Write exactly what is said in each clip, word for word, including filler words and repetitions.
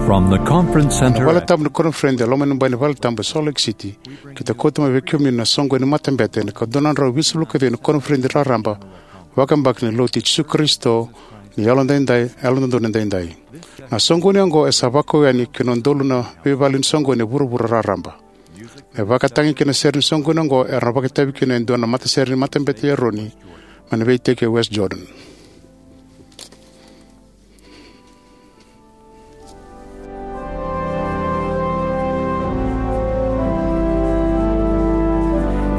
From the conference center. Vale tabu ni koniferedi e loma ni bai ni vale tabu e Salt Lake City, keitou kauta mai vei kemuni na soqoni ni matabete ena ika dua na drau vitusagavulu ka ciwa ni koniferedi raraba vakayabaki ni Lotu i Jisu Karisito ni Yalododonu Edaidai. Na soqoni oqo e sa vakau yani ki na udolu na veivale ni soqoni e vuravura raraba. Na ivakatagi kei na sere ni soqoni oqo era na vakaitavi kina e dua na matasere ni matabete i Eroni mai na veiiteki e West Jordan.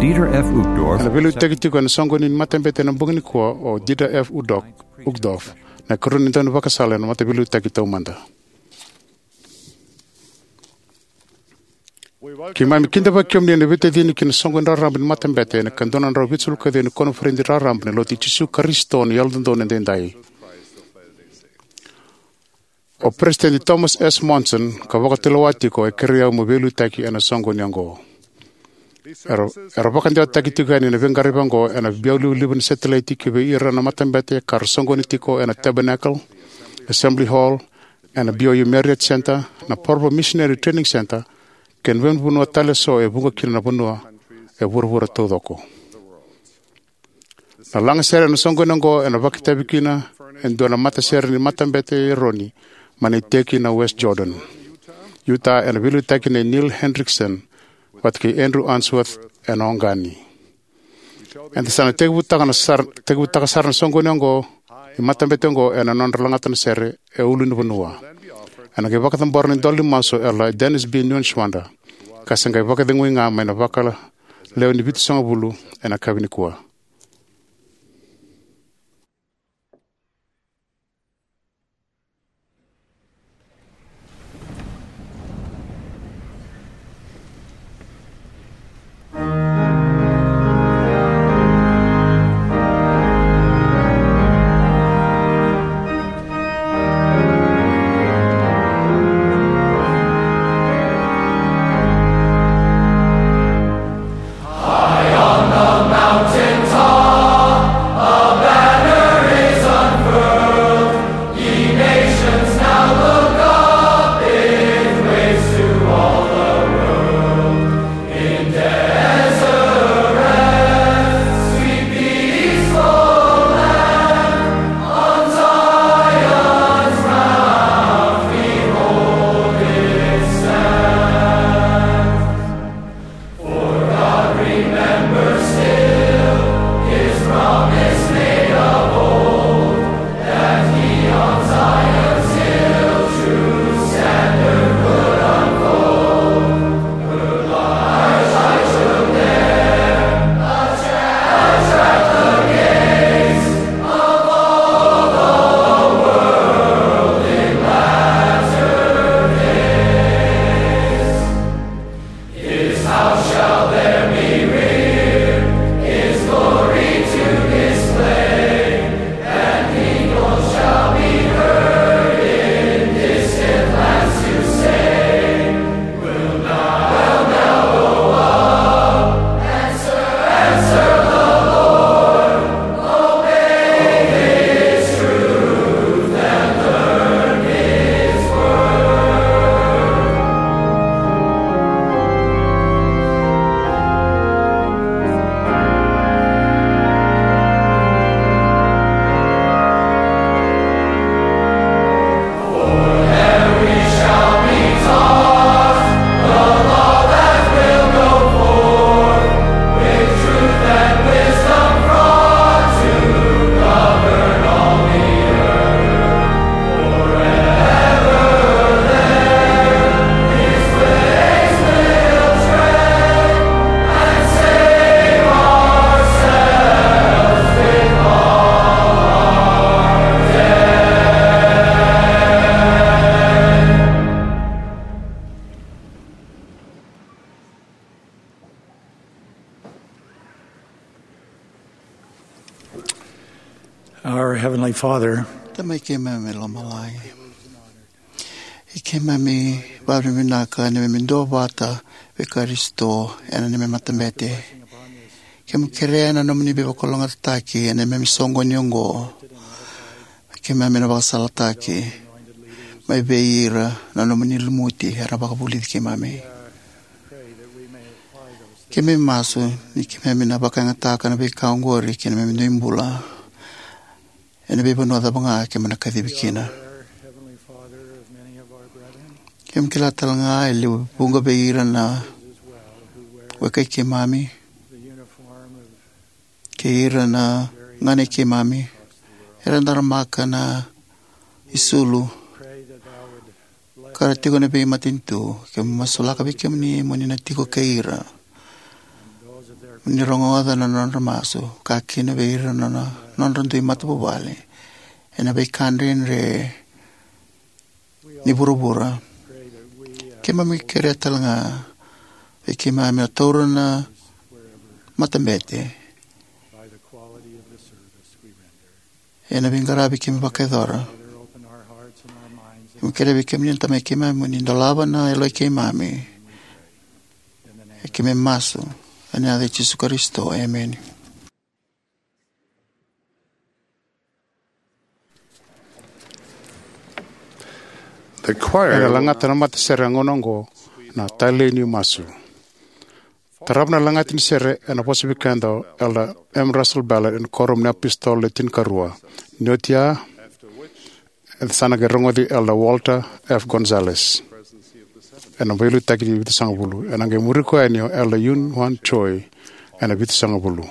Dieter F. Uchtdorf. Ena veiliutaki tiko ena soqoni ni matabete ena bogi nikua o Dieter F. Uchtdorf, Uchtdorf, na ikarua ni daunivakasala ena Mataveiliutaki Taumada. Keimami kidavaki kemuni ena veitacini ki na soqoni raraba ni matabete ena ika dua na drau vitusagavulu ka ciwa ni koniferedi raraba ni Lotu i Jisu Karisito ni Yalododonu Edaidai. O Peresitedi Thomas S. Monson, ka vakatulewa tiko, e kerei au meu veiliutaki ena soqoni oqo. Era, era vakadewataki tiko yani na veiqaravi oqo ena biau livaliva ni setilaiti ki vei ira na matabete ka ra soqoni tiko ena Tabernacle, Assembly Hall, ena B Y U Marriott Center, na Provo Missionary Training Center, kei na veivanua tale eso e vuqa kina na vanua e vuravura taucoko. Na lagasere ena soqoni oqo ena vakaitavi kina e dua na matasere ni matabete i Eroni mai na iteki na West Jordan, Utah, ena veiliutaki nei Neil Hendrickson vata kei Andrew Unsworth ena oqani. Eda sa na tekivutaka na sar-, tekivutaka sara na soqoni oqo, ni matabete oqo ena nodra lagata na sere e ulunivanua. Ena qai vakacabora na idola ni masu o Elder Dennis B. Neuenschwander, ka se qai vakacegui ga mai na vakalewe ni vitusagavulu ena yakavi nikua. Our Heavenly Father, Tamai keimami mai lomalagi, i keimami vakavinavinaka ni keimami duavata vei Karisito ena neimami matabete. Keimami kerea na nomuni veivakalougatataki ena neimami soqoni oqo. Keimami na vakasalataki. mai vei ira na nomuni lumuti era vakavulici keimami. Keimami masu ni keimami na vakayagataka na veika oqori ki na neimami bula ena veivanua cava ga keimami na kacivi kina. Keimami kila tale ga e levu vuqa vei ira na wekai keimami kei ira na ganei keimami era daramaka na isulu ka ra tiko ena veimatanitu. Keimami masulaka vei kemuni mo ni na tiko kei ira, mo ni rogoca na nodra masu, ka kina vei ira na nodra dui matavuvale ena veika dredre ni vuravura. Keimami kerea tale ga vei keimami na taura na matabete ena veiqaravi keimami vakayacora. Keimami kerea vei kemuni na Tamai keimami mo ni dolava na yaloi keimami. E keimami masu ena yaca i Jisu Karisito, emeni. The choir Ena lagata na matasere ena gauna oqo na Talei ni Masu. Tarava na lagata ni sere ena vosa vei keda o Elder M. Russell Ballard ena Kuoramu ni iApositolo Le Tinikarua. Ni oti ya, eda sa na qai rogoci Elder Walter F. Gonzalez ena veiliutaki ni vitusagavulu. Ena qai muri koya yani o Elder Yun Hwan Choi ena vitusagavulu.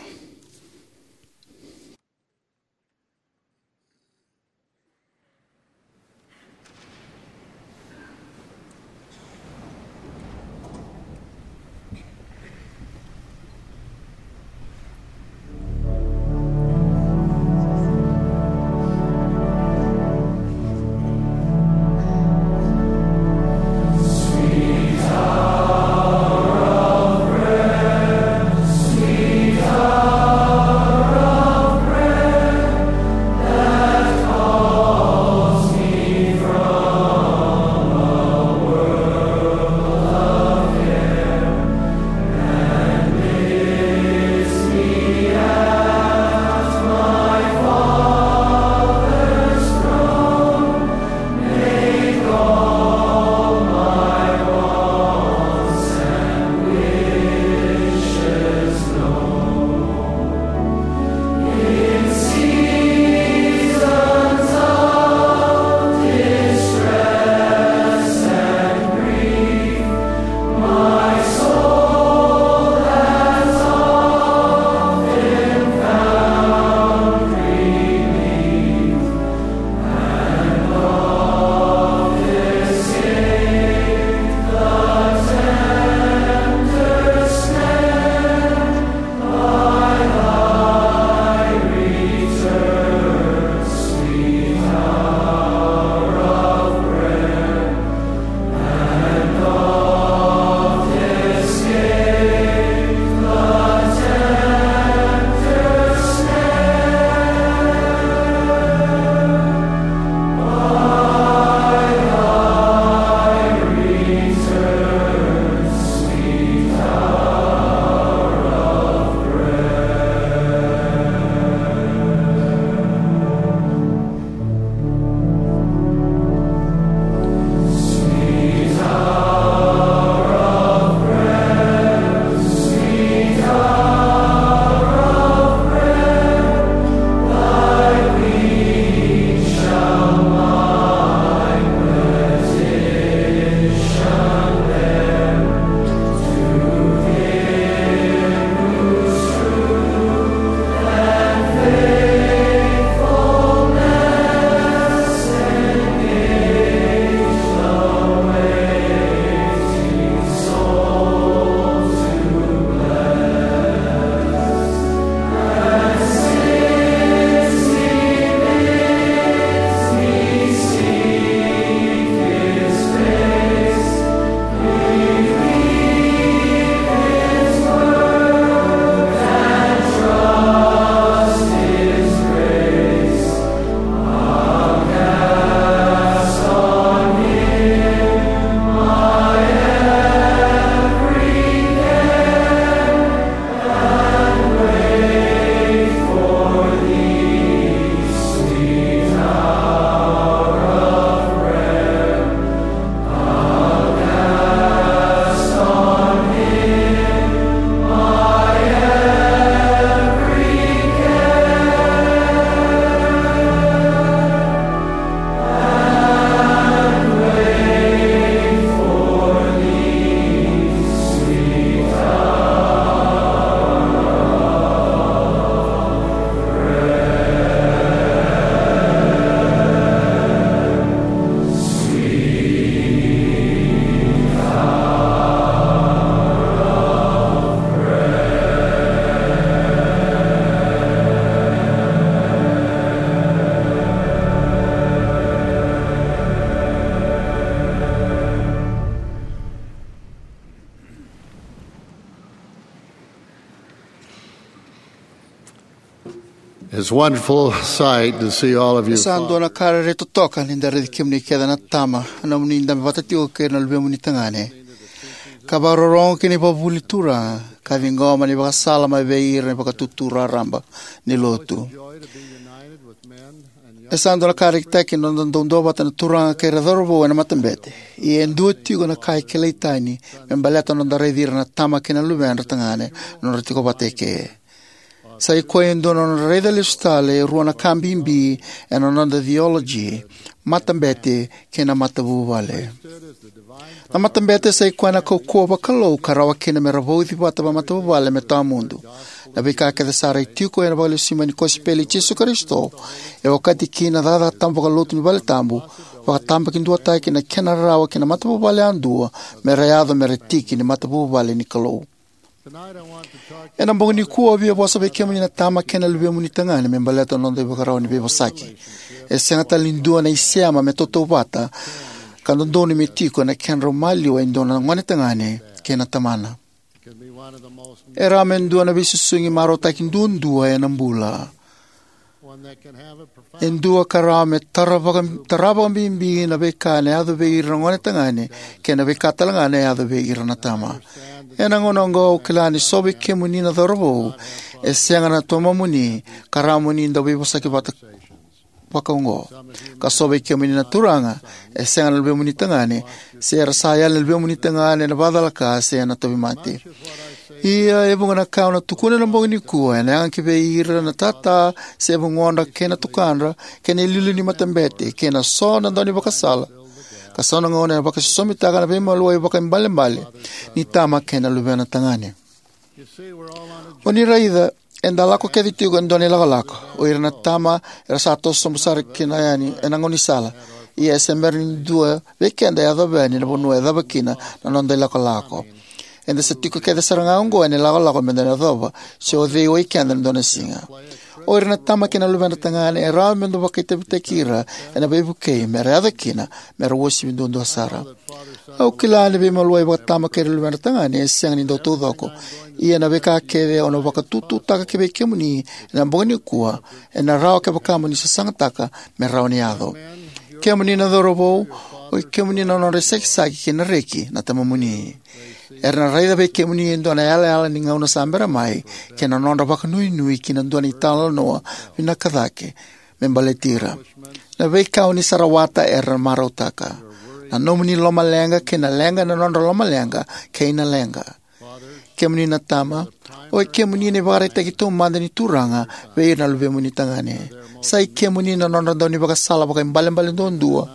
It's a wonderful sight to see all of you. E sa dua na ka rairai totoka ni da raici kemuni kece na tama, na nomuni dabe vata tiko kei na luvemuni tagane, ka vakarorogo ki na ivakavuvuli ni Turaga, ka ciqoma na ivakasala mai vei ira na vakatutu raraba ni lotu. E sa dua na ka rekitaki na noda dau duavata na turaga kei ira cauravou ena matabete. Ia e dua tiko na ka e kilai tani me baleta na noda raici ira na tama kei na luvedra tagane na nodra tiko vata eke. Sa i koya e dua na nodra raica lesu tale e rua na ka bibi ena noda theology, matabete kei na matavuvale. Na matabete sa i koya na kaukauwa vakalou ka rawa kina me ra vauci vata vakamatavuvale me tawamudu. Na veika kece sara e tiko ena vakalesui mai ni kosipeli i Jisu Karisito e okati kina na cakacaka tabu vakalotu ni valetabu, vakatabakidua taki na kena rawa ki na matavuvale yadua me ra yaco me ra tiki ni matavuvale ni Kalou. Ena bogi nikua au via vosa vei kemuni na tama kei na luvemuni tagane me baleta na noda ivakarau ni veivosaki. E sega tale ni dua na isema me tautauvata ka dodonu me tiko ena kedrau maliwa e dua na gone tagane kei na tamana. E rawa me dua na veisusugi marautaki duadua ena bula. E dua ka rawa me tara vaka, tara vakabibi na veika ena yaco vei ira na gone tagane kei na veika tale ga ena yaco vei ira na tama. Ena gauna oqo au kila ni so vei kemuni na cauravou e sega na tamamuni ka rawa mo ni dau veivosaki vata vakaoqo. Ka so vei kemuni na turaga e sega na luvemuni tagane, se era sa yali na luvemuni tagane ena vakacalaka se ena tauvimate. Ia e vuqa na ka au na tukuna ena bogi nikua ena yaga ki vei ira na tata se vugodra kei na tukadra kei na iliuliu ni matabete kei na so na daunivakasala, ka so na gauna ena vakaisosomitaka na veimaliwai vakaibalebale ni tama kei na luvena tagane. O ni raica, eda lako kece tiko e dua na ilakolako. O ira na tama era sa toso sobu sara kina yani ena gaunisala. Ia e se bera ni dua vei keda e yacova yani na vanua e cava kina na noda ilakolako. Eda sa tiko kece sara ga oqo ena ilakolako meda na yacova se o cei o ikeda ena dua na siga. O ira na tama kei na luvedra tagane e rawa me dau vakaitavitaki ira ena veivukei me ra yaco kina me ra uasivi duadua sara. Au kila ni veimaliwai vakatama kei ira na luvedra tagane e sega ni dau taucoko. Ia na veika kece au na vakatututaka ki vei kemuni ena bogi nikua ena rawa kevaka mo ni sasagataka me rawa ni yaco. Kemuni na cauravou, o i kemuni na nodra isakisaki kei na reki na tamamuni. Era na raica vei kemuni e dua na yalayala ni gauna sa bera mai kei na nodra vakanuinui ki na dua na italanoa vinaka cake me baleti ira. Na veika o ni sa rawata era na marautaka. Na nomuni lomaleqa kei na leqa na nodra lomaleqa kei na leqa. Kemuni na tama, o i kemuni na ivakaraitaki taumada ni Turaga vei ira na luvemuni tagane. Sa i kemuni na nodra daunivakasala vakaibalebale duadua.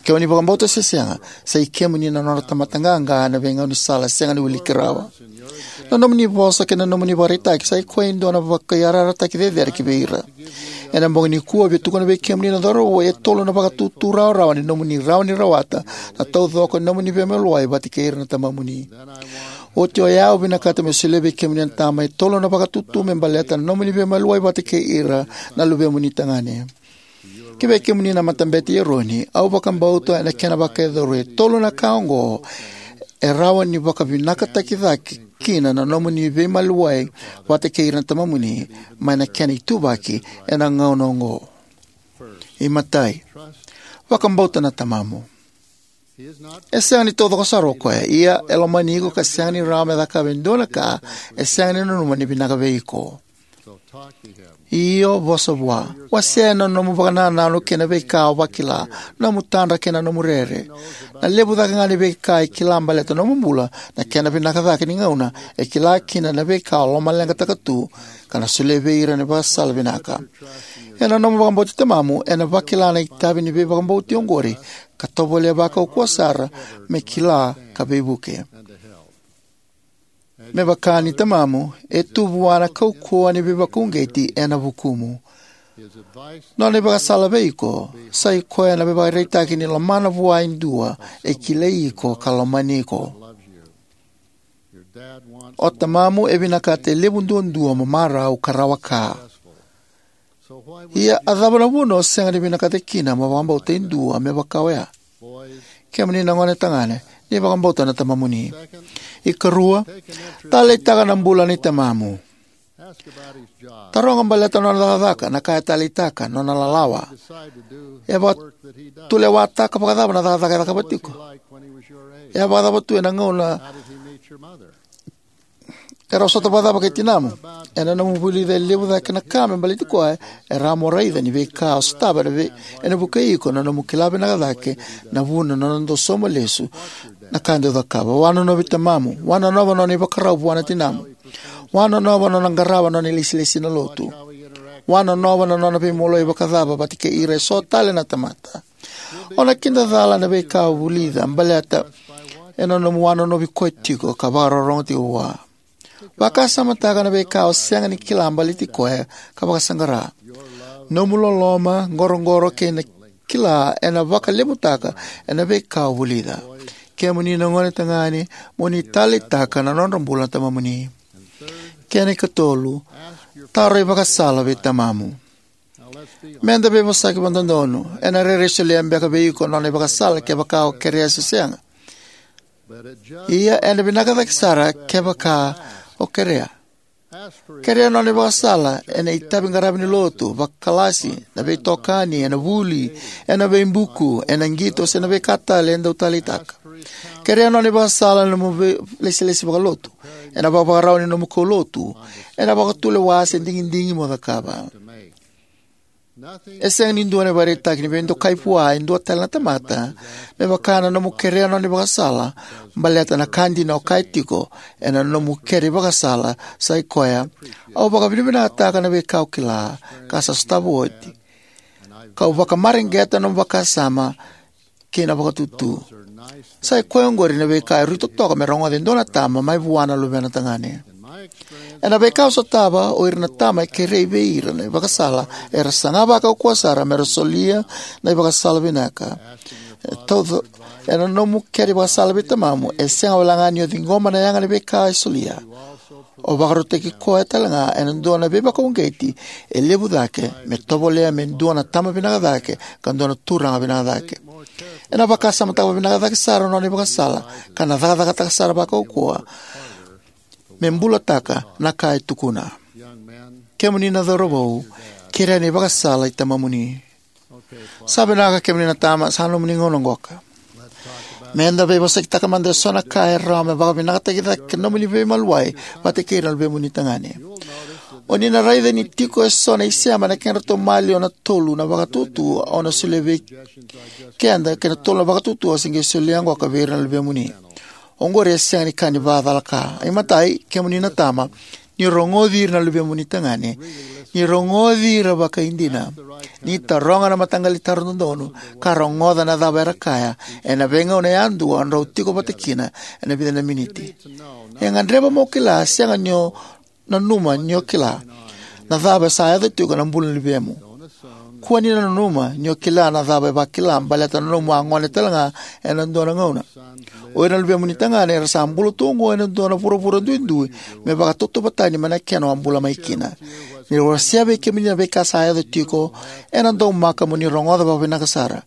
Ke o ni vakabauta se sega, sa i kemuni na nodra tamata qaqa ena veigaunisala sega ni wiliki rawa. Na nomuni vosa kei na nomuni ivakaraitaki sa i koya e dua na vakaiyarayarataki cecere ki vei ira. Ena bogi nikua au via tukuna vei kemuni na cauravou e tolu na vakatutu rawarawa ni nomuni rawa ni rawata na taucoko ni nomuni veimaliwai vata kei ira na tamamuni. Oti oya au vinakata meu solia vei kemuni na tama e tolu na vakatutu me baleta na nomuni veimaliwai vata kei ira na luvemuni tagane. Ki vei kemuni na matabete i Eroni, au vakabauta ena kena vakayacori e tolu na ka oqo e rawa ni vakavinakataki cake kina na nomuni veimaliwai vata kei ira na tamamuni mai na kena ituvaki ena gauna oqo. Imatai, vakabauta na tamamu. E sega ni taucoko sara o koya, ia e lomani iko ka sega ni rawa me cakava e dua na ka e sega ni nanuma ni vinaka vei iko. Io, vosa vua. Wasea na nomu vakanananu kei na veika o vakila, nomu tadra kei na nomu rere. Na levu cake ga ni veika e kila baleta nomu bula, na kena vinaka cake ni gauna e kila kina na veika o lomaleqataka tu, ka na solia vei ira na ivakasala vinaka. Ena nomu vakabauti tamamu, ena vakila na itavi ni veivakabauti oqori, ka tovolea vakaukauwa sara me kila ka veivuke. Me vaka ni tamamu, e tu vua na kaukauwa ni veivakauqeti ena vukumu. Nona ivakasala vei iko sa i koya na veivakaraitaki ni lomana vua e dua e kilai iko ka lomani iko. O tamamu e vinakata e levu duadua mo marau ka rawa ka. Ia a cava na vuna o sega ni vinakata kina mo vakabauta e dua me vaka oya? Kemuni na gone tagane, ni vakabauta na tamamuni. Ikarua, taleitaka na bula ni tamamu. Taroga baleta na nona cakacaka, na ka e taleitaka, nona lalawa. E vakatulewataka vakacava na cakacaka e cakava tiko? E a vakacava tu ena gauna e rau sota vakacava kei tinamu? Ena nomu vulica e levu cake na ka me baleti koya, e rawa mo raica ni veika o sotava ena, vei, ena vukei iko na nomu kila vinaka cake na vuna na nona dau sauma lesu na ka dau cakava. Wanonova vei tamamu. Wanonova na nona ivakarau vua na tinamu. Wanonova na nona qarava na nona ilesilesi na lotu. Wanonova na nona veimaliwai vakacava vata kei ira eso tale na tamata. O na kidacala na veika o vulica baleta ena nomu wanonovi koya tiko ka vakarorogo tiko vua. Vakasamataka na veika o sega ni kila baleti koya ka vakasaqara. Nomu loloma, qoroqoro kei na kila ena vakalevutaka ena veika o vulica. Kemuni na gone tagane, mo ni taleitaka na nodra bula na tamamuni. Kena ikatolu, taro ivakasala vei tamamu. Meda veivosaki vakadodonu. Ena rairai solia beka vei iko na nona ivakasala kevaka o kerea se sega. Ia ena vinaka cake sara kevaka o kerea. Kerea na nona ivakasala ena itavi qaravi ni lotu, vakalasi, na veitokani, ena vuli, ena veibuku, ena qito se na veika tale e dau taleitaka. Kerea na nona ivakasala ena nomu vei, lesilesi vakalotu, ena vakavakarau ni nomu kaulotu, ena vakatulewa se digidigi mo cakava. E sega ni dua na ivakaraitaki ni veidokai vua e dua tale na tamata me vaka na nomu kerea na nona ivakasala baleta na ka dina o kaya tiko ena nomu kere ivakasala, sa i koya: Au vakavinavinakataka na veika au kila ka sa sotava oti, kau vakamareqeta na nomu vakasama kei na vakatutu. Sa i koya oqori na veika e rui totoka me rogoca e dua na tama mai vua na luvena tagane. Ena veika au sotava, o ira na tama e kerei vei ira na ivakasala era saga vakaukauwa sara me ra solia na ivakasala vinaka. E tauca, ena nomu kere ivakasala vei tamamu, e sega walega ni o ciqoma na yaga ni veika e solia. O vakarautaki koya talega ena dua na veivakauqeti e levu cake me tovolea me dua na tama vinaka cake ka dua na turaga vinaka cake. Ena vakasamataka vinaka cake sara na nona ivakasala ka na cakacakataka sara vakaukauwa me bulataka na ka e tukuna. Kemuni na cauravou, kerea na ivakasala i tamamuni. Sa vinaka, kemuni na tama, sa nomuni gauna qoka. Meda veivosakitaka mada eso na ka e rawa me vakavinakataki cake na nomuni veimaliwai vata kei ira na luvemuni tagane. O ni na raica ni tiko eso na isema ena kedratou maliwa na tolu na vakatutu au na solia vei keda kei na tolu na vakatutu au se qai solia qoka vei ira na luvemuni. Oqori e sega ni ka ni vakacalaka. Imatai, kemuni na tama, ni rogoci ira na luvemuni tagane. Ni rogoci ira vakaidina. Ni taroga na mataqali taro dodonu ka rogoca na cava era kaya ena veigauna yadua drau tiko vata kina ena vica na miniti. E gadreva mo kila, sega ni o nanuma ni o kila na cava sa yaco tiko ena bula ni luvemu. Kua ni nanuma ni o kila na cava e vakila baleta na nomu a gone talega ena dua na gauna. O ira na luvemuni tagane era sa bula tu oqo ena dua na vuravura duidui me vakatautauvatani mai na kena o a bula mai kina. Ni ra wasea vei kemuni na veika sa yaco tiko, ena daumaka mo ni rogoca vakavinaka sara.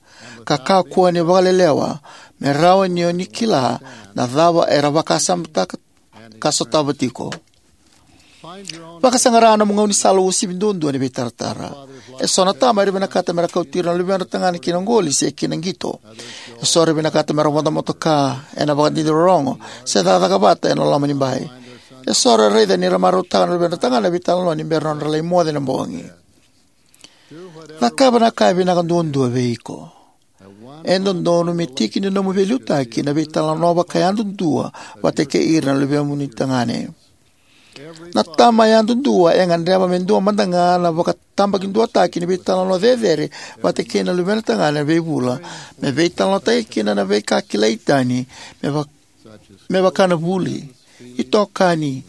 Ka kakua ni vakalelewa, me rawa ni o ni kila na cava era vakasamataka ka sotava tiko. Vakasaqara nomu gaunisala uasivi duadua ni veitaratara. Eso na tama era vinakata me ra kauti ira na luvedra tagane ki na qoli se ki na qito. Eso era vinakata me ra vodo motoka ena vakadidi rorogo se cakacaka vata ena loma ni bai. Eso era raica ni ra marautaka na luvedra tagane na veitalanoa ni bera nodra lai moce na bogi. Cakava na ka e vinaka duadua vei iko. E dodonu me tiki ni nomu veiliutaki na veitalanoa vakayadudua vata kei ira na luvemuni tagane. Na tama yadudua e gadreva me dua mada ga na vakatabakiduataki ni veitalanoa cecere vata kei na luvena tagane ena veivula, me veitalanoataki kina na veika kilai tani, me va-, me vaka na vuli, itokani,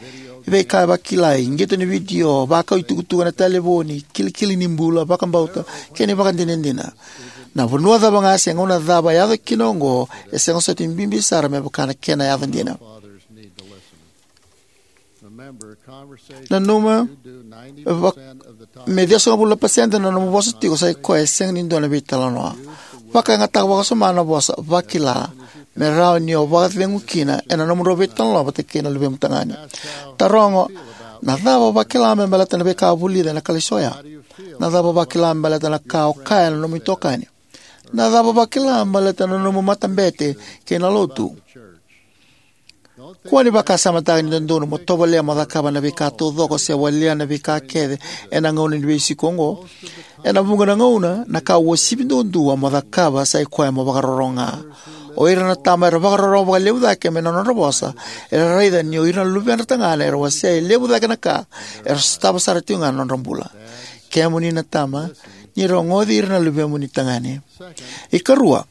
veika e vakilai, qito ni vidio, vakau itukutuku ena talevoni, kilikili ni bula, vakabauta, kei na ivakadinadina. Na vanua cava ga se gauna cava e yaco kina oqo, e sega soti ni bibi sara me vaka na kena yaco dina. Nanuma, va-, me ciwasagavulu na pasede na nomu vosa tiko sa i koya e sega ni dua na veitalanoa. Vakayagataka vakawasoma na vosa vakila, me rawa ni o vakacegu kina ena nomudrau veitalanoa vata kei na luvemu tagane. Taroga Na cava o vakila me baleta na veika o vulica ena kalasi oya? Na cava o vakila me baleta na ka o kaya na nomu itokani? Na cava o vakila me baleta na nomu matabete kei na lotu? Kua ni vakasamataka ni dodonu mo tovolea mo cakava na veika taucoko se walia na veika kece ena gauna ni veisiko oqo. Ena vuqa na gauna, na ka uasivi duadua mo cakava sa i koya mo vakarorogo ga. O ira na tama era vakarorogo vakalevu cake mai na nodra vosa era raica ni o ira na luvedra tagane era wasea e levu cake na ka era sotava sara tiko ga na nodra bula. Kemuni na tama, ni rogoci ira na luvemuni tagane. Ikarua,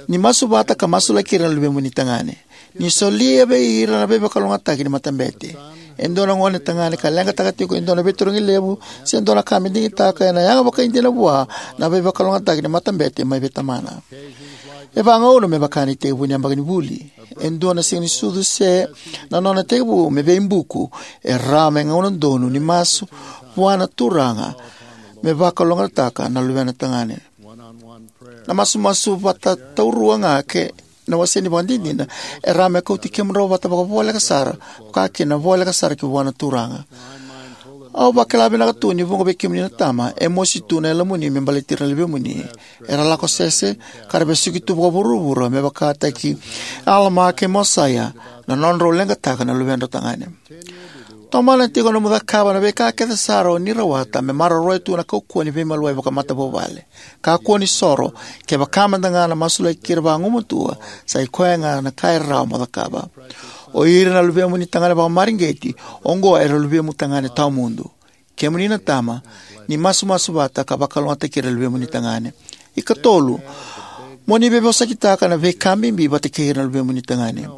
ni masu vata ka masulaki ira na luvemuni tagane. Ni solia vei ira na veivakalougatataki ni matabete. E dua na gone tagane ka leqataka tiko e dua na veitarogi levu se dua na ka me digitaka, ena yaga vakaidina vua na veivakalougatataki ni matabete mai vei tamana. E vagauna me vaka na itekivu ni yabaki ni vuli. E dua na siga ni sucu se na nona tekivu me veibuku, e rawa me gauna donu ni masu vua na Turaga me vakalougatataka na luvena tagane. Na masumasu vata taurua ga kei na wase ni vakadinadina e rawa me kauti kemudrau vata vakavoleka sara, vaka kina na voleka sara ki vua na Turaga. Au vakila vinaka tu ni vuqa vei kemuni na tama e mosi tu na yalomuni me baleti ira na luvemuni. Era lako sese ka ra vesuki tu vakavuravura me vakataki Alama kei Mosaia na nodrau leqataka na luvedrau tagane. Tomana tiko na nomu cakava na veika kece sara o ni rawata me maroroya tu na kaukauwa ni veimaliwai vakamatavuvale. Kakua ni soro, kevaka mada ga na masulaki ira vagumatua, sa i koya ga na ka e rawa mo cakava. O ira na luvemuni tagane vakamareqeti oqo era luvemu tagane tawamudu. Kemuni na tama, ni masumasu vata ka vakalougatataki ira na luvemuni tagane. Ikatolu, mo ni veivosakitaka na veika bibi vata kei ira na luvemuni tagane.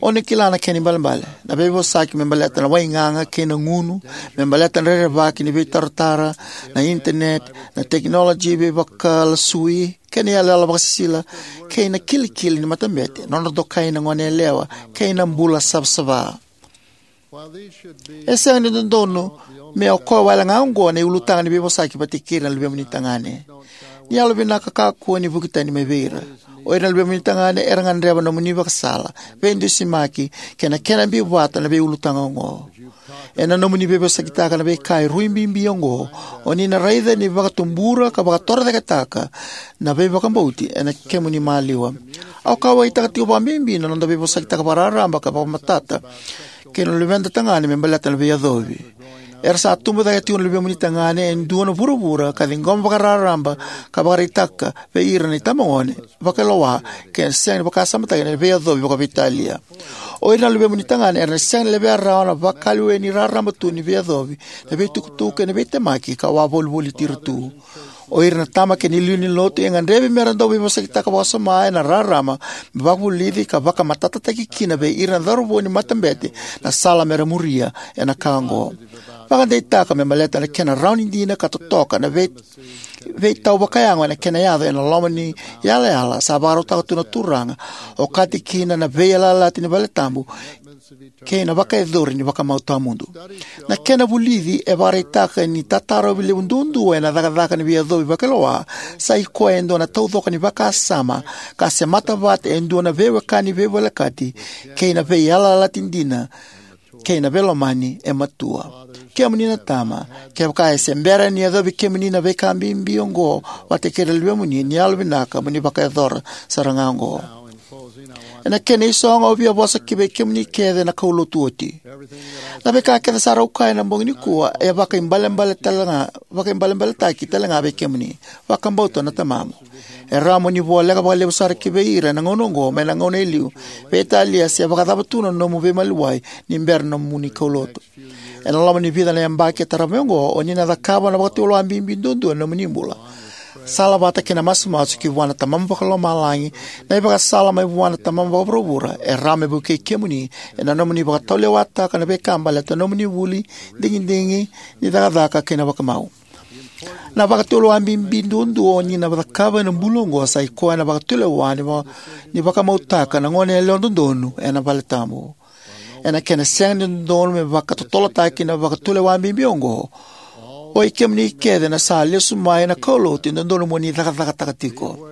O ni kila na kena ibalebale, na veivosaki me baleta na waigaga kei na gunu, me baleta na rerevaki ni veitaratara, na internet, na tekinoloji veivakalasui, kei na iyaloyalo vakasisila, kei na kilikili ni matabete, nodra dokai na goneyalewa, kei na bula savasava. E sega ni dodonu me o koya wale ga oqo na iulutaga ni veivosaki vata kei ira na luvemuni tagane. Ni yalovinaka, kakua ni vuki tani mai vei ira. O ira na luvemuni tagane era gadreva na nomuni vakasala, veidusimaki, kei na kena biu vata na veiulutaga oqo. Ena nomuni veivosakitaka na veika e rui bibi oqo, o ni na raica ni vakatubura ka vakatorocaketaka na veivakabauti ena kemuni maliwa. Au kauwaitaka tiko vakabibi na noda veivosakitaka vakararaba ka vakamatata kei na luveda tagane me baleta na veiyacovi. Era sa tubu cake tiko na luvemuni tagane e dua na vuravura ka ciqoma vakararaba ka vakaraitaka vei ira na itabagone vakailoa kei na sega ni vakasamataki na veiyacovi vakaveitalia. O ira na luvemuni tagane era na sega ni levea rawa na vakalewe ni raraba tu ni veiyacovi, na veitukutuku kei na veitemaki ka wavolivoliti ira tu. O ira na tama kei na iliuliu ni lotu e gadrevi mera dau veivosakitaka vakasoma ena rarama me vakavulici ka vakamatatataki kina vei ira na cauravou ni matabete na sala mera muria ena ka oqo. Vakadeitaka me baleta na kena rawa ni dina ka totoka na vei, veitau vakayago ena kena yaco ena loma ni yalayala sa vakarautaka tu na Turaga, okati kina na veiyalayalati ni valetabu kei na vakayacori ni vakamau tawamudu. Na kena vulici e vakaraitaka ni tatarovi levu duadua ena cakacaka ni veiyacovi vakailoa sa i koya e dua na taucoko ni vakasama ka semata vata e dua na veiwekani veivolekati kei na veiyalayalati dina kei na veilomani e matua. Kemuni na tama, kevaka e se bera ni yacovi kemuni na veika bibi oqo vata kei ira na luvemuni, ni yalovinaka mo ni vakayacora sara ga oqo. Ena kena isogo, au via vosa ki vei kemuni kece na kaulotu oti. Na veika kece sara au kaya ena bogi nikua e vakaibalebale talega, vakaibalebaletaki talega vei kemuni. Vakabauta na tamamu. E rawa mo ni voleka vakalevu sara ki vei ira ena gauna oqo mai na gauna e liu, veitalia se vakacava tu na nomu veimaliwai ni bera na nomuni kaulotu. Ena loma ni vica na yabaki e tarava mai oqo, o ni na cakava na vakatulewa bibi duadua ena nomuni bula. Sala vata kei na masumasu ki vua na Tamamu Vakalomalagi, na ivakasala mai vua na Tamamu Vakavuravura e rawa me vukei kemuni ena nomuni vakatulewataka na veika baleta na nomuni vuli, digidigi ni cakacaka kei na vakamau. Na vakatulewa bibi duadua o ni na cakava ena bula oqo sa i koya na vakatulewa ni va-, ni vakamautaka na goneyalewa dodonu ena valetabu. Ena kena sega ni dodonu me vakatotolotaki na vakatulewa bibi oqo, o i kemuni kece na sa lesu mai na kaulotu e dodonu mo ni cakacakataka tiko.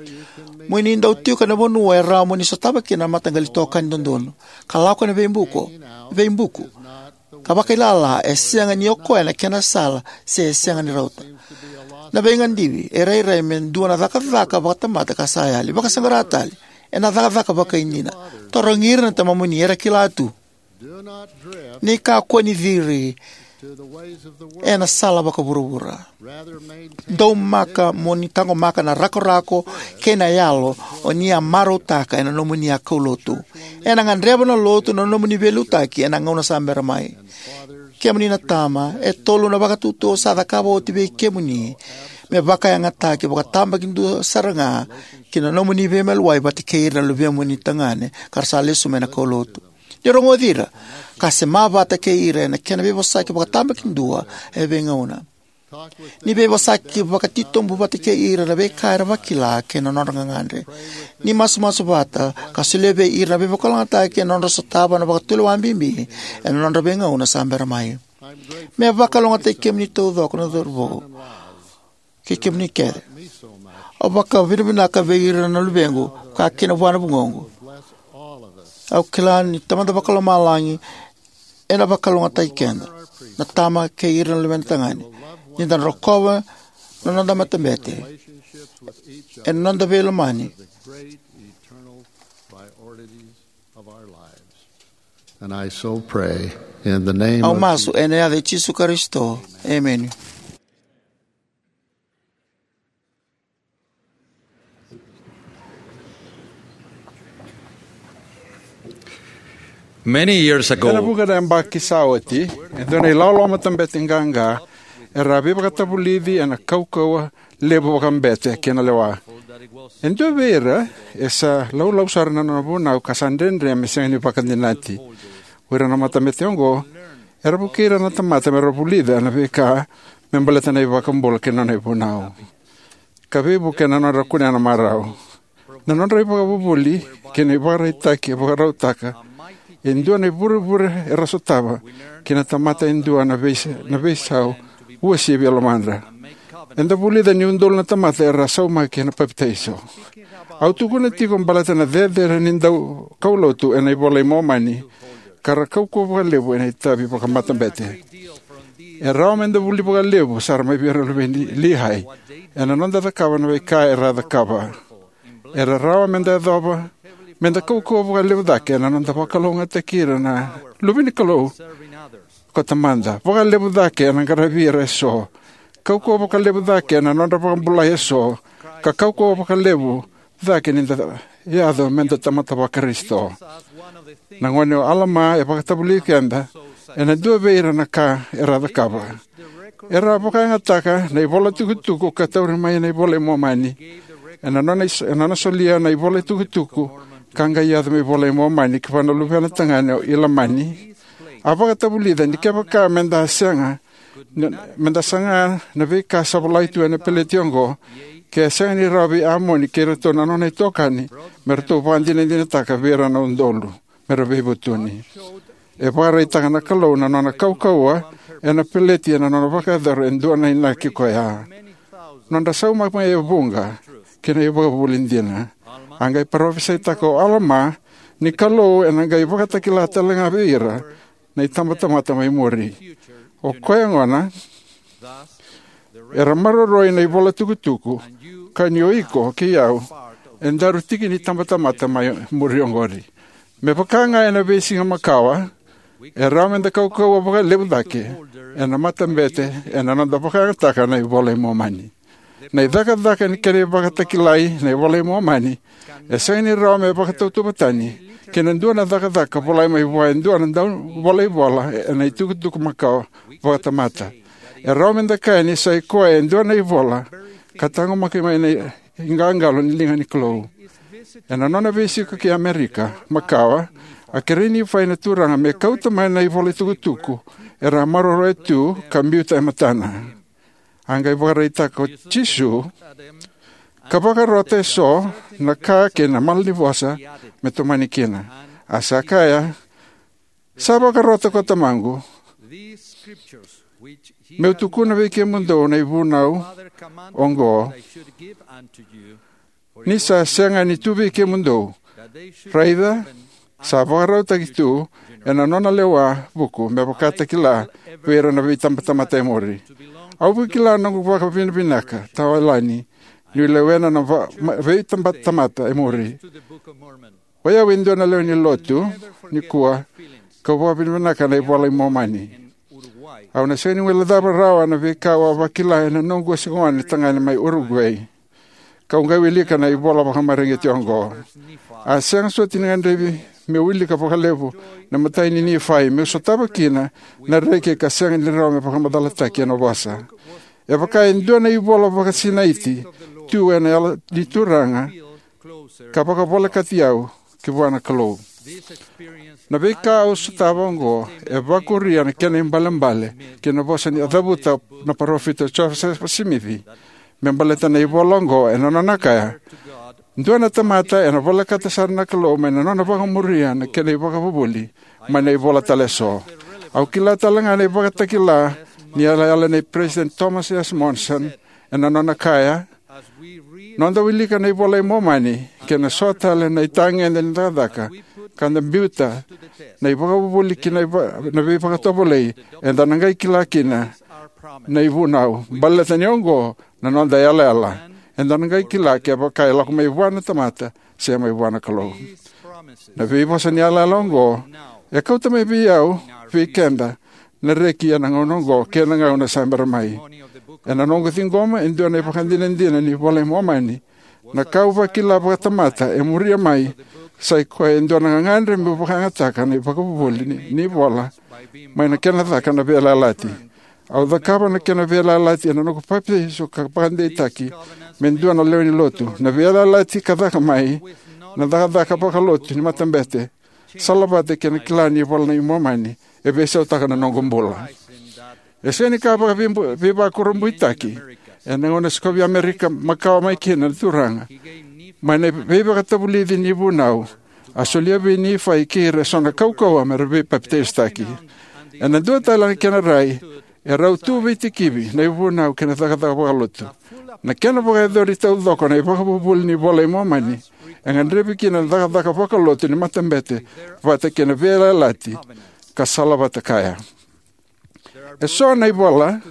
Mo ni dau tiko ena vanua e rawa mo ni sotava kina na mataqali itokani dodonu, ka lako ena veibuku, veibuku, ka vakailala e sega ni o koya na kena sala se e sega ni rauta. Na veigadivi e rairai me dua na cakacaka vakatamata ka sa yali. Vakasaqara tale, ena cakacaka vakaidina. Tarogi ira na tamamuni, era kila tu. Ni kakua ni ciri ena sala vakavuravura. Daumaka mo ni taqomaka na rakorako kei na yalo o ni a marautaka ena nomuni a kaulotu. Ena gadreva na lotu na nomuni veiliutaki ena gauna sa bera mai. Kemuni na tama, e tolu na vakatutu au sa cakava oti vei kemuni me vakayagataki vakatabakidua sara ga ki na nomuni veimaliwai vata kei ira na luvemuni tagane ka ra sa lesu mai na kaulotu. Ni rogoci ira, ka sema vata kei ira ena kena veivosaki vakatabakidua e veigauna. Ni veivosaki vakatitobu vata kei ira na veika era vakila kei na nodra gagadre. Ni masumasu vata ka solia vei ira na veivakalougatataki ena nodra sotava na vakatulewa bibi ena nodra veigauna sa bera mai. Me vakalougatataki kemuni taucoko na cauravou kei kemuni kece. Au vakavinavinaka vei ira na luvequ, ka kina vua na vugoqu. Au kila ni Tamada Vakalomalagi ena vakalougatataki keda, na tama kei ira na luvena tagane, ni da rokova na noda matabete ena noda veilomani. And I so pray in the name Au of masu ena yaca i Jisu Karisito. Emeni. Many years ago, ena vuqa na yabaki sa oti, e dua na ilawalawa matabete qaqa era a veivakatavulici ena kaukauwa levu vakabete kei na lewa. E dua vei ira e sa laulau sara na nona vunau ka sa dredre me sega ni vakadinati. O ira na matabete oqo era vukei ira na tamata me ra vulica na veika me baleta na iVakabula kei na nona ivunau, ka veivuke na nodra kunea na marau. Na nodra ivakavuvuli kei na ivakaraitaki e vakarautaka e dua na ivurevure era sotava kei na tamata e dua na veis-, na veisau uasivi e lomadra. Eda vulica ni udolu na tamata era saumaki ena papitaiso. Au tukuna tiko baleta na cecere ni daukaulotu ena iVola i Momani ka ra kaukauwa vakalevu ena itavi vakamatabete. E rawa meda vuli vakalevu sara mai vei ira na luve ni Lihai ena noda cakava na veika era a cakava. Era rawa meda yacova meda kaukauwa vakalevu cake ena noda vakalougatataki ira na luve ni Kalou ko Tamada, vakalevu cake ena qaravi ira eso, kaukauwa vakalevu cake ena nodra vakabulai eso, ka kaukauwa vakalevu cake ni da yaco meda tamata Vakarisito. Na gone o Alama e vakatavulici keda ena dua vei ira na ka era a cakava. Era a vakayagataka na ivolatukutuku ka tauri mai na iVola i Momani. Ena nona is-, ena nona solia na ivolatukutuku ka qai yaco me iVola i Momani ki vua na luvena tagane o Ilamani, a vakatavulica ni kevaka meda sega, meda saga na veika sa volai tu ena peleti oqo, ke a sega ni rawa vei Amoni kei iratou na nona itokani me ratou vakadinadinataka vei ira na udolu me ra veivutuni. E vakaraitaka na Kalou na nona kaukauwa ena peleti ena nona vakayacora e dua na inaki koya. Nodra sauma mai e vuqa kei na ivakavuvuli dina. A qai parofisaitaka o Alama ni Kalou ena qai vakatakila tale ga vei ira na itabatamata mai muri. O koya gona, era maroroi na ivolatukutuku, ka ni o iko kei au e daru tiki ni tabatamata mai muri oqori. Me vaka ga ena veisiga makawa, e rawa meda kaukauwa vakalevu cake ena matabete ena noda vakayagataka na iVola i Momani. Na icakacaka ni kena ivakatakilai na iVola i Momani e sega ni rawa me vakatautauvatani kei na dua na cakacaka volai mai vua e dua na dauvolaivola ena itukutuku makawa vakatamata. E rawa meda kaya ni sa i koya e dua na ivola ka taqomaki mai na iqaqalo ni liga ni Kalou. Ena nona veisiko ki Amerika makawa, a kerei Nifai na Turaga me kauta mai na ivolatukutuku era a maroroya tu ka biuta e matana. A qai vakaraitaka ko Jisu, ka vakarota eso na ka kei na malanivosa me tomani kina. A sa kaya, sa vakarota ko Tamaqu, meu tukuna vei kemudou na ivunau oqo, ni sa sega ni tu vei kemudou. Raica, sa vakarautaki tu ena nona lewa vuku me vakatakila vei ira na veitabatamata e muri. Au vakila noqu vakavinavinaka tawayalani niu lewena na va- ma- veitabatamata e muri. O yau e dua na lewe ni lotu nikua, kau vakavinavinaka na iVola i Momani. Au na sega ni guilecava rawa na veika au a vakila ena noqu wasigone tagane mai Uruguay, kau qai wilika na ivola vakamareqeti oqo. A sega soti ni gadrevi meu wilika vakalevu na imatai ni Nifai meu sotava kina na reki ka sega ni rawa me vakamacalataki ena vosa. E vaka e dua na ivola vakasinaiti tu ena Yalo ni Turaga, ka vakavolekati au ki vua na Kalou. Na veika au sotava oqo e vakuria na kena ibalebale ki na vosa ni a cavuta na parofita o Josefa Simici me baleta na ivola oqo, ena nona kaya: Dua na tamata ena volekata sara na Kalou mai na nona vakamuria na kena ivakavuvuli mai na ivola tale eso. Au kila tale ga na ivakatakila ni yalayala nei Peresitedi Thomas S. Monson, ena nona kaya: Noda wilika na iVola i Momani kei na so tale na itagede ni cakacaka, ka da biuta na ivakavuvuli ki na, iva, na veivakatovolei, eda na qai kila kina na ivunau. Baleta ni oqo na noda yalayala, eda na qai kila kevaka e lako mai vua na tamata se mai vua na Kalou. Na veivosa ni yalayala oqo e kauta mai vei au, vei keda, na reki ena gauna oqo kei na gauna sa bera mai. Ena noqu ciqoma e dua na ivakadinadina ni iVola i Momani, na ka au vakila vakatamata e muria mai sa i koya e dua na gagadre meu vakayagataka na ivakavuvuli ni, ni ivola mai na kena caka na veiyalayalati. Au cakava na kena veiyalayalati ena noqu papitaiso ka vakadeitaki me dua na lewe ni lotu. Na veiyalayalati ka caka mai na cakacaka vakalotu ni matabete, salavata kei na kila ni iVola i Momani, e veisautaka na noqu bula. E sega ni ka vakaveibu- veivakurabuitaki ena gauna sikovi Amerika makawa mai kina na Turaga mai na veivakatavulici ni vunau, a solia vei Nifai kei ira eso na kaukauwa me ra veipapitaisotaki. Ena dua tale na kena rai, e rau tu veitikivi na ivunau kei na cakacaka vakalotu. Na kena vakayacori taucoko na ivakavuvuli ni iVola i Momani, e gadrevi kina na cakacaka vakalotu ni matabete vata kei na veiyalayalati, ka salavata kaya. Eso na ivola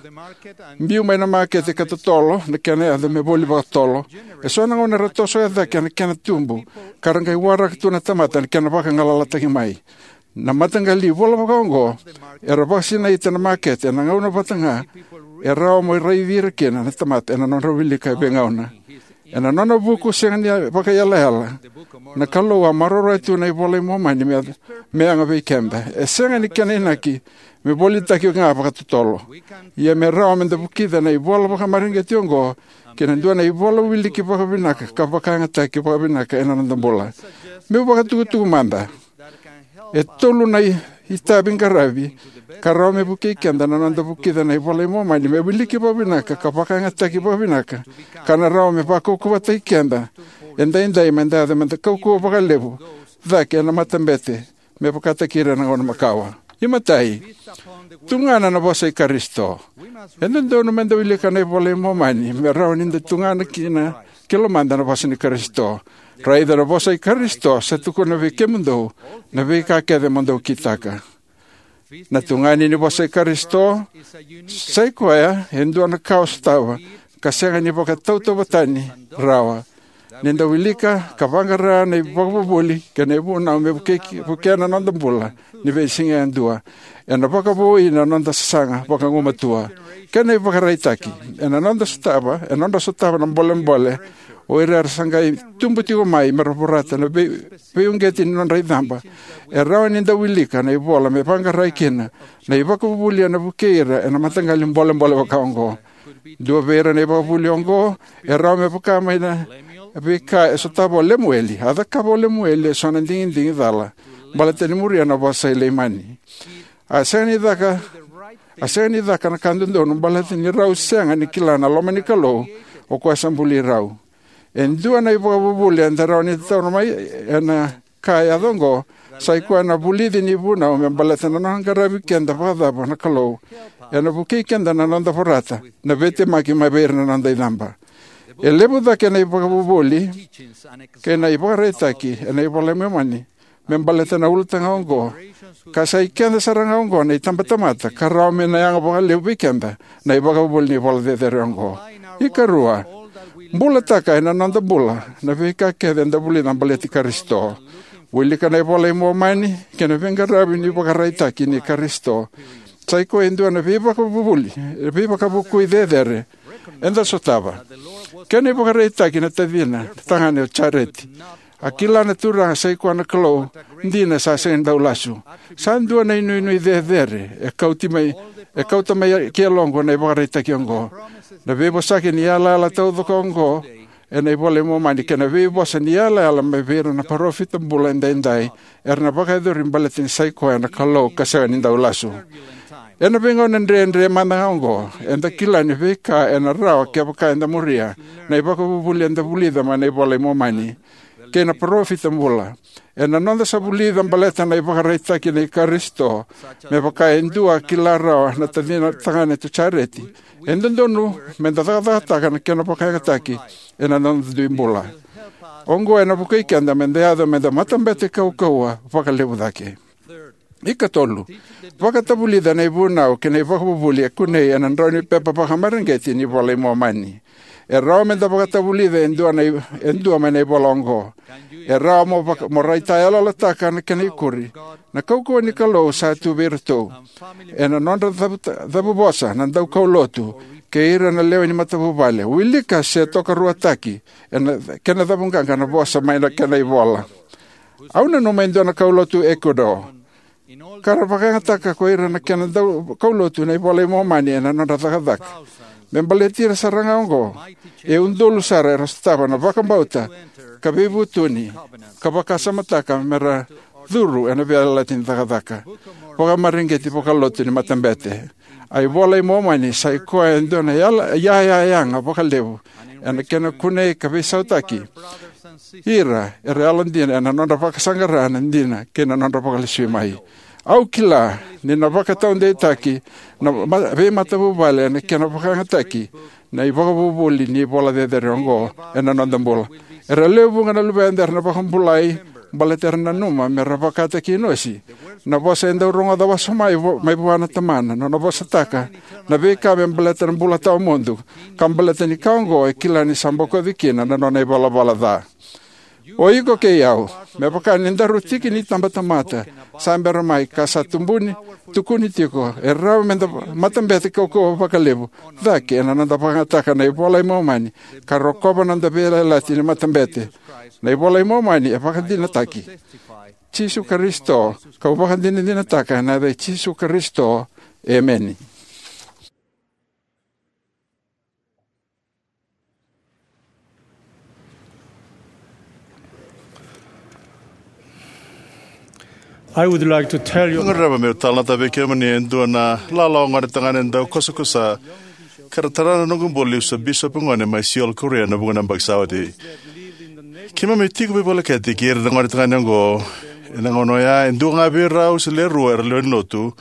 biu mai na makete ka totolo na kena yaca me voli vakatotolo. Eso na gauna era toso e cake na kena tubu, ka ra qai waraka tu na tamata na kena vakagalalataki mai. Na mataqali ivola vakaoqo era vakasinaita na makete ena gauna vata ga e rawa mo raici ira kina na tamata ena nodra wilika e veigauna. Ena nona vuku sega ni vakaiyalayala, na Kalou a maroroya tu na iVola i Momani me, me yaga vei keda. E sega ni kena inaki me volitaki ga vakatotolo. Ia me rawa me da vukica na ivola vakamareqeti oqo kei na dua na ivola wiliki vakavinaka ka vakayagataki vakavinaka ena noda bula. Meu vakatukutuku mada e tolu na i- itavi qaravi ka rawa me vukei keda na noda vukica na iVola i Momani me wiliki vakavinaka ka vakayagataki vakavinaka, ka na rawa me vakaukauwataki keda edaidai me da yaco me da kaukauwa vakalevu cake ena matabete me vakataki ira ena gauna makawa. Imatai, tugana na vosa i Karisito. E dodonu me da wilika na iVola i Momani me rawa ni da tugana kina ki lomada na vosa ni Karisito. Raica na vosa i Karisito sa tukuna vei kemudou na veika kece mo dou kitaka. Na tugani ni vosa i Karisito sa i koya e dua na ka o sotava ka sega ni vakatautauvatani rawa. Ni da wilika ka vaqara na ivakavuvuli kei na ivunau me vukei, vukea na noda bula ni veisiga yadua, ena vakavoui na noda sasaga vakagumatua kei na ivakaraitaki. Ena noda sotava, ena nodra sotava na bolebole o ira era sa qai tubu tiko mai me ra vorata na vei, veiuqeti ni nodra icaba, e rawa ni da wilika na ivola me vaqarai kina na ivakavuvuli ena vukei ira ena mataqali bolebole vakaoqo. Dua vei ira na ivakavuvuli oqo e rawa me vaka mai na veika e sotava o Lemueli. A cakava o Lemueli eso na digidigi cala baleta ni muria na vosa i Leimani. A sega ni caka, a sega ni caka na ka dodonu baleta ni rau sega ni kila na loma ni Kalou, o koya sa buli rau. E dua na ivakavuvuli eda rawa ni taura mai ena ka e yaco oqo sa i koya na vulici ni vunau me baleta na nona qaravi keda vakacava na Kalou ena vukei keda na noda vorata na veitemaki mai vei ira na noda icaba. E levu cake na ivakavuvuli kei na ivakaraitaki ena iVola i Momani me baleta na ulutaga oqo, ka sa i keda sara ga oqo na itabatamata ka rawa me na yaga vakalevu vei keda na ivakavuvuli ni vola cecere oqo. Ikarua, bulataka ena noda bula na veika kece eda vulica baleti Karisito. Wilika na iVola i Momani kei na veiqaravi ni ivakaraitaki nei Karisito. Sa i koya e dua na veivakavuvuli, veivakavukui cecere eda sotava. Kena ivakaraitaki na tacina tagane o Jareti. A kila na Turaga sa i koya na Kalou dina sa sega ni dau lasu. Sa dua na inuinui cecere e kauti mai, e kauta mai ki yaloqu na ivakaraitaki oqo. Na veivosaki ni yalayala taucoko oqo ena iVola i Momani kei na veivosa ni yalayala mai vei ira na parofita bula edaidai era na vakayacori baleta ni sa i koya na Kalou ka sega ni dau lasu. Ena veigauna dredre mada ga oqo, eda kila ni veika ena rawa kevaka eda muria na ivakavuvuli eda vulica mai na iVola i Momani kei na parofita bula. Ena noda sa vulica baleta na ivakaraitaki nei Karisito, me vaka e dua a kila rawa na tacina tagane o Jareti, e dodonu meda cakacakataka na kena vakayagataki ena noda dui bula. Oqo ena vukei keda meda yaco meda matabete kaukauwa vakalevu cake. Ikatolu, vakatavulica na ivunau kei na ivakavuvuli e kunei ena drau ni pepa vakamareqeti ni iVola i Momani. E rawa meda vakatavulica e dua na i-, e dua mai na ivola oqo. E rawa mo vaka-, mo raitayaloyalotaka na kena ikuri. Na kaukauwa ni Kalou sa tu vei iratou ena nodra cavu-, cavuvosa na daukaulotu kei ira na lewe ni matavuvale. Wilika se tokaruataki ena kena cavuqaqa na vosa mai na kena ivola. Au nanuma e dua na kaulotu Ecuador ka ra vakayagataka ko ira na kena daukaulotu na iVola i Momani ena nodra cakacaka. Me baleti ira sara ga oqo, e udolu sara era sotava na vakabauta ka veivutuni ka vakasamataka me ra curu ena veiyalayalati ni cakacaka vakamareqeti vakalotu ni matabete. A iVola i Momani sa i koya e dua na yala-, yayayaga vakalevu ena kena kunei ka veisautaki ira era yalodina ena nodra vakasaqara na dina kei na nodra vakalesui mai. Au kila ni na vakataudeitaki na ma-, veimatavuvale ena kena vakayagataki na ivakavuvuli ni vola cecere oqo ena noda bula. Era lewe vuqa na luveda era na vakabulai baleta era nanuma me ra vakataki Inosi. Na vosa e dau rogoca wasoma mai vo-, mai vua na tamana, nona vosataka na veika me baleta na bula tawamudu, ka baleta ni ka oqo e kila ni sa bokoci kina na nona ivalavala ca. O iko kei au, me vaka ni daru tiki ni tabatamata sa bera mai ka sa tubuni, tukuni tiko, e rawa meda matabete kaukauwa vakalevu cake ena noda vakayagataka na iVola i Momani ka rokova na noda veiyalayalati ni matabete. Na iVola i Momani e vakadinataki Jisu Karisito, kau vakadinadinataka ena yaca i Jisu Karisito. Emeni. I would like to tell you. Au gadreva meu talanoataka vei kemuni e dua na lalawa gone tagane dau kosakosa ka ra tara na noqu bula niu sa bisopi gone mai Seoul, Korea, ena vuqa na yabaki sa oti. Keimami tiko veivolekati kei ira na gone tagane oqo ena gauna oya. E dua ga vei rau se le rua era lewe ni lotu.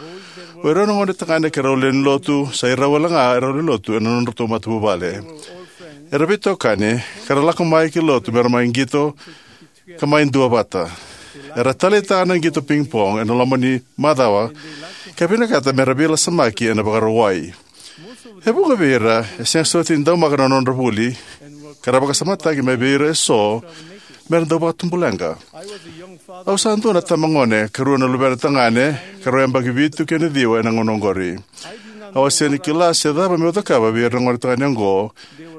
O irau na gone tagane kei rau lewe ni lotu, sa irau wale ga erau lewe ni lotu ena nodratou matavuvale. Era veitokani ka ra lako mai ki lotu me ra mai qito ka mai duavata. Era taleitaka na qito ping pong ena loma ni macawa ka vinakata me ra veilasamaki ena Vakarauwai. E vuqa vei ira e sega soti ni daumaka na nodra vuli, ka ra vakasamataki mai vei ira eso me ra dau vakatubuleqa. Au sa dua na tamagone ka rua na luvena tagane, ka rau yabaki vitu kei na ciwa ena gauna oqori. Au a sega ni kila se cava meu cakava vei ira na gone tagane oqo.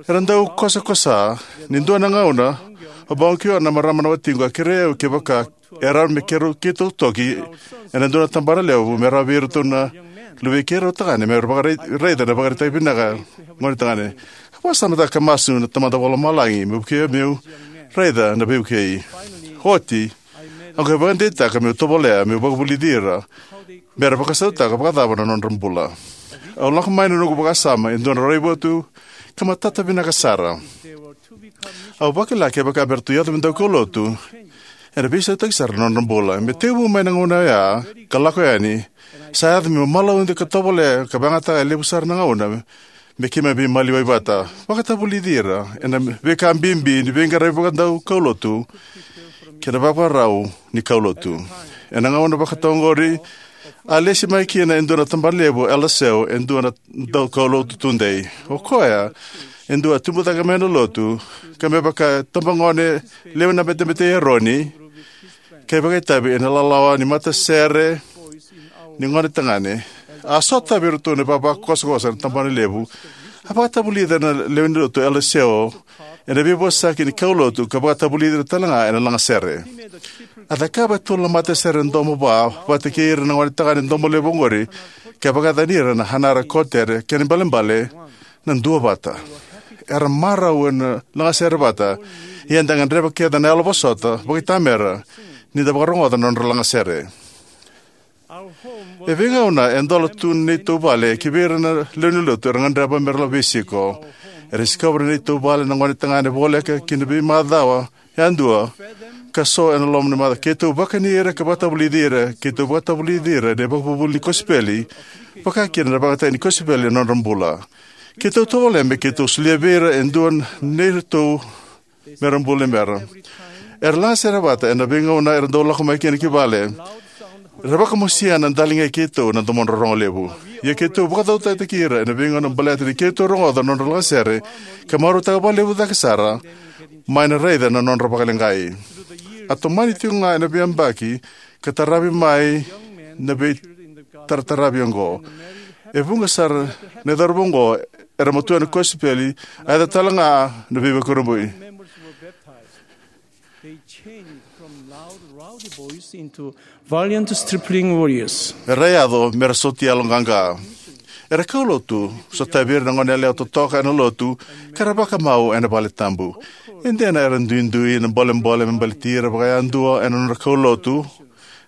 Era dau kosakosa. Ni dua na gauna, o Bong Kyo, na marama na watiqu, a kerei au kevaka e rawa me keirau, keitou toki ena dua na tabana levu me rawa vei iratou na luvei keirau tagane me ra vakarai-, raica na ivakaraitaki vinaka gone tagane. Au vakasamataka ka masu na Tamada Vakalomalagi me vukei au meu raica na veivukei. Oti, au qai vakadeitaka meu tovolea meu vakavulici ira me ra vakasautaka vakacava na nodra bula. Au lako mai na noqu vakasama e dua na raivotu ka matata vinaka sara. Au vakila kevaka me ratou yaco me daukaulotu, ena veisautaki sara na nodra bula. Me tekivu mai na gauna oya ka lako yani, sa yaco meu malaude ka tovolea ka vakayagataka e levu sara na gauna me keimami veimaliwai vata. Vakatavulici ira ena veika bibi ni veiqaravi vakadaukaulotu kei na vakavakarau ni kaulotu. Ena gauna vakatoqori, a lesi mai kina e dua na tabanalevu o Elder Sewall, e dua na daukaulotu tudei. O koya e dua a tubu cake mai na lotu, ka me vaka e tabagone lewe ni Matabete i Eroni, ka vakaitavi ena lalawa ni matasere ni gone tagane. A sotavi iratou na ivavakosokoso ena tabanalevu. A vakatavulica na lewe ni lotu o Elder Sewall ena veivosaki ni kaulotu, ka vakatavulica ira tale ga ena lagasere. A cakava e tolu na matasere domo va vata kei ira na gone tagane domo levu oqori, ka vakayacani ira na Hanara Kotere, kena ibalebale na duavata. Era marau ena lagasere vata, ia eda gadreva kece na yalovosota vakaitamera ni da vakarogoca na nodra lagasere. E veigauna e dola tu na neitou vale, kivei ira na lewe ni lotu era gadreva mera lako veisiko. Era sikova na neitou vale na gone tagane voleka ki na veimacawa yadua, ka so ena loma ni macawa. Keitou vakani ira ka vakatavulici ira, keitou vakatavulici ira ena ivakavuvuli ni kosipeli, vaka kina na vakayagataki ni kosipeli ena nodra bula. Keitou tovolea me keitou solia vei ira e dua na neitou mera bula ni bera. Era lagasere vata ena veigauna era dau lako mai kina ki vale. Era vakamosia na daligai keitou na domodra rogo levu. Ia keitou vakacautaki ira ena veigauna baleta ni keitou rogoca na nodra lagasere, ka marautaka vakalevu cake sara mai na raica na nodra vakaleqai. A tomani tiko ga ena veiyabaki ka taravi mai na veitarataravi oqo. E vuqa sara na cauravou oqo era matua ena kosipeli, a yaco tale ga na veivakurabui. They changed from loud, rowdy boys into valiant stripling warriors. Era yaco mera soti yaloqaqa. Era kaulotu, sotavi ira na goneyalewa totoka ena lotu, ka ra vakamau ena vale tabu. E dina era duidui na bolebole me baleti ira vakayadua ena nodra kaulotu,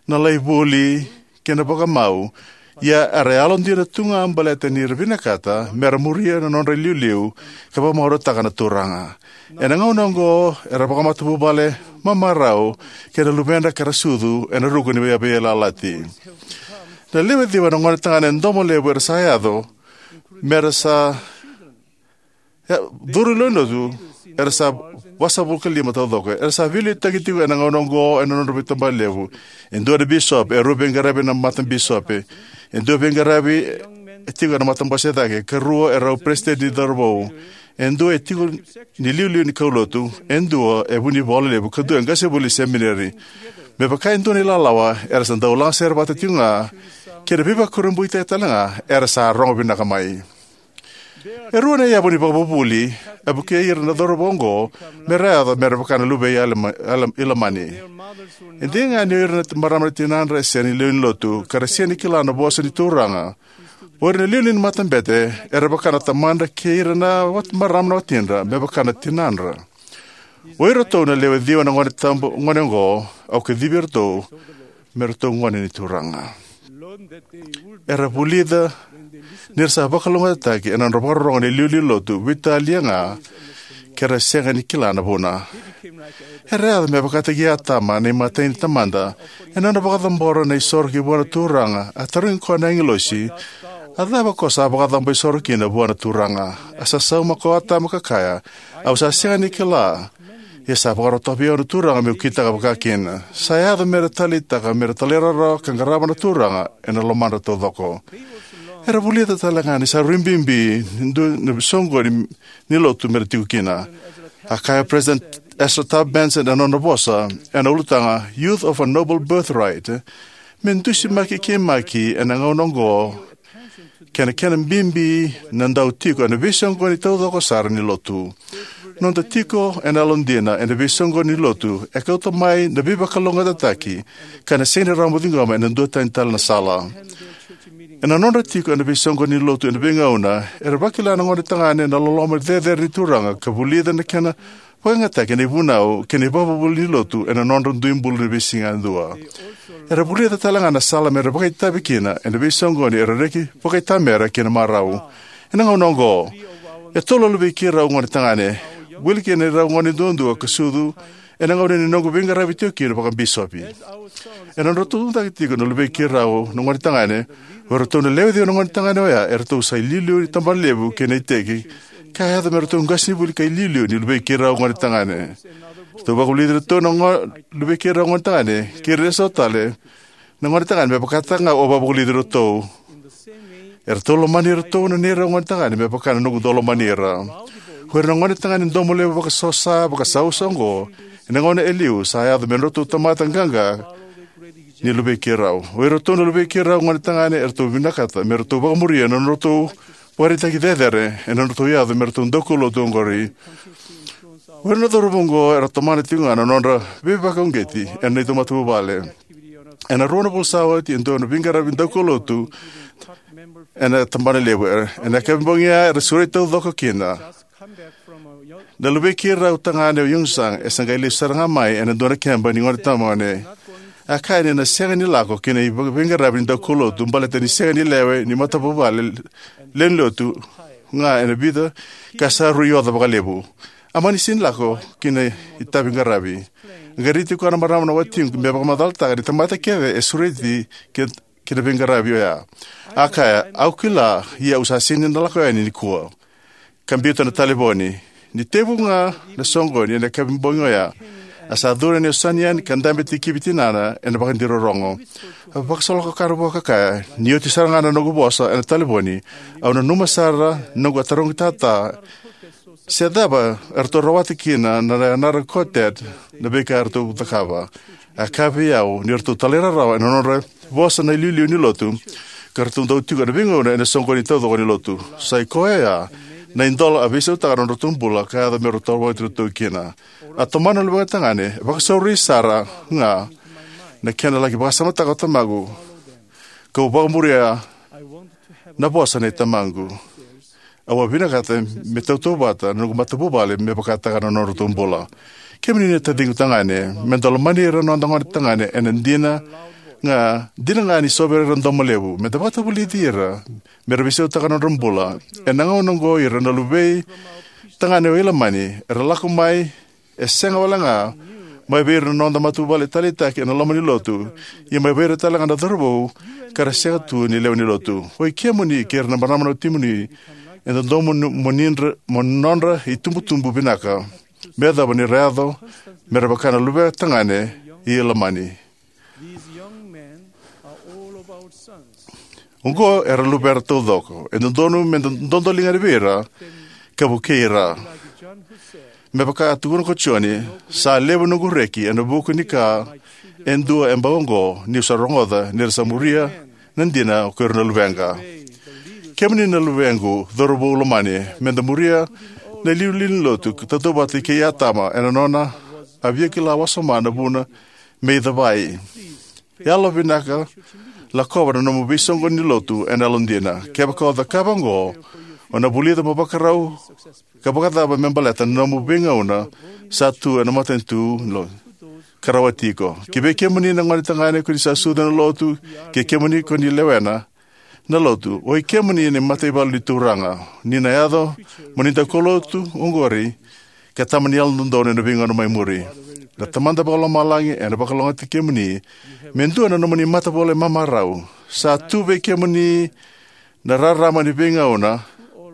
na lai vuli, kei na vakamau, ia era yalodina tu ga baleta ni ra vinakata mera muria na nodra iliuliu ka vakamarautaka na Turaga. Ena gauna oqo era vakamatavuvale mamarau kei na luvedra ka ra sucu ena ruku ni veiyalayalati. Na lewe ciwa na gone tagane domo levu era sa yaco mera sa e, curu i lewenilotu, era sa vasagavulu ka lima taucoko. Era sa veiliutaki tiko ena gauna oqo ena nodra veitabana levu. E dua na bisopi, e rua veiqaravi ena matabisopi. E dua veiqaravi e tiko ena matabose cake, ka rua e rau peresitedi ni cauravou. E dua e tiko ni liuliu ni kaulotu, e dua e vunivola levu, ka dua e qasenivuli semineri. Me vaka e dua na ilalawa, era sa dau lagasere vata tiko ga, kei na veivakurabuitaki tale ga, era sa rogo vinaka mai. E rua na yavu ni vakavuvuli e vukei ira na cauravou oqo mera yaco mera vaka na luvei Alama-, Alam-, Ilamani. E dina ga ni o ira na marama na tinadra e sega ni lewe ni lotu, ka ra sega ni kila na vosa ni Turaga. O ira na liuliu ni matabete era vaka na tamadra kei ira na wat-, marama na watidra, me vaka na tinadra. O iratou na lewe ciwa na gone tabu, gone oqo, au kacivi iratou me ratou gone ni Turaga. Era vulica ni ra sa vakalougatataki ena nodra vakarorogo na iliuliu ni lotu, veitalia ga ke ra sega ni kila na vuna. Era yaco me vakataki Atama na imatai ni tamada ena nona vakacabora na isoro ki vua na Turaga. A tarogi koya na agilosi, "A cava ko sa vakacabo isoro kina vua na Turaga?" A sa sauma ko Atama ka kaya, "Au sa sega ni kila, ia sa vakarota vei au na Turaga meu kitaka vakakina." Sa yaco mera taleitaka mera talairawarawa ka qarava na Turaga ena lomadra taucoko. Era vulica tale ga ni sa rui bibi ni dua na soqoni ni lotu mera tiko kina. A kaya President Ezra Taft Benson ena nona vosa ena ulutaga Youth of a Noble Birthright, me dusimaki keimami ena gauna oqo kei na kena bibi na dau tiko ena veisoqoni taucoko sara ni lotu. Noda tiko ena yalodina ena veisoqoni ni lotu e kauta mai na veivakalougatataki ka na sega ni rawa mo ciqoma ena dua tani tale na sala. Ena nodra tiko ena veisoqoni ni lotu ena veigauna, era vakila na gone tagane na loloma cecere ni Turaga ka vulica na kena vakayagataki na ivunau kei na ivakavuvuli ni lotu ena nodra dui bula ni veisiga yadua. Era vulica tale ga na sala mera vakaitavi kina ena veisoqoni era reki vakaitamera kei na marau. Ena gauna oqo, e tolu na luvei keirau gone tagane, wili kina irau gone duadua ka sucu ena gauna ni noqu veiqaravi tiko kina vakabisopi. Ena nodratou tucake tiko na luvei keirau na gone tagane, o iratou na lewe ciwa na gone tagane oya, eratou sa iliuliu ni tabanalevu kei na iteki, ka yaco me ratou qasenivuli ka iliuliu ni luvei keirau gone tagane. Eratou vakavulici iratou na go-, luvei keirau gone tagane kei ira eso tale na gone tagane me vakataka ga au a vakavulici iratou. Eratou lomani iratou na neirau gone tagane me vaka na noqu dau lomani ira. O ira na gone tagane domo levu vakasosa, vakasausa oqo, ena gauna e liu sa yaco me nodratou tamata qaqa ni luvei keirau. O iratou na luvei keirau gone tagane eratou vinakata me ratou vakamuria na nodratou vakaraitaki cecere ena nodratou yaco me ratou daukaulotu oqori. O ira na cauravou oqo era tomana tiko ga na nodra veivakauqeti ena neitou matavuvale. Ena rua na vula sa oti e dua na veiqaravi daukaulotu ena tabana levu. Ena yakavi bogi ya era sureti taucoko kina. Na luvei keirau tagane o Young Sang e sa qai lesu sara ga mai ena dua na keba ni gone tamone. A kaya ni na sega ni lako ki na veiqaravi ni daukaulotu baleta ni sega ni lewe ni matavuvale lewe ni lotu ga ena vica ka sa rui oca vakalevu. A mani sega ni lako ki na itavi qaravi. Qai raici koya na marama na watiqu me vakamacalataka ni tamata kece e sureti ki, ki na veiqaravi oya. A kaya, au kila, ia au sa sega ni na lako yani nikua. Ka biuta na talevoni. Ni tekivu ga na soqoni ena yakavi bogi oya, a sa curu yani o Sanian ka dabe tikivi tinana ena vakadirorogo. A vakasolokakara vua ka kaya, ni oti sara ga na noqu vosa ena talevoni, au nanuma sara noqu a tarogi tata se cava eratou rawata kina na yanara quartet na veika eratou cakava. A kaya vei au ni ratou talairawarawa ena nodra vosa na iliuliu ni lotu ka ratou dau tiko ena veigauna ena soqoni taucoko ni lotu. Sa i koya ya na idola a veisautaka na nodratou bula ka yaco me ratou rawati iratou kina. A tomana na luvequ tagane, e vakasauri sara ga na kena laki vakasamataka o tamaqu kau vakamuria na vosa nei tamaqu. Au a vinakata me tautauvata na noqu matavuvale me vakataka na nodratou bula. Kemuni na taciqu tagane, me da lomani ira na noda gone tagane ena dina ga, dina ga ni so vei ira na domo levu, me da vakatavulici ira me ra veisautaka na nodra bula. Ena gauna oqo ira na luvei tagane o Ilamani era lako mai e sega wale ga mai vei ira na noda matavuvale taleitaki ena loma ni lotu, ia mai vei ira tale ga na cauravou ka ra sega tu ni lewe ni lotu. O i kemuni kei ira na marama na watimuni e dodonu mo nidra, mo nodra itubutubu vinaka me yacova ni ra yaco me ra vaka na luvei tagane i Ilamani. Oqo era luvera taucoko. E dodonu me da dodoliga vei ira ka vukei ira. Me vaka a tukuna ko Joni, sa levu noqu reki ena vuku ni ka e dua e bau oqo niu sa rogoca ni ra sa muria na dina ko ira na luveqa. Kemuni na luvequ cauravou lomani, me da muria na iliuliu ni lotu ka tautauvata kei Atama ena nona a via kila wasoma na vuna me icavai. Yalovinaka, lakova na nomu veisoqoni ni lotu ena yalodina. Kevaka o cakava oqo, o na vulica mo vakarau ka vakacava me baleta na nomu veigauna sa tu ena matanitu lo ka rawati iko. Ki vei kemuni na gone tagane ko ni sa sucu ena lotu, kei kemuni ko ni lewena na lotu, o i kemuni na mataivalu ni Turaga. Ni na yaco mo ni daukaulotu oqori ka tamani yalododonu ena veigauna mai muri. Na Tamada Vakalomalagi ena vakalougatataki kemuni me dua na nomuni matavuvale mamarau. Sa tu vei kemuni na rarama ni veigauna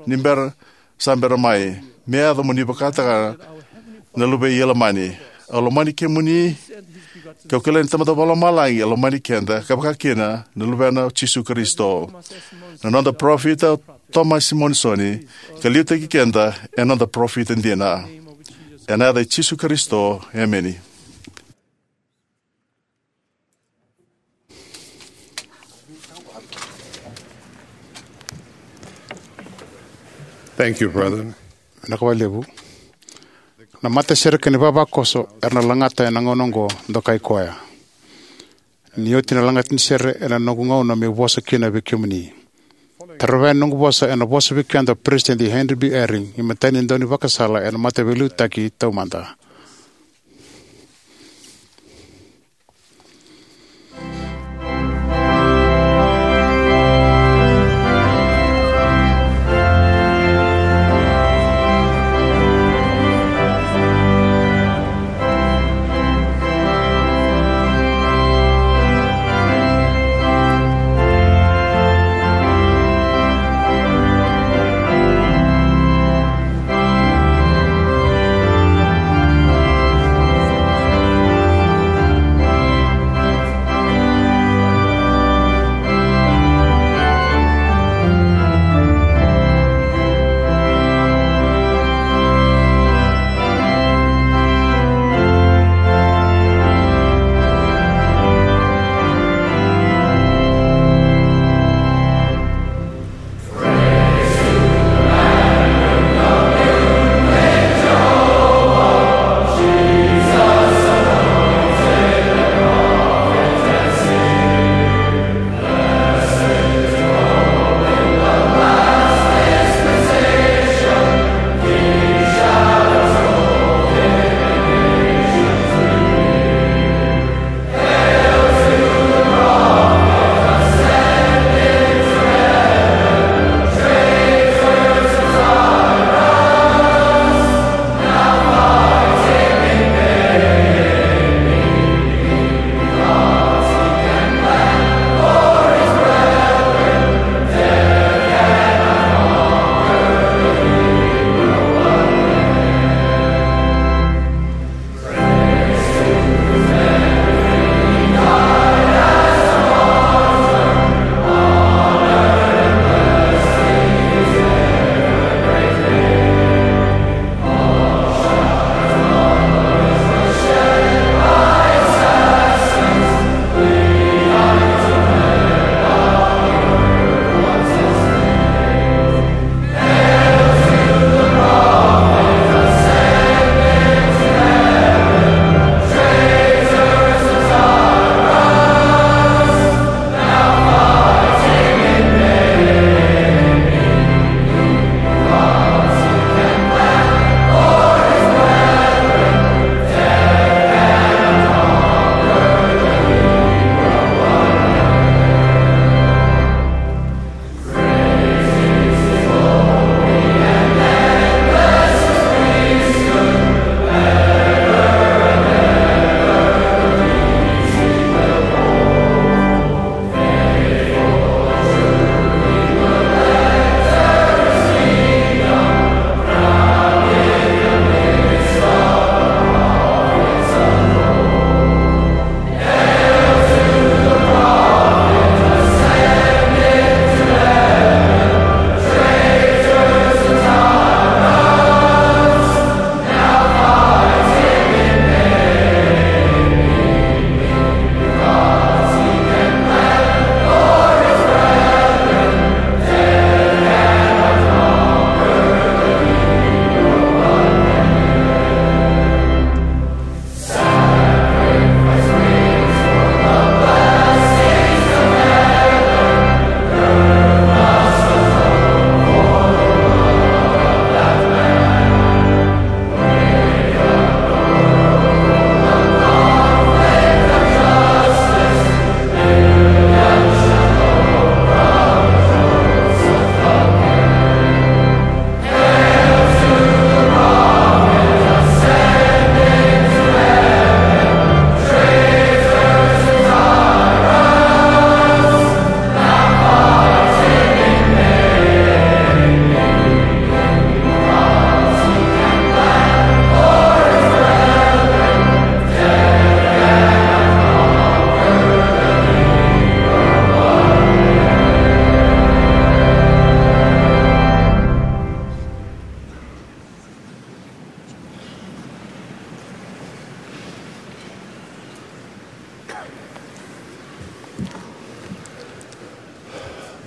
ni bera sa bera mai me yaco mo ni vakataka na luvei Ilamani. Au lomani kemuni, kau kila ni Tamada Vakalomalagi e lomani keda ka vaka kina na Luvena o Jisu Karisito, na noda parofita o Tomasi Monisoni, ka liutaki keda e noda parofita dina. Ena yaca i Jisu Karisito, emeni. Thank you, brother. Vinaka vakalevu. Na matasere kei na ivavakoso era na lagata ena gauna oqo, dokai koya. Ni oti na lagata ni sere, ena noqu gauna meu vosa kina vei kemuni. Tarava na noqu vosa ena vosa vei keda o Peresitedi Henry B. Eyring, imatai ni daunivakasala ena Mataveiliutaki Taumada.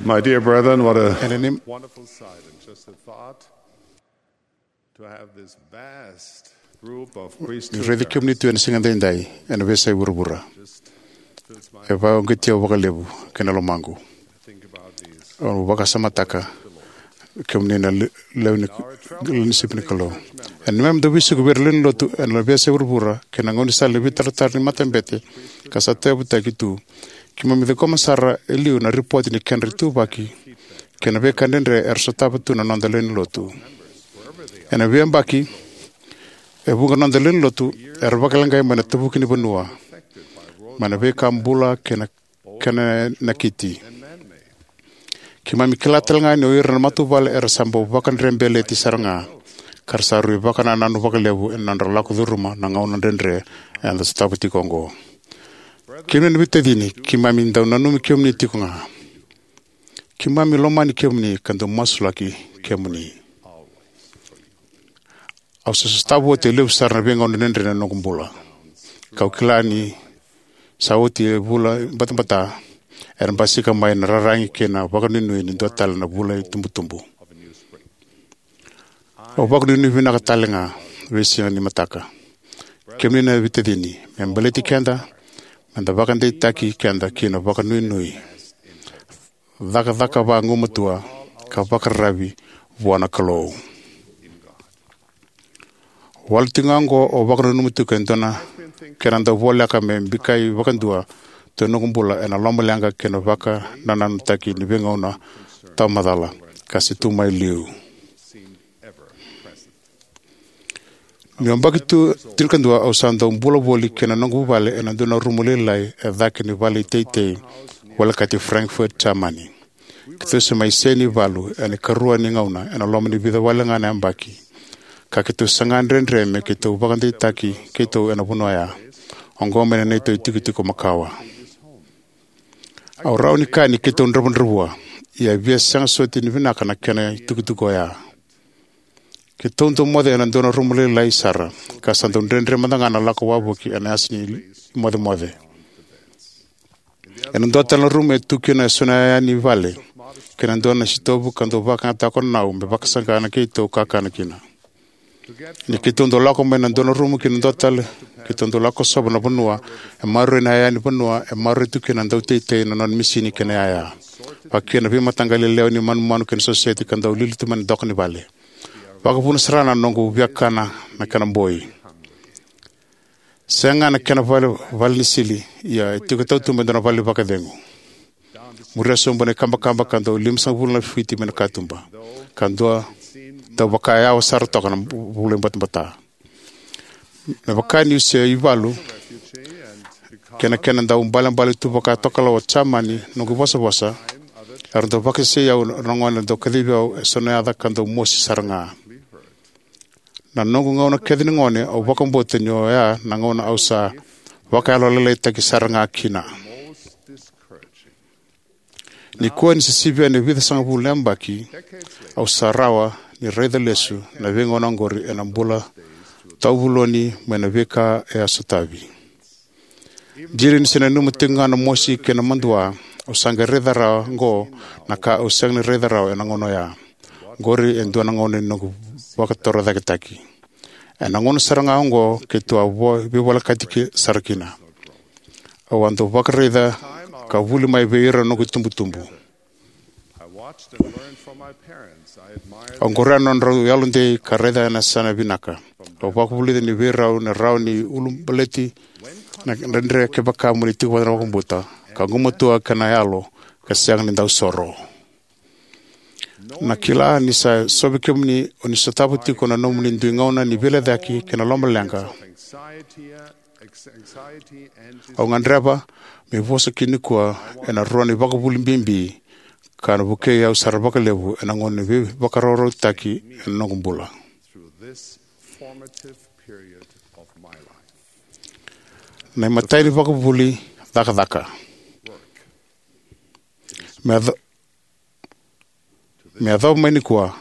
My dear brethren, what a Ena ni- wonderful sight and just a thought to have this vast group of ni priesthood raici kemuni tu ena siga daidai ena veiyasai vuravura. E vakauqeti au vakalevu kei na lomaqu. Au vakasamataka kemuni na le- lewe ni lewe ni sipi ni Kalou. Ena neimami dau veisiko vei ira na lewe ni lotu ena veiyasai vuravura kei na gaunisala ni veitaratara ni matabete ka sa tauyavutaki tu, keimami ciqoma sara e liu na ripoti ni kedra ituvaki kei na veika dredre era sotava tu na noda lewe ni lotu. Ena veiyabaki, e vuqa na noda lewe ni lotu era vakaleqai mai na tavuki ni vanua, mai na veika bula kei na kena nakiti. Keimami kila tale ga ni o ira na matavuvale era sa bau vakadrebeleti sara ga, ka ra sa rui vakanananu vakalevu ena nodra lako curuma na gauna dredre eda sotava tiko oqo. Kemuni na veitacini, keimami dau nanumi kemuni tiko ga. Keimami lomani kemuni ka dau masulaki kemuni. Au sa sotava oti e levu sara na veigauna dredre ena noqu bula, kau kila ni sa oti e vula batabata era basika mai na raragi kei na vakanuinui ni dua tale na vula itubutubu. Au vakanuinui vinaka tale ga veisiga ni mataka. Kemuni na veitacini, me baleti keda, me da vakadeitaki keda ki na vakanuinui, cakacaka vagumatua, ka vakararavi vua na Kalou. Wale tiko ga oqo au vakananuma tiko e dua na kena dau voleka me bikai vakadua tu ena noqu bula ena lomaleqa kei na vakanananutaki ni veigauna tawamacala ka se tu mai liu. Niu yabaki tu tinikadua au sa dau bula voli kei na noqu vale ena dua na rumu lailai e cake ni vale iteitei volekati Frankfurt, Jamani. Keitou se mai se ni valu ena ikarua ni gauna ena loma ni vica wale ga na yabaki, ka keitou saga dredre me keitou vakadeitaki keitou ena vanua oya, oqo mai na neitou itikotiko makawa. Au rawa ni kaya ni keitou dravudravua, ia e via sega soti ni vinaka na kena itikotiko oya. Keitou dau moce ena dua na rumu lailai sara, ka sa dau dredre mada ga na lako wavoki ena yasa ni mocemoce. Ena dua tale na rumu e tu kina eso na yaya ni vale kei na dua na sitovu ka dau vakayagataka na nau me vakasaqa na keitou kakana kina. Ni keitou dau lako mai na dua na rumu ki na dua tale, keitou dau lako sova na vanua e maroroi na yaya ni vanua e maroroi tu kina na dauteitei na nona misini kei na yaya, vaka kina na veimataqali yalewa ni manumanu kei na soseti ka dau lili tu mai na doka ni vale. Vakavuna sara na noqu viakana na kena boi. Sega ga na kena vale, vale ni sili, ia e tiko e tautuba e dua na vale vakacegu. Muria sobu na ikabakaba ka dau limasagavulu na fiti mai na katuba, ka dua dau vaka e yawa sara toka na vula ibatabata. Me vaka niu se ivalu kei na kena dau balebale tu vaka tokalau o Jamani, noqu ivosavosa era dau vakasesei au na gone dau kacivi au eso na yaca ka dau mosi sara ga. Na noqu gauna kece ni gone au vakabauta ni oya na gauna au sa vakayalolailaitaki sara ga kina. Nikua ni se sivia na vica sagavulu na yabaki, au sa rawa ni raica lesu na veigauna oqori ena bula tauvuloni mai na veika e a sotavi. Dina ni se nanuma tiko ga na mosi kei na madua, au sa qai raica rawa oqo na ka au sega ni raica rawa ena gauna oya. Oqori e dua na gauna ni noqu vakatorocaketaki. Ena gauna sara ga oqo keitou a vo- veivolekati ki- sara kina. Au a dau vakaraica ka vuli mai vei ira na noqu itubutubu. Au qorea na nodrau yalodei ka raica ena yasana vinaka. Au vakavulica ni vei rau na rawa ni ulabaleti na dredre kevaka mo ni tiko vata na vakabauta ka gumatua kei na yalo ka sega ni dau soro. Na kila ni sa so vei kemuni o ni sotava tiko na nomuni dui gauna ni veilecayaki kei na lomaleqa. Au gadreva meu vosa kina nikua ena rua na ivakavuvuli bibi ka na vukei au sara vakalevu ena gauna ni veivakaraurautaki ena noqu bula. Na imatai ni vakavuvuli, cakacaka. Me yaco- Me yacova mai nikua,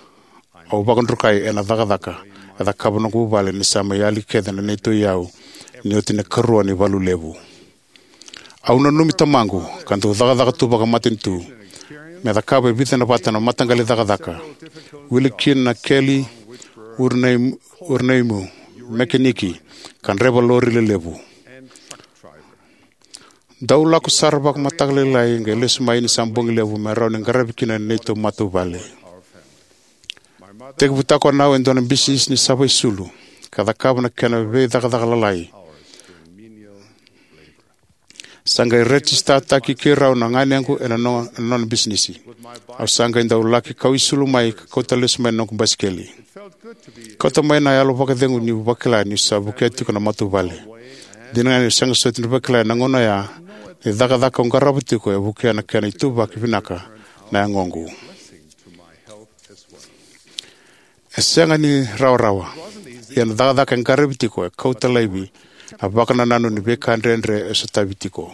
au vakadrukai ena cakacaka e cakava noqu vuvale ni sa mai yali kece na neitou iyau ni oti na ikarua ni valu levu. Au nanumi tamaqu ka dau cakacaka tu vakamatanitu. me cakava e vica na vata na mataqali cakacaka, wili kina na keli, urinai-, urinaimu, mekeniki, ka draiva lori lelevu. Dau lako sara vakamataka lailai qai lesu mai ni sa bogi levu me rawa ni qaravi kina na neitou matavuvale. Tekivutaka o Nau e dua na bisinisi ni sava isulu ka cakava na kena veicakacaka lalai. Sa qai rejisitaki keirau na ganequ ena no-, ena nona bisinisi. Au sa qai dau laki kau isulu mai ka kauta lesu mai na noqu basikeli. Kauta mai na yalo vakacegu niu vakila niu sa vukea tiko na matavuvale. Dina ga niu sega soti ni vakila ena gauna oya ni cakacaka au qarava tiko e vukea na kena ituvaki vinaka na yagoqu. E sega ni rawarawa, ia na cakacaka e qaravi tiko e kauta laivi na vakanananu ni veika dredre e sotavi tiko.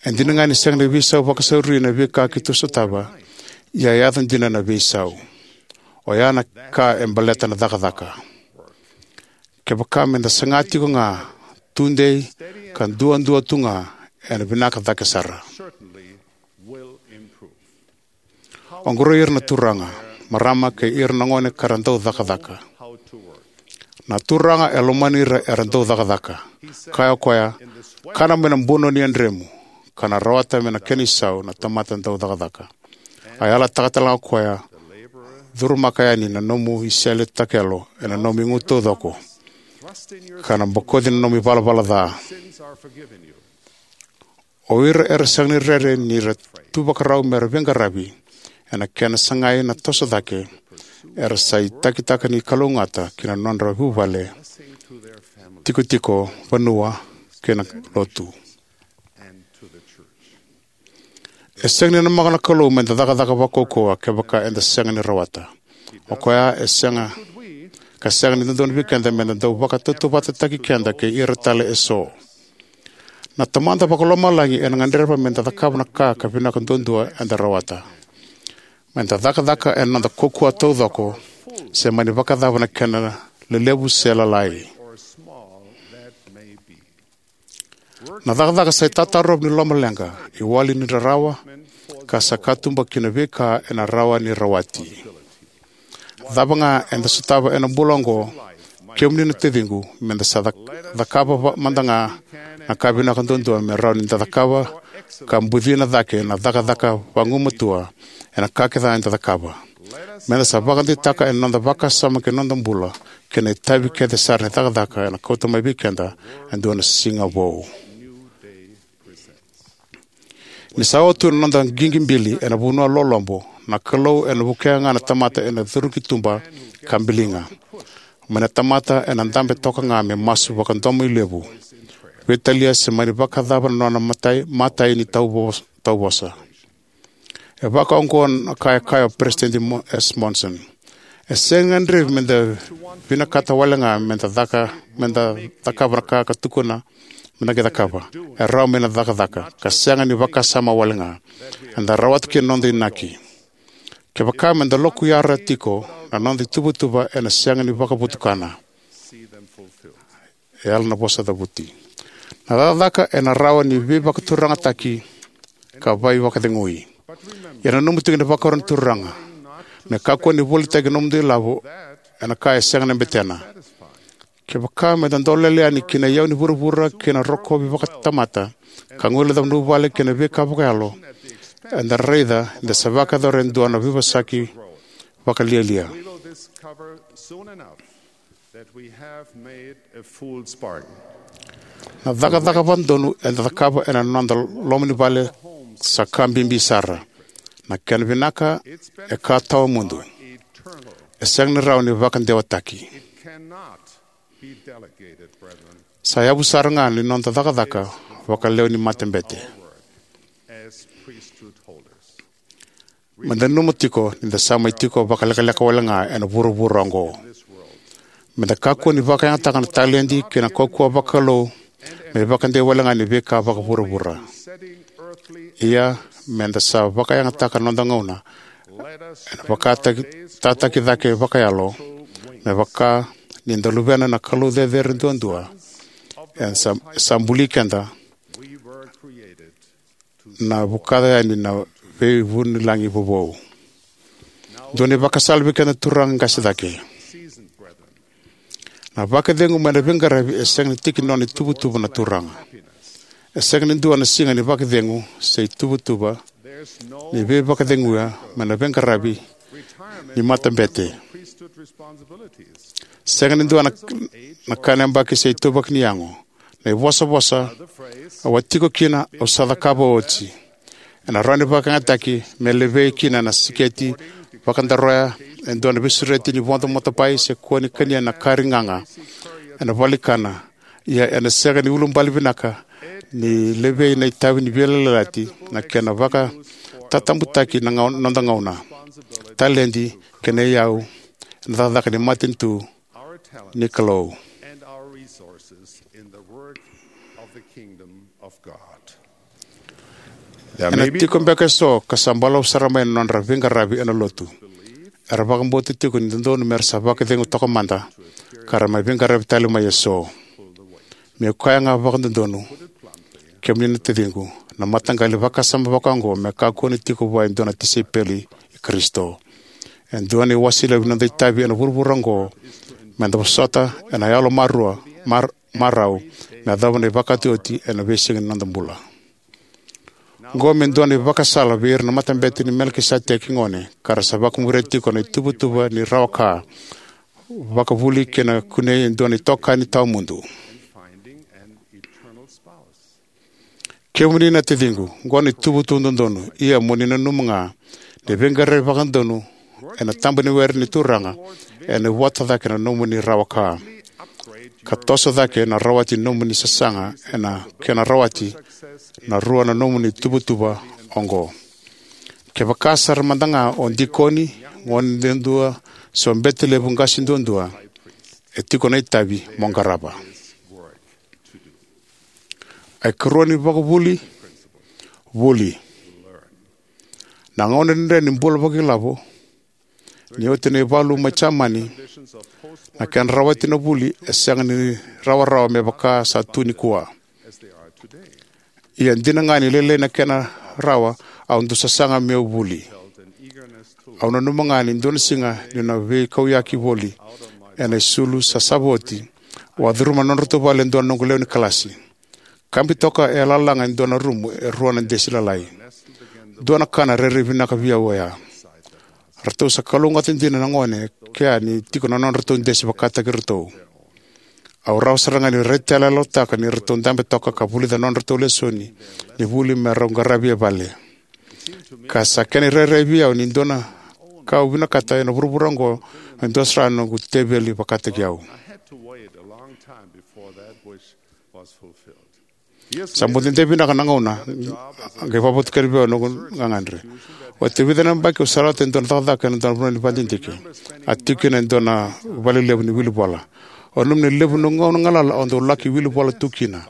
E dina ga ni sega ni veisau vakasauri na veika keitou sotava, ia e yaco dina na veisau. Oya na ka e baleta na cakacaka. Kevaka meda saga tiko ga, tudei, ka duadua tu ga, ena vinaka cake sara. Oqori ira na turaga, marama kei ira na gone ka ra dau cakacaka. Na Turaga e lomani ira era dau cakacaka. Kaya o koya, kana mai na buno ni yadremu, ka na rawata mai na kena isau na tamata dau cakacaka. A yalataka tale ga o koya, curumaka yani na nomu isele takelo ena nomu igu taucoko, ka na bokoci na nomu ivalavala ca. O ira era sega ni rere ni ra tu vakarau me ra veiqaravi, ena kena sagai na toso cake, era sa itakitaka ni kalougata ki na nodra vuvale, tikotiko, vanua, kei na lotu. E sega ni namaka na Kalou meda cakacaka vakaukauwa kevaka eda sega ni rawata. O koya e sega, ka sega ni dodonu vei keda meda dau vakatautauvatataki keda kei ira tale eso. Na Tamada Vakalomalagi ena gadreva meda cakava na ka ka vinaka duadua eda rawata. Meda cakacaka ena noda kaukaua taucoko, se mani vakacava na kena lelevu se lalai. Na cakacaka sa itatarovi ni lomaleqa, iwali ni rarawa, ka sa katuba ki na veika ena rawa ni rawati. Cava ga eda sotava ena bula oqo, kemuni na taciqu, meda sa cak-, cakava va-, mada ga na ka vinaka duadua me rawa ni da cakava ka bucina cake na cakacaka vagumatua ena ka kece eda cakava. Meda sa vakadeitaka ena noda vakasama kei na noda bula kei na itavi kece sara ni cakacaka ena kauta mai vei keda e dua na siga vou. Ni sa oti tu na noda qiqi bili ena vanua lolobo, na Kalou ena vukea ga na tamata ena curuki tuba ka biliga. Mai na tamata ena dabe toka ga me masu vakadomoilevu, veitalia se mani vakacava na nona matai, matai ni tauvo-, tauvosa. E vaka oqo na ka e kaya o Peresitedi Mo-, S. Monson. E sega ni gadrevi meda vinakata wale ga meda caka, meda cakava na ka ka tukuna meda qai cakava. E rawa meda cakacaka, ka sega ni vakasama wale ga. Eda rawata kina na noda inaki. Kevaka meda lokuyara tiko, na noda ituvatuva ena sega ni vakavotukana. E yala na vosa cavuti. Na cakacaka ena rawa ni veivakaturagataki ka veivakacegui. Ia nanuma tiko ni vakarau na Turaga, me kakua ni volitaki na nomudou ilavo ena ka e sega na betena. Kevaka meda dolele yani ki na iyau ni vuravura kei na rokovi vakatamata, ka guilecava na vuvale kei na veika vakayalo, eda raica ni da sa vakayacora e dua na veivosaki vakalialia. Na cakacaka vakadodonu eda cakava ena noda loma ni vale sa ka bibi sara. Na kena vinaka e ka tawamudu. E sega ni rawa ni vakadewataki. Sa yavu sara ga ni noda cakacaka vakalewe ni matabete. Meda nanuma tiko ni da sa mai tiko vakalekaleka wale ga ena vuravura oqo. Meda kakua ni vakayagataka na taledi kei na kaukauwa vakalou me vakadei wale ga ni veika vakavuravura. Ia, meda sa vakayagataka na noda gauna ena vakataki, tataki cake vakayalo, me vaka ni da luvena na Kalou cecere duadua e sa, sa buli keda. na vukaca yani na veivunilagi vovou. Dua na ivakasala vei keda na turaga qase cake. Na vakacegu mai na veiqaravi e sega ni tiki ni nona ituvatuva na turaga. E sega ni dua na siga ni vakacegu se ituvatuva ni veivakaceguya mai na veiqaravi ni matabete. Sega ni dua na, na kana yabaki se ituvaki ni yago. Na ivosavosa au a tiko kina, au sa cakava oti. Ena rawa ni vakayagataki me levei kina na siketi vakadaroya, e dua na veisureti ni vodo motopai, se kua ni kania na kari gaga ena valenikana. Ia ena sega ni ulubale vinaka ni levei na itavi ni veiyalayalati, na kena vakatatabutaki na gau-, noda gauna, taledi kei na iyau ena cakacaka ni matanitu ni Kalou. Ena tiko beka eso ka sa balavu sara mai na nodra veiqaravi ena lotu. Era vakabauta tiko ni dodonu mera sa vakacegu toka mada ka ra mai veiqaravi tale mai eso. Meu kaya ga vakadodonu, kemuni na taciqu, na mataqali vakasama vakaoqo me kakua ni tiko vua e dua na tisaipeli i Karisito. E dua na iwase levu ni noda itavi ena vuravura oqo meda vosota ena yalo marua, mar-, marau me yacova na ivakataotioti ena veisiga ni noda bula. Oqo me dua na ivakasala vei ira na matabete ni Melikiseteki gone ka ra sa vakamuria tiko na ituvatuva ni rawa ka, vakavuli kei na kunei e dua na itokani tawamudu. Kemuni na taciqu, oqo na ituvatuva dodonu, ia mo ni nanuma ga ni veiqaravi vakadodonu ena taba ni were ni Turaga ena vota cake na nomuni rawa ka, ka toso cake na rawati ni nomuni sasaga ena kena rawati na rua na nomuni tuvatuva oqo. Kevaka sara mada ga o dikoni, gone duadua, se o bete levu qase duadua, e tiko na itavi mo qarava. Ai karua ni vakavuli, vuli. Na gauna dredre ni bula vakailavo, ni oti na ivalu mai Jamani, na kena rawati na vuli e sega ni rawarawa me vaka sa tu nikua. Ia dina ga ni lailai na kena rawa, au dau sasaga meu vuli. Au nanuma ga ni dua na siga niu na veikauyaki voli ena isulu sa sava oti, au a curuma na nodratou vale e dua na noqu lewe ni kalasi. Kabi toka e lalaga e dua na rumu e rua na desi lalai. Dua na kana rairai vinaka vei au oya. Ratou sa kalougata dina na gone kea ni tiko na nodratou desi vakataki iratou. Au rawa sara ga ni raitayaloyalotaka ni ratou dabe toka ka vulica na nodratou lesoni ni vuli me rau qaravi e vale. Ka sa kena irairai vei au ni dua na ka au vinakata ena vuravura oqo me dua sara na noqu teveli vakataki au. Sa bau dede vinaka na gauna qai vakavotukana vei au na noqu gagadre. Oti e vica na yabaki au sa rawata e dua na cakacaka ena dua na vanua ni vakadidike. A tiko kina e dua na vale levu ni wilivola. Au nanuma ni levu na gauna galala au dau laki wilivola tu kina.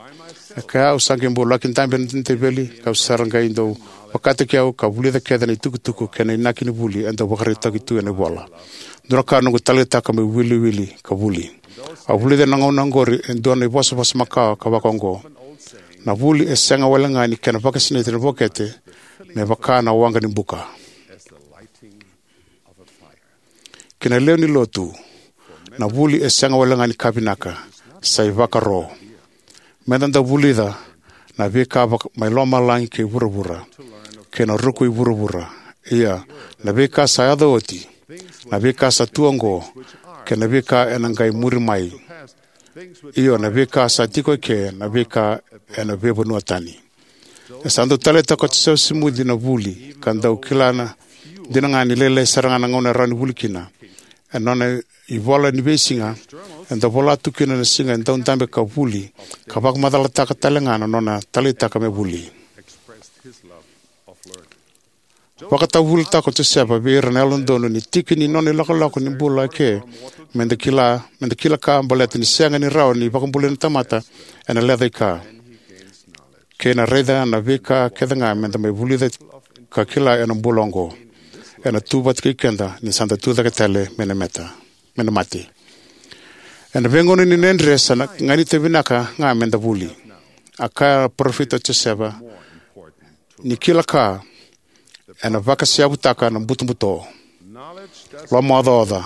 E kaya au sa qai bau laki dabe ena teveli, kau sa ra qai dau vakataki au ka vulica kece na itukutuku kei na inaki ni vuli e dau vakaraitaki tu ena ivola. Dua na ka noqu taleitaka meu wiliwili ka vuli. Au vulica ena gauna oqori e dua na ivosavosa makawa ka vaka oqo: Na vuli e sega wale ga ni kena vakasinaiti na vokete me vaka na waqa ni buka. Kei na lewe ni lotu, na vuli e sega wale ga ni ka vinaka, sa ivakaro. Meda dau vulica na veika vaka mai lomalagi kei vuravura, kei na ruku i vuravura. Ia, na veika sa yaco oti, na veika sa tu oqo, kei na veika ena qai muri mai. Io, na veika sa tiko eke, na veika ena veivanua tani. E sa dau taleitaka o Josefa Simici na vuli, ka dau kila dina ga ni lailai sara ga na gauna e rawa ni vuli kina. Ena nona ivola ni veisiga, e dau vola tu kina na siga e dau dabe ka vuli, ka vakamacalataka tale ga na nona taleitaka me vuli. Vakatavulitaka o Josefa vei ira na yalododonu ni tiki ni nona ilakolako ni bula eke, meda kila, meda kila ka baleta ni sega ni rawa ni vakabulai na tamata ena lecaika. Kei na raica na veika kece ga meda mai vulica ka kila ena bula oqo, ena tu vata kei keda ni sa da tu cake tale mai na mate, mai na mate. Ena veigauna ni dredre sa na ganita vinaka ga meda vuli. A kaya na parofita o Josefa, Ni kila ka ena vakaseyavutaka na butobuto, lomaocaoca,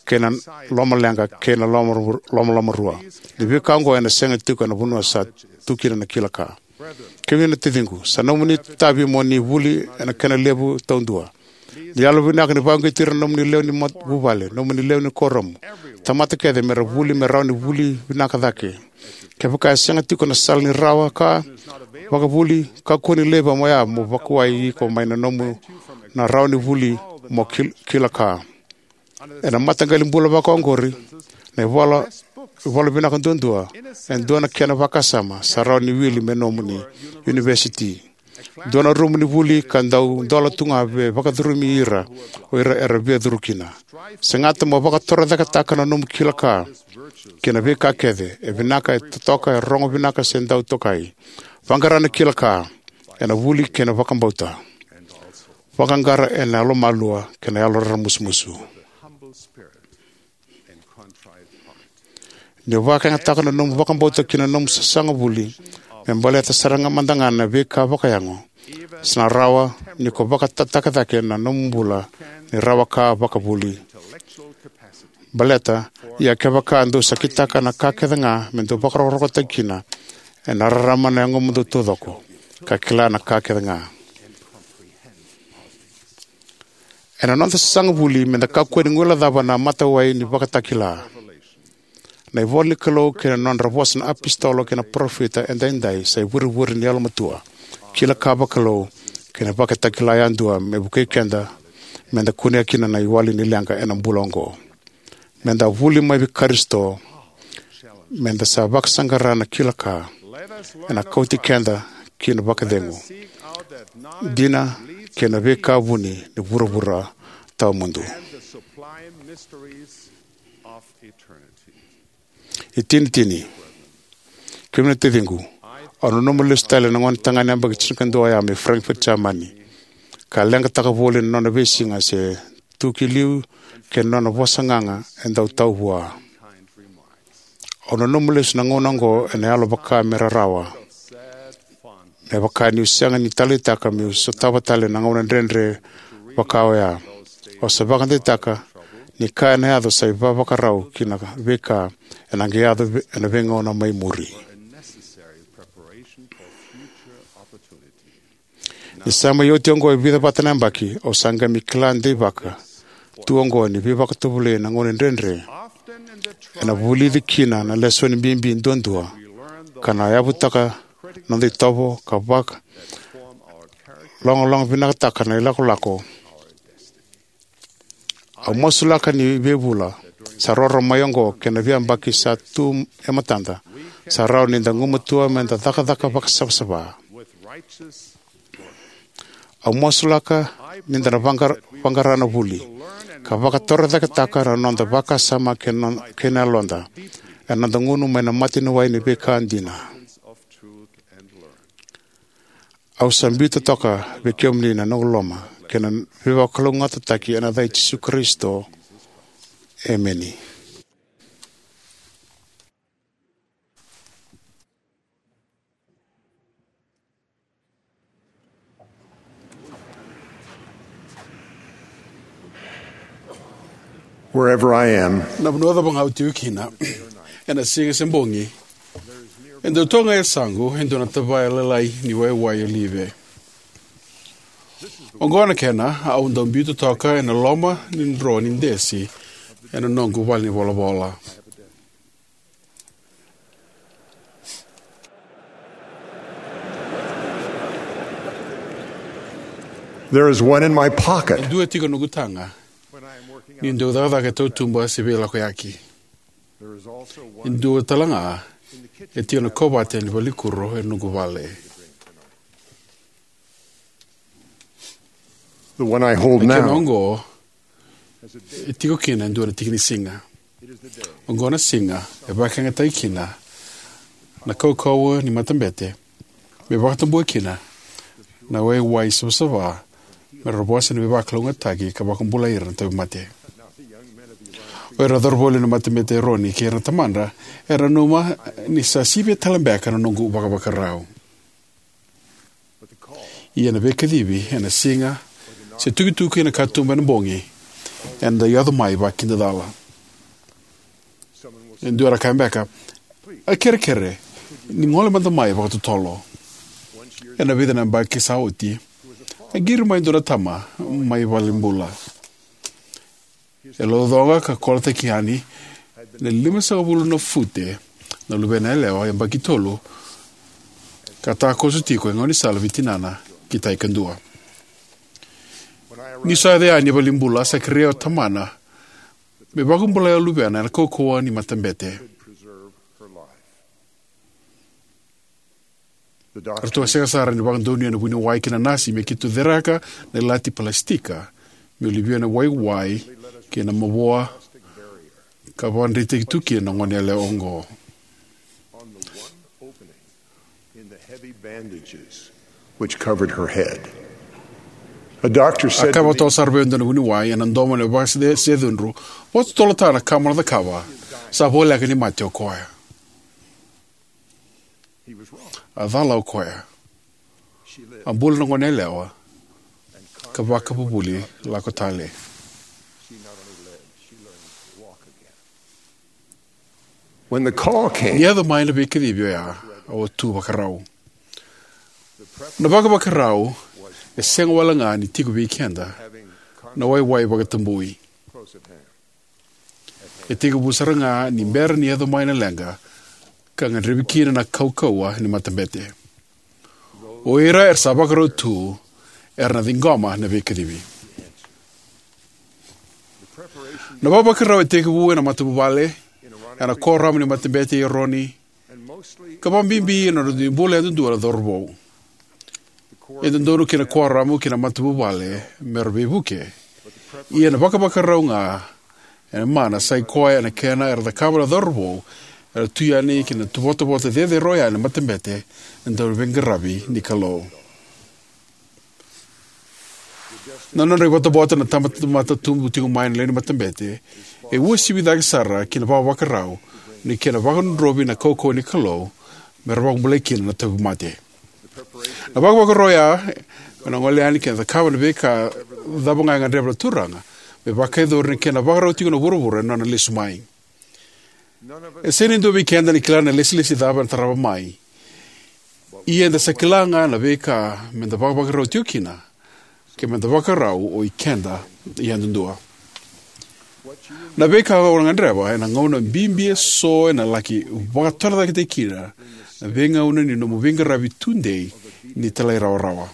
kei na lomaleqa, kei na loma, lomalomarua. Ni veika oqo ena sega tiko ena vanua sa tu kina na kila ka. Kemuni na taciqu, sa nomuni itavi mo ni vuli ena kena levu taudua. Ni yalovinaka ni vakauqeti ira na nomuni lewe ni mat-, vuvale, nomuni lewe ni kuoramu, tamata kece me ra vuli, me rawa ni vuli vinaka cake. Kevaka e sega tiko na sala ni rawa ka vakavuli, kakua ni laiva mo ya mo vakuwai iko mai na nomu na rawa ni vuli mo kil-, kila ka. Ena mataqali bula vakaoqori, na ivola, ivola vinaka duadua, e dua na kena vakasama, sa rawa ni wili me nomuni univesiti. Dua na rumu ni vuli ka dau dola tu ga me vakacurumi ira o ira era via curu kina. Segata mo vakatorocaketaka na nomu kila ka kei na veika kece e vinaka, e totoka, e rogo vinaka se dau tokai. Vaqara na kila ka ena vuli kei na vakabauta. Vaqaqara ena yalomalua kei na yaloraramusumusu. Ni o vakayagataka na nomu vakabauta ki na nomu sasaga vuli me baleta sara ga mada ga na veika vakayago, sa na rawa ni ko vakatataka cake na nomu bula ni rawa ka vakavuli. Baleta, ia kevaka dou sa kitaka na ka kece ga me dou vakarokorokotaki kina, ena rarama na yagomudou taucoko ka kila na ka kece ga. Ena noda sasaga vuli, meda kakua ni guilecava na matawai ni vakatakila. Na ivola ni Kalou kei na nodra vosa na apositolo kei na parofita edaidai sa ivurevure ni yalomatua, kila ka vakalou, kei na vakatakila yadua me vukei keda meda kunea kina na iwali ni leqa ena bula oqo. Meda vuli mai vei Karisito, meda sa vakasaqara na kila ka ena kauti keda ki na vakacegu, dina, kei na veika vuni ni vuravura tawamudu. Itinitini. Kemuni na taciqu, au nanuma lesu tale na gonetagane yabaki tinikadua oya mai Frankfurt, Jamani, ka leqataka voli na nona veisiga se tu ki liu kei na nona vosa gaga e dau tau vua. Au nanuma lesu na gauna oqo ena yalo vaka me rarawa. Me vaka niu sega ni taleitaka meu sotava tale na gauna dredre vaka oya. Au sa vakadeitaka ni ka ena yaco sa ivavakarau ki na veika ena qai yaco ve-, ena veigauna mai muri. Ni sa mai oti oqo e vica vata na yabaki, au sa qai mai kila deivaka tu oqo ni veivakatovolei na gauna dredre ena vulici kina na lesoni bibi duadua, ka na yavutaka na noda itovo ka vakalogalogavinakataka na ilakolako. Au masulaka ni veivula sa roro mai oqo kei na veiyabaki sa tu e matada, sa rawa ni da gumatua meda cakacaka vakasavasava. Au masulaka ni da na vaqar-, vaqara na vuli ka vakatorocaketaka na noda vakasama kei na, kei na yaloda ena noda gunu mai na mataniwai ni veika dina. Au sa biuta toka vei kemuni na noqu loloma kei na veivakalougatataki ena yaca i Jisu Karisito. Emeni. Wherever I am, na vanua cava ga au tiko kina, ena siga se bogi, e dau toka ga e yasaqu e dua na tavaya lalai ni waiwai olive. Oqo na kena au dau biuta toka ena loma ni dro ni desi ena noqu valenivolavola. There is one in my pocket. E dua tiko noqu taga niu dau cakacaka e tautuba se veilakoyaki. E dua tale ga e tiko na kovate ni valenikuro e noqu vale. The one I hold now. Na kena oqo e tiko kina e dua na tiki ni siga. Oqo na siga e vakayagataki kina na kaukauwa ni matabete me vakatabua kina na waiwai savasava, me ra vosa ni veivakalougatataki ka vakabulai ira na tauvimate. O ira na cauravou lewe ni matabete Eroni kei ira na tamadra era nanuma ni sa sivia tale beka na noqu vakavakarau. Ia na veikacivi ena siga, se tukituki ena katuba ena bogi, ena dau yaco mai vakidacala. E dua na kaya beka, "A kerekere, ni gole mada mai vakatotolo." Ena vica na yabaki sa oti, a qiri mai e dua na tama mai valenibula. E laucoqa ka kolataki yani na limasagavulu na fute na luvena yalewa yabaki tolu, ka takoso tiko e gaunisala vei tinana ki tai kadua. Ni sa yaco yani e valenibula, sa kerei au o tamana me vakabulai o luvena ena kaukauwa ni matabete. Ratou a sega sara ni vakadonuya na vuniwai kei na nasi me keitou cereka na ilati palasitika me uluvia na waiwai kei na mavoa, ka vakadreitaki tu kina na gone yalewa oqo. A kaya vakatotolo sara vei au e dua na vuniwai ena domo ena vakasecudru, "Vakatotolo tale na ka mo na cakava. Sa voleka ni mate o koya." A cala o koya. A bula na gone yalewa ka vakavuvuli lako tale. Ni yaco mai na veikacivi oya, au a tu vakarau. Na vakavakarau e sega wale ga ni tiko vei keda na waiwai vakatabui. E tekivu sara ga ni bera ni yaco mai na leqa ka gadrevi kina na kaukauwa ni matabete. O ira era sa vakarau tu era na ciqoma na veikacivi. Na vakavakarau e tekivu ena matavuvale, ena kuoramu ni matabete i Eroni, ka vakabibi ena nodra dui bula yadudua na cauravou. E dodonu kina na kuoramu kei na matavuvale me ra veivuke. Ia na vakavakarau ga ena mana sa i koya ena kena era cakava na cauravou era tu yani ki na votavota cecere oya ena matabete, na dauveiqaravi ni Kalou. Na nodra ivotavota na tamata tubu tiko mai na lewe ni matabete e uasivi cake sara ki na vakavakarau ni kena vakadrodrovi na kaukauwa ni Kalou me ra vakabulai kina na tauvimate. Na vakavakarau oya me na gole yani kei na cakava na veika cava ga e gadreva na Turaga me vakayacori na kena vakarau tiko na vuravura ena nona lesu mai. E sega ni dua vei keda ena kila na ilesilesi cava ena tarava mai. Ia eda sa kila ga na veika meda vakavakarau tiko kina, ke meda vakarau o ikeda yadudua. Na veika o na gadreva ena gauna bibi eso ena laki vakatorocaketaki kina na veigauna ni nomu veiqaravi tudei ni talairawarawa.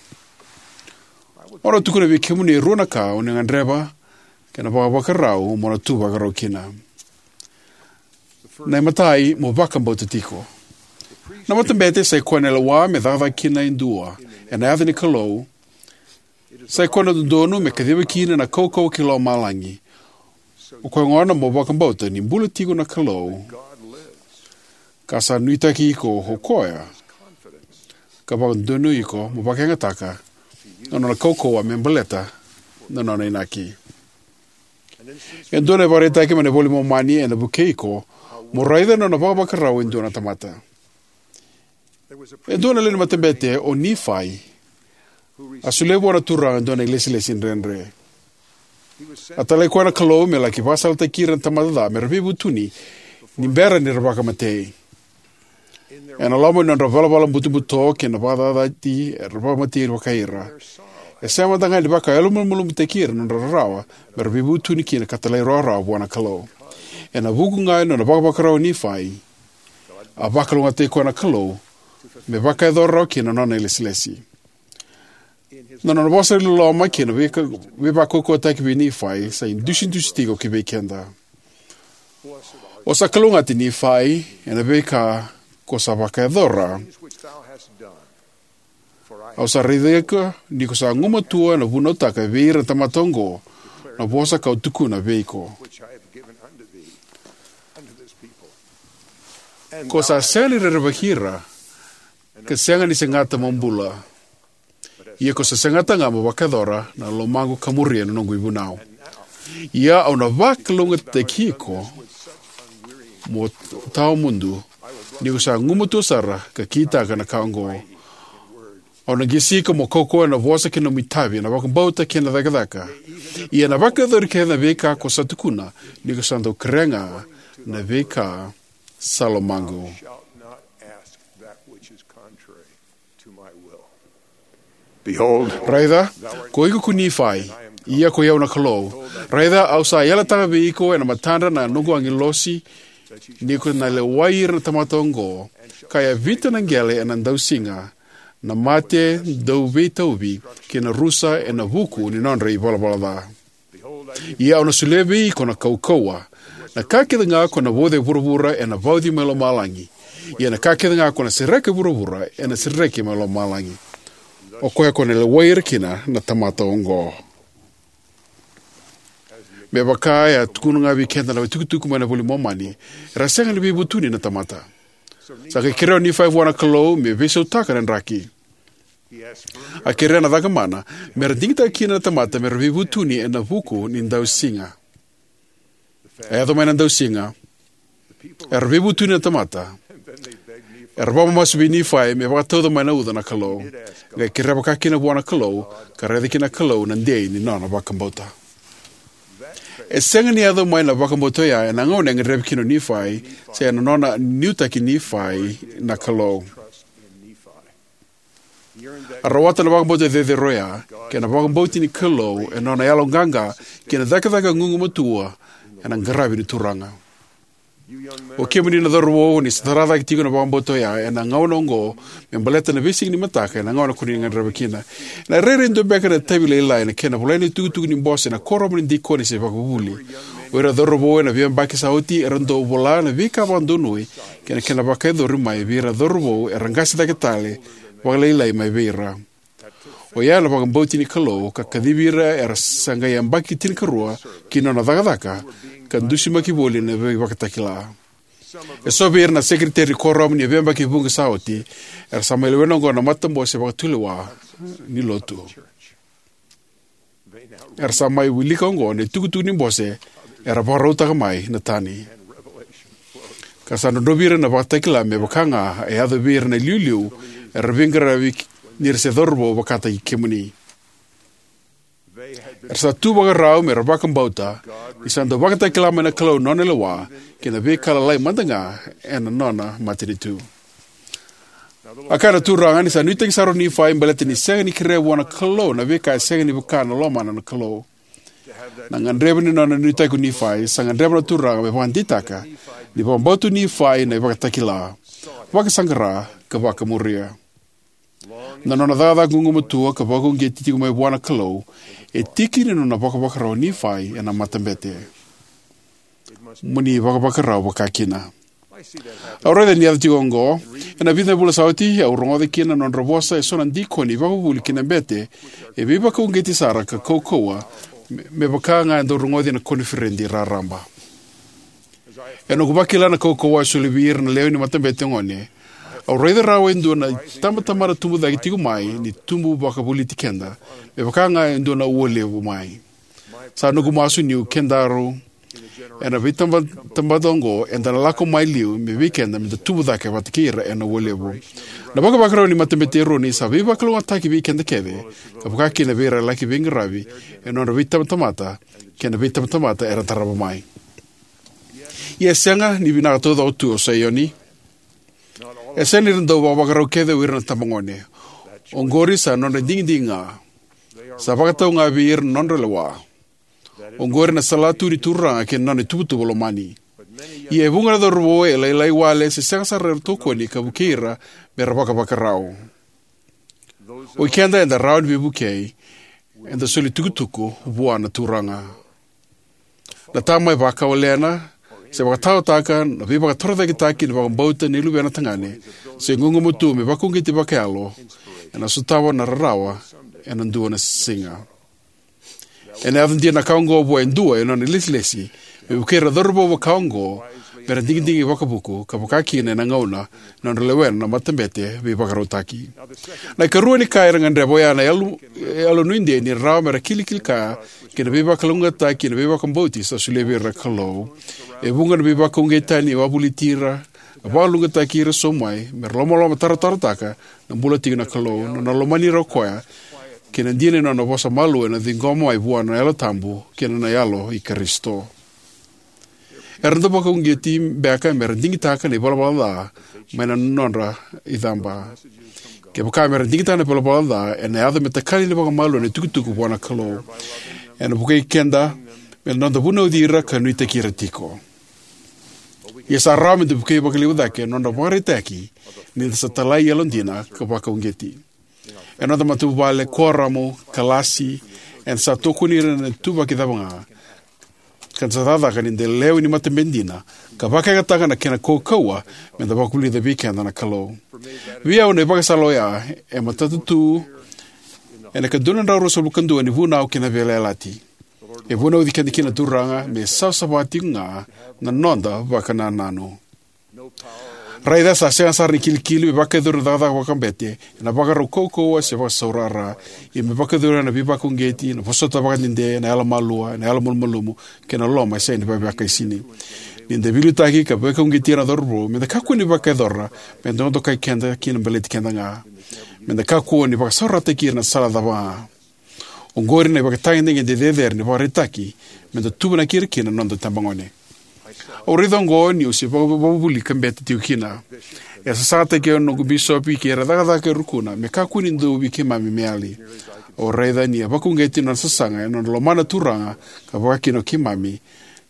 Au na tukuna vei kemuni e rua na ka o na gadreva kei na vakavakarau mo na tu vakarau kina. Na imatai, mo vakabauta tiko. Na matabete sa i koya na lewa me cakacaka kina e dua ena yaca ni Kalou. Sa i koya na dodonu me kaciva kina na kaukauwa kei lomalagi. O koya gona mo vakabauta ni bula tiko na Kalou, ka sa nuitaki iko o koya, ka vakadonui iko mo vakayagataka na nona kaukauwa me baleta na nona inaki. E dua na ivakaraitaki mai na iVola i Momani ena vukei iko mo raica na nona vakavakarau e dua na tamata. E dua na lewe ni matabete o Nifai, a solia vua na Turaga e dua na ilesilesi dredre. A talai koya na Kalou me laki vakasalataki ira na tamata ca me ra veivutuni ni bera ni ra vakamatei. Ena loma ni nodra valavala butobuto kei na vakacacati era vakamatei vakai ira. E sega mada ga ni vakayalomalumalumutaki ira na nodra rarawa me ra veivutuni kina ka talairawarawa vua na Kalou. Ena vuku ga ni nona vakavakarau o Nifai, a vakalougatataki koya na Kalou me vakayacora rawa kina na nona ilesilesi. Na nona vosa loloma kei na veika-, veivakaukauwataki vei Nifai sa idusidusi tiko ki vei keda. O sa kalougata, Nifai, ena veika ko sa vakayacora. Au sa raica iko ni ko sa gumatua ena vunautaka vei ira na tamata oqo na vosa kau tukuna vei iko. Ko sa sega ni rerevaki ira, ka sega ni segata mo bula. Ia ko sa segata ga mo vakayacora na lomaqu ka muria na noqu ivunau. Ia au na vakalougatataki iko mo tawamudu, ni ko sa gumatua sara ka kitaka na ka oqo. Au na qai sika mo kaukauwa ena vosa kei na nomu itavi, ena vakabauta kei na cakacaka. Ia ena vakayacori kece na veika ko sa tukuna, ni ko sa dau kerea ga na veika sa lomaqu. Shalt not ask that which is contrary to my will. Behold, Raica, ko iko ko Nifai, ia ko i au na Kalou. Raica, au sa yalataka vei iko ena matadra na noqu agilosi, ni ko na lewai ira na tamata oqo, ka yavita na qele ena dausiga, na mate dauveitauvi, kei na rusa ena vuku ni nodra ivalavala ca. Ia au na solia vei iko na kaukauwa, na ka kece ga ko na vauca e vuravura ena vauci mai lomalagi. Ia na ka kece ga ko na sereka e vuravura ena sereki mai lomalagi. O koya ko na lewai ira kina na tamata oqo. Me vaka e a tukuna ga vei keda na itukutuku mai na iVola i Momani, era sega ni veivutuni na tamata. Sa qai kerea o Nifai vua na Kalou me veisautaka na draki. A kerea na caka mana, me ra digitaka kina na tamata me ra veivutuni ena vuku ni dausiga. A yaco mai na dausiga. Era veivutuni na tamata. Era vakamamasu vei Nifai me vakatauca mai na uca na Kalou. Qai kerea vakakina vua na Kalou, ka raica kina na Kalou na dei ni nona vakabauta. E sega ni yaco mai na vakabauta oya ena gauna e gadrevi kina o Nifai, se ena nona nuitaki Nifai na Kalou. A rawata na vakabauta cecere oya, kei na vakabauti ni Kalou, ena nona yaloqaqa, kei na cakacaka gugumatua, ena qaravi ni Turaga. O kemuni na cauravou, ni sa tara cake tiko na vakabauta oya, ena gauna oqo, me baleta na veisiga ni mataka, ena gauna ko ni gadreva kina. Ena rairai dua beka na itavi lailai, ena kena volai na itukutuku ni bose, ena kuoramu ni dikoni se vakavuvuli. O ira cauravou, ena veiyabaki sa oti, era dau vola na veika vakadonui, kei na kena vakayacori mai, vei ira cauravou, era qase cake tale, vakalailai mai vei ira. Oya na vakabauti ni Kalou, ka kacivi ira era sa qai yabaki tinikarua, ki na nona cakacaka, ka dusimaki voli na veivakatakila. Eso vei ira na sekeriteri ni kuoramu ni veiyabaki vuqa sa oti, era sa mai lewena oqo na matabose vakatulewa ni lotu. Era sa mai wilika oqo na itukutuku ni bose, era vakarautaka mai na tani. Ka sa drodrovi ira na vakatakila me vaka ga e yaco vei ira na iliuliu, era veiqaravi ni ra se cauravou vakataki kemuni. Era sa tu vakarau me ra vakabauta, ni sa dau vakatakila mai na Kalou na nona lewa, kei na veika lalai mada ga ena nona matanitu. A kaya na Turaga ni sa nuitaki sara o Nifai baleta ni sega ni kerea vua na Kalou na veika e sega ni vaka na lomana na Kalou. Na gadreva ni nona nuitaki ko Nifai, sa gadreva na Turaga me vakadeitaka, ni vakabauta o Nifai na ivakatakila. Vakasaqara, ka vakamuria. Na nona cakacaka gugumatua ka vakauqeti tiko mai vua na Kalou, e tiki ni nona vakavakarau o Nifai ena matabete. Mo ni vakavakarau vakakina. Au raica ni yaco tiko oqo, ena vica na vula sa oti, au rogoca kina na nodra vosa eso na dikoni vakavuvuli ki na bete, e veivakauqeti sara ka kaukauwa, me, me vaka ga e dau rogoci ena koniferedi raraba. Ena noqu vakila na kaukauwa e soli vei ira na lewe ni matabete gone, au raica rawa e dua na itabatamata tubu cake tiko mai, ni tubu vakavoliti keda, me vaka ga e dua na ua levu mai. Sa noqu masu niu kedaru ena veitabatamata oqo, eda na lako mai liu me vei keda, meda tubu cake vata kei ira ena ua levu. Na vakavakarau ni matabete Eroni sa veivakalougatataki vei keda kece, ka vakakina vei ira laki veiqaravi ena nodra veitabatamata, kei na veitabatamata era tarava mai. Ia e sega ni vinaka taucoko tu o Saioni. E sega ni ra dau vakavakarau kece o ira na tabagone. Oqori sa nodra digidigi ga. Sa vakatau ga vei ira na nodra lewa. Oqori na salatu ni Turaga kei na nona ituvatuva lomani. Ia e vuqa na cauravou e lailai wale se sega sara era tokoni ka vukei ira me ra vakavakarau. O ikeda eda rawa ni veivukei, eda soli tukutuku vua na Turaga. Na tama e vakawalena, se vakataotaka na veivakatorocaketaki ni vakabauta ni luvena tagane, se gugumatua me vakauqeti vakayalo, ena sotava na rarawa ena dua na siga. Ena yaco dina na ka oqo vua e dua ena nona ilesilesi, me vukei ira na cauravou vaka oqo, me ra digidigi vakavuku, ka vakakina ena gauna na nodra lewena na matabete veivakarautaki. Na ikarua ni ka era gadreva oya na yalo, yalo nuidei ni rawa me ra kilikili kaya kei na veivakalougatataki kei na veivakabauti sa solia vei ira na Kalou. E vuqa na veivakauqeti tani e wavoliti ira Vakalougatataki ira eso mai me ra lomalomataratarataka na bula tiko na Kalou, nona lomani ira o Koya, kei na dina ni Nona vosa malua ena ciqoma mai vua na Yalo Tabu kei na Yalo i Karisito. Era dau vakauqeti beka me ra digitaka na ivalavala ca mai na nodra icaba. Kevaka me ra digitaka na ivalavala ca, ena yaco me takali vakamalua na itukutuku vua na Kalou. Ena vukei keda me noda vunauci ira ka nuitaki ira tiko. Ia sa rawa meda vukei vakalevu cake na nodra ivakaraitaki ni da sa italai yalodina ka vakauqeti. Ena noda matavuvale, kuoramu, kalasi, eda sa tokoni ira ena ituvaki cava ga, ka da sa cakacaka ni da lewe ni matabete dina ka vakayagataka na kena kaukauwa meda vakavulica vei keda na Kalou. Vei au, na ivakasala oya e matata tu ena ika dua na drau ruasagavulu ka dua ni Vunau kei na Veiyalayalati. E vunauci keda kina na Turaga me savasava tikoga na noda vakanananu. Raica, sa sega sara ni kilikili me vakayacori na cakacaka vakamatabete ena ivakarau kaukauwa se vakasaurara, ia me vakayacori ena veivakauqeti, na vosota vakadede, na yalomalua, na yalomalumalumu, kei na loloma e sega ni veivakaisini. Ni da veiliutaki ka vakauqeti ira na cauravou, meda kakua ni vakayacora me dokadokai keda kina baleti keda ga. Meda kakua ni vakasaurarataki ira ena sala cava ga. Oqori na ivakatagedegede cecere ni ivakaraitaki meda tuvanaki ira kina na noda itabagone. Au raica oqo niu se vakavuvuli ka bete tiko kina. E a sasagataki au na noqu bisopi kei ira na cakacaka e rukuna me kakua ni dua vei keimami me yali. Au raica ni a vakauqeti na nona sasaga ena nona lomana na Turaga ka vakakina o keimami,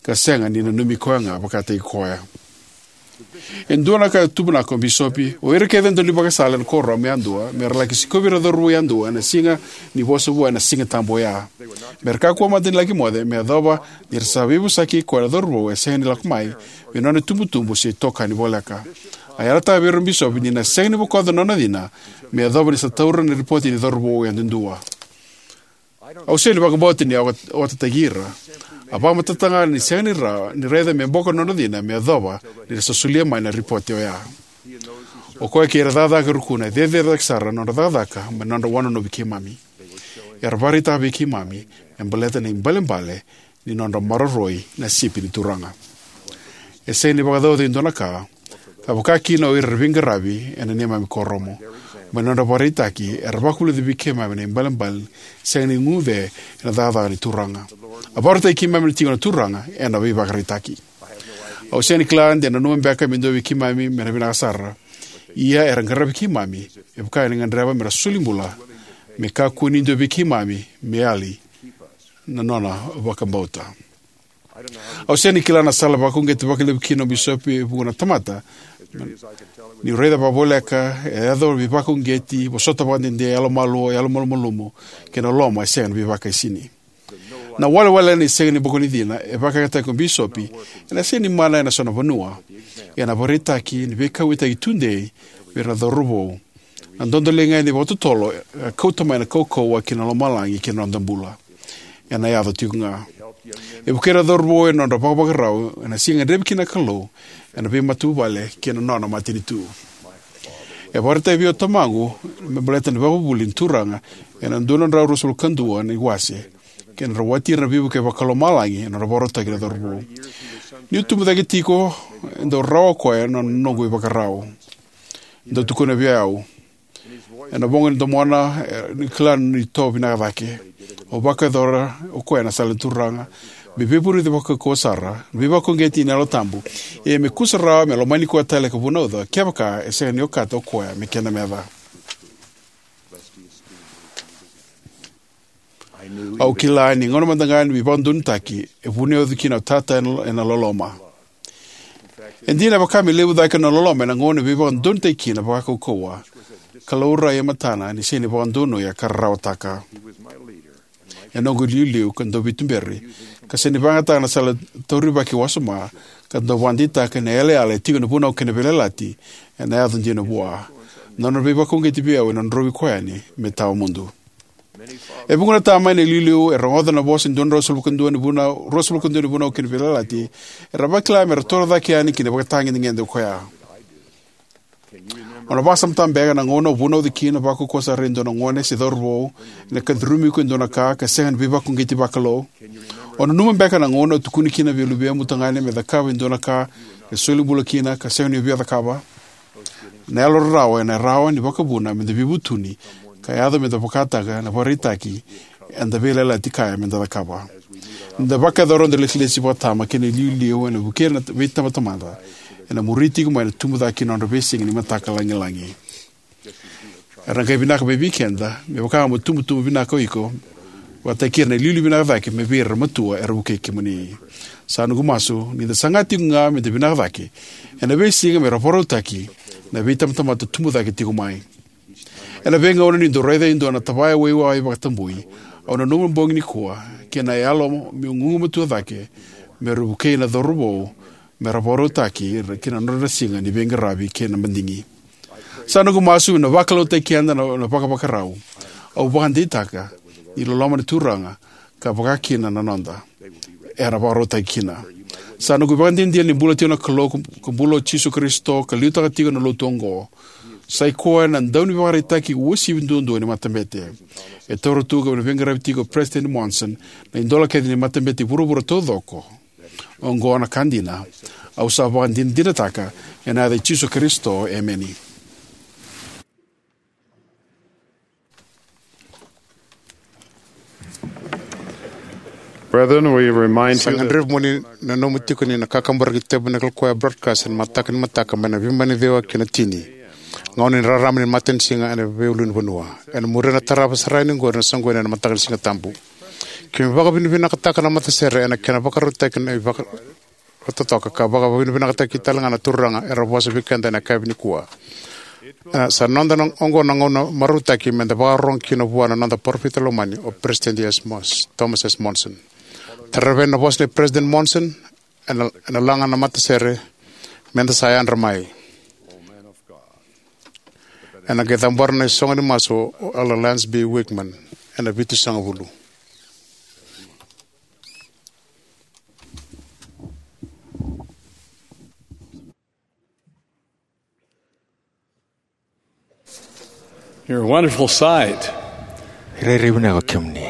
ka sega ni nanumi koya ga vakataki koya. E dua na ka e tuvanaka o bisopi: o ira kece e daunivakasala ena kuoramu yadua me ra laki sikovi ira na cauravou yadua ena siga ni vosa vou ena Sigatabu oya. Me ra kakua mada ni laki moce, me yacova ni ra sa veivosaki kei koya na cauravou e sega ni lako mai vei nona itubutubu se itokani voleka. A yalataka vei ira na bisopi ni na sega ni bokoca na nona cina me yacova ni sa taura na ripoti ni cauravou yadudua. Au sega ni vakabauta ni a otataki ira. A vakamatatataka ga ni sega ni rawa ni raica me bokoca na nona cina me yacova ni ra sa solia mai na ripoti oya. O koya kei ira na cakacaka e rukuna e cecere cake sara na nodra cakacaka mai na nodra wanonovi keimami. Era vakaraitaka vei keimami me baleta na ibalebale ni nodra maroroi na sipi ni Turaga. E sega ni vakacaucautaki e dua na ka ka vakakina o ira era veiqaravi ena neimami kuoramu. Mai na nodra ivakaraitaki, era vakavulica vei keimami na ibalebale sega ni guce ena cakacaka ni Turaga. A vakaraitaki keimami na tiko na Turaga ena veivakaraitaki. Au sega ni kila de nanuma beka me dua vei keimami me na vinaka sara, ia era qaravi keimami me vaka ni gadreva me ra solibula me kakua ni dua vei keimami me yali na nona vakabauta. Au sega ni kila na sala e vakauqeti vakalevu kina o bisopi e vuqa na tamata, niu raica vakavoleka e yaco na veivakauqeti, vosota vakadede, yalomalua, yalomalumalumu, kei na loloma e sega ni veivakaisini. Na walewale ni sega ni bokoca na cina e vakayagataki o bisopi ena sega ni mana ena so na vanua, ia na ivakaraitaki ni veikauwaitaki tudei vei ira na cauravou, na dodoliga ni vakatotolo e kauta mai na kaukauwa ki na lomalagi ki na noda bula, ena yaco tiko ga. E vukei ira na cauravou ena nodra vakavakarau ena siga e gadrevi kina na Kalou ena veimatavuvale kei na nona matanitu. E vakaraitaka vei au o tamaqu me baleta na ivakavuvuli ni Turaga ena dua na drau ruasagavulu ka dua na iwase, kei na rawati ira na veivuke vakalomalagi ena nodra vakarautaki na cauravou. Niu tubu cake tiko, e dau rawa o koya na noqu ivakarau. E dau tukuna vei au ena vuqa ni domona, e, ni kila ni tou vinaka cake. Au vakayacora o koya na sala ni Turaga, me veivurici vakaukauwa sara, me veivakauqeti ena Yalo Tabu, ia me kusarawa me lomani koya tale ka vunauca kevaka e sega ni okata o koya me kena meca. Au kila ni gauna mada ga ni veivakadonutaki e vunauci kina o tata ena, ena loloma. E dina, e vaka me levu cake na nona loloma ena gauna e veivakadonutaki kina vakaukauwa, ka laurai e matana ni sega ni vakadonuya ka rarawataka. E noqu iliuliu ka dauveituberi, ka sega ni vakayagataka na sala taurivaki wasoma, ka dau vakadeitaka na yalayala e tiko ena Vunau kei na Veiyalayalati ena yaco dina vua. Na nona veivakauqeti vei au ena drovi koya yani me tawamudu. E vuqa na tama ena iliuliu e rogoca na vosa ni dua na drau ruasagavulu ka dua ni Vunau, ruasagavulu ka dua ni Vunau kei na Veiyalayalati, era vakila me ra torocake yani ki na ivakatagedegede o koya. O na vakasamataka beka na gauna o vunauci kina vakaukauwa sara e dua na gone se cauravou ena ka curumi iko e dua na ka ka sega ni veivakauqeti vakalou? O nanuma beka na gauna o tukuni kina vei luvemu tagane me cakava e dua na ka e soli bula kina ka sega ni via cakava? Na yalo rarawa ena rawa ni vakavuna meda veivutuni ka yaco meda vakataka na ivakaraitaki eda veiyalayalati kaya meda cakava. Ni da vakayacora noda ilesilesi vakatama kei na iliuliu ena vukea na veitabatamata, ena muri tiko mai na tubu cake ni nodra veisiga ni mataka lagilagi. Era na qai vinaka mai vei keda, me vaka mo tubutubu vinaka o iko, vakataki ira na iliuliu vinaka cake mai vei ira na matua era vukei kemuni. Sa noqu masu ni da saga tiko ga me da vinaka cake ena veisiga me ra vakarautaki na veitabatamata tubu cake tiko mai. Ena veigauna niu dau raica e dua na tavaya waiwai vakatabui, au nanuma bogi nikua kei na yalo meu gugumatua cake me ra vukei na cauravou me ra vakarautaki ira ki na nodra siga ni veiqaravi kei na madigi. Sa noqu masu me na vakalautaki keda na, na vakavakarau. Au vakadeitaka ni loloma na Turaga ka vaka kina na noda era vakarautaki kina. Sa noqu ivakadinadina ni bula tiko na Kalou, ka bula o Jisu Karisito, ka liutaka tiko na lotu oqo. Sa i koya na daunivakaraitaki uasivi duadua ni matabete. E taura tu ka veiqaravi tiko o President Monson na idola kece ni matabete i vuravura taucoko. Oqo na ka dina. Au sa vakadinadinataka ena yaca i Jisu Karisito, emeni. Brethren, we remind Sa you that gadrevi mo ni nanuma tiko ni na kakaburaki Tabernacle Choir broadcast ena mataka ni mataka mai na veimama ni ciwa ki na tini, gauna ni rarama ni matanisiga ena veiulunivanua. Ena muria na tarava sara yani oqori na soqoni ena mataka ni Siga Tabu. Keimami vakavinavinakataka na matasere ena kena vakarautaki na ivaka totoka ka vakavinavinakataki tale ga na Turaga era vosa vei keda ena yakavi nikua. E, sa noda na, oqo na gauna marautaki meda vakarorogo kina vua na noda parofita lomani o President S. Mos-, Thomas S. Monson. Tarava na vosa nei President Monson ena, ena laga na matasere, meda sa yadra mai. Ena qai cabora na isogo ni masu o Elder Lance B. Wigman ena vitusagavulu. You're a wonderful sight. Rairai vinaka o kemuni.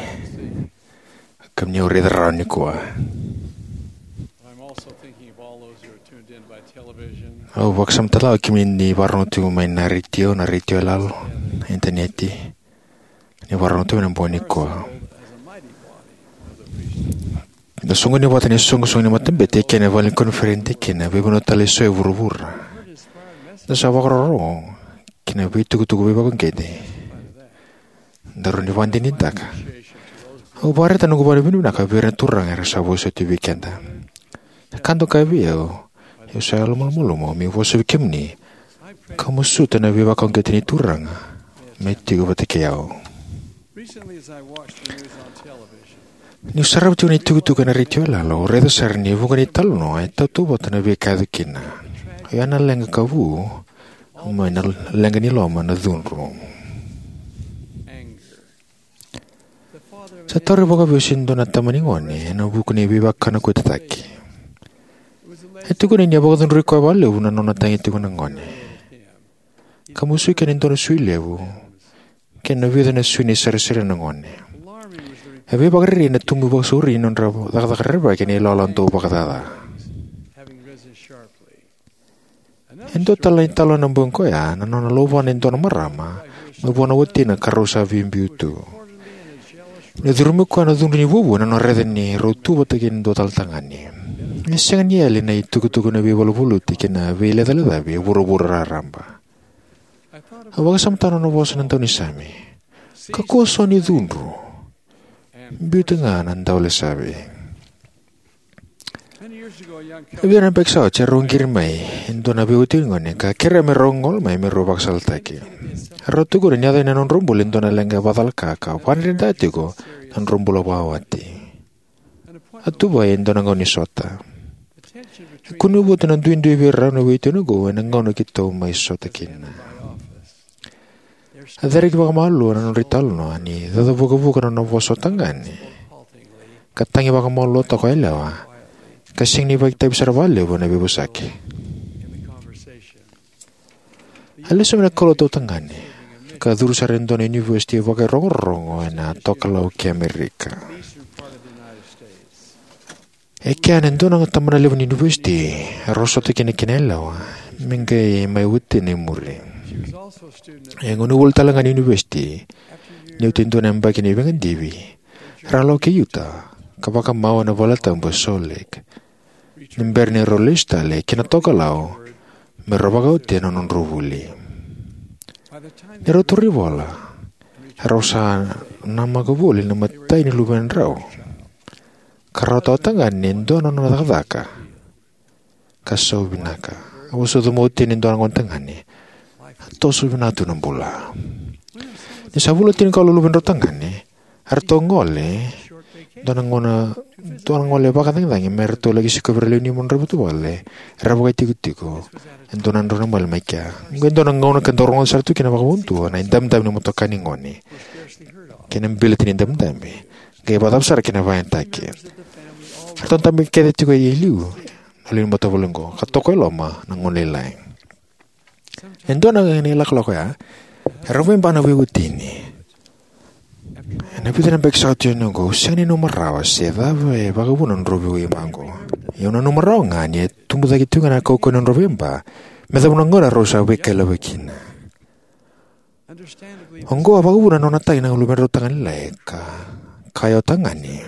Kemuni au raica rawa nikua. I'm also thinking of all those who are tuned in by television. Au vakasamataka o kemuni ni vakarorogo tiko mai na retio, na retio yalalo, na initaneti. Ni vakarorogo tiko mai na bogi nikua. Da soqoni vata ni soqosoqo ni matabete kei na vale ni koniferedi kei na veivanua tale eso e vuravura. Da sa vakarorogo ki na veitukutuku veivakauqeti. Daru ni vakadinadinataka. Au vakaraitaka noqu vakavinavinaka vei ira na turaga era sa vosoti vei keda. Ka dau kaya vei au, au sa yalomalumalumu meu vosa vei kemuni ka masuta na veivakauqeti ni Turaga me tiko vata kei au. Niu sarava tiko na itukutuku ena retio yalalo, au raica sara ni vuqa na italanoa e tautauvata na veika e yaco kina. Oya na leqa ka vu mai na leqa ni loma, na cudru. Sa tauri vakavesu e dua na tama ni gone ena vuku ni veivakanakuitataki. E tukuni ni a vakacudrui koya vakalevu na nona tagi tiko na gone, ka musuki ena dua na sui levu kei na vica na sui ni sarisari na gone. E veivakarerei na tubu vakasauri ni nodra cakacaka rerevaki ena ilawalawa dau vakacaca. E dua tale na italanoa ena bogi koya, na nona lauvana e dua na marama mai vua na watina ka rau sa veibiu tu. Ni curumi koya na cudru ni vuavuai, na nona raica ni rau tu vata kei na dua tale tagane. E sega ni yali na itukutuku ni veivaluvaluti kei na veilecalecavi e vuravura raraba. Au vakasamataka na nona vosa na daunisame: Kakua so ni cudru. Biuta ga na daulesavi. E vica na yabaki sa oti, erau qiri mai e dua na veiwatini gone ka kerea me rau gole mai me rau vakasalataki. Erau tukuna ni yaco ena nodrau bula e dua na leqa vakacalaka ka vakadredredre tiko na nodrau bula vakawati. A tuvai e dua na gaunisota. E kunei vata na duidui vei rau na veiwatini oqo ena gauna keitou mai sota kina. A cereki vakamalua na nodra italanoa ni cacavukavuka na nona vosa o tagane, ka tagi vakamalua toka o yalewa, ka sega ni vakaitavi sara vakalevu ena veivosaki. A lesu mai na kaulotu o tagane ka curu sara e dua na univesiti vakairogorogo ena tokalau kei Amerika. E kea na dua na tabana levu ni univesiti e rau sota kina kina yalewa me qai mai watina e muri. E gone vuli tale ga ni univesiti, ni oti e dua na yabaki ni veigadivi, rau lako ki Utah ka vakamau ena valetabu e Salt Lake ni bera ni rau lesu tale ki na tokalau me rau vakawati na nodrau vuli. Ni rau tauri vola, rau sa namaka voli na imatai ni luvedrau, ka rau tautagane e dua na nona cakacaka ka sau vinaka. A vosa cuma oti ni dua na gone tagane, a toso vinaka tu na bula. Ni sa vula tinikawalu na luvedrau tagane, eratou gole dua na gauna, dua na gole vakacagicagi me ratou laki sikovi ira lewe ni nodrau vuvale era vakaitikotiko e dua na drau na mali mai kea. Oqo e dua na gauna ka dau rogoca sara tu kina vakavudua na idabedabe ni motoka ni gone kei na beleti ni dabedabe, qai vakacava sara kei na vakayagataki. Eratou dabe kece tiko e liu na lewe ni matavuvale oqo ka toka e loma na gone lailai. E dua na, na ilakolako oya, e rau veiba na veiwatini. Ena vica na yabaki sa oti yani oqo, au sega ni nanuma rawa se cava e vakavuna na nodrau veiba oqo. Ia au nanuma rawa ga ni a tubu cake tiko ga na kaukauwa ni nodrau veiba me yacova na gauna rau sa veikailavaki kina. Oqo a vakavuna na nona tagi na luvedrau tagane lailai ka kaya o tagane,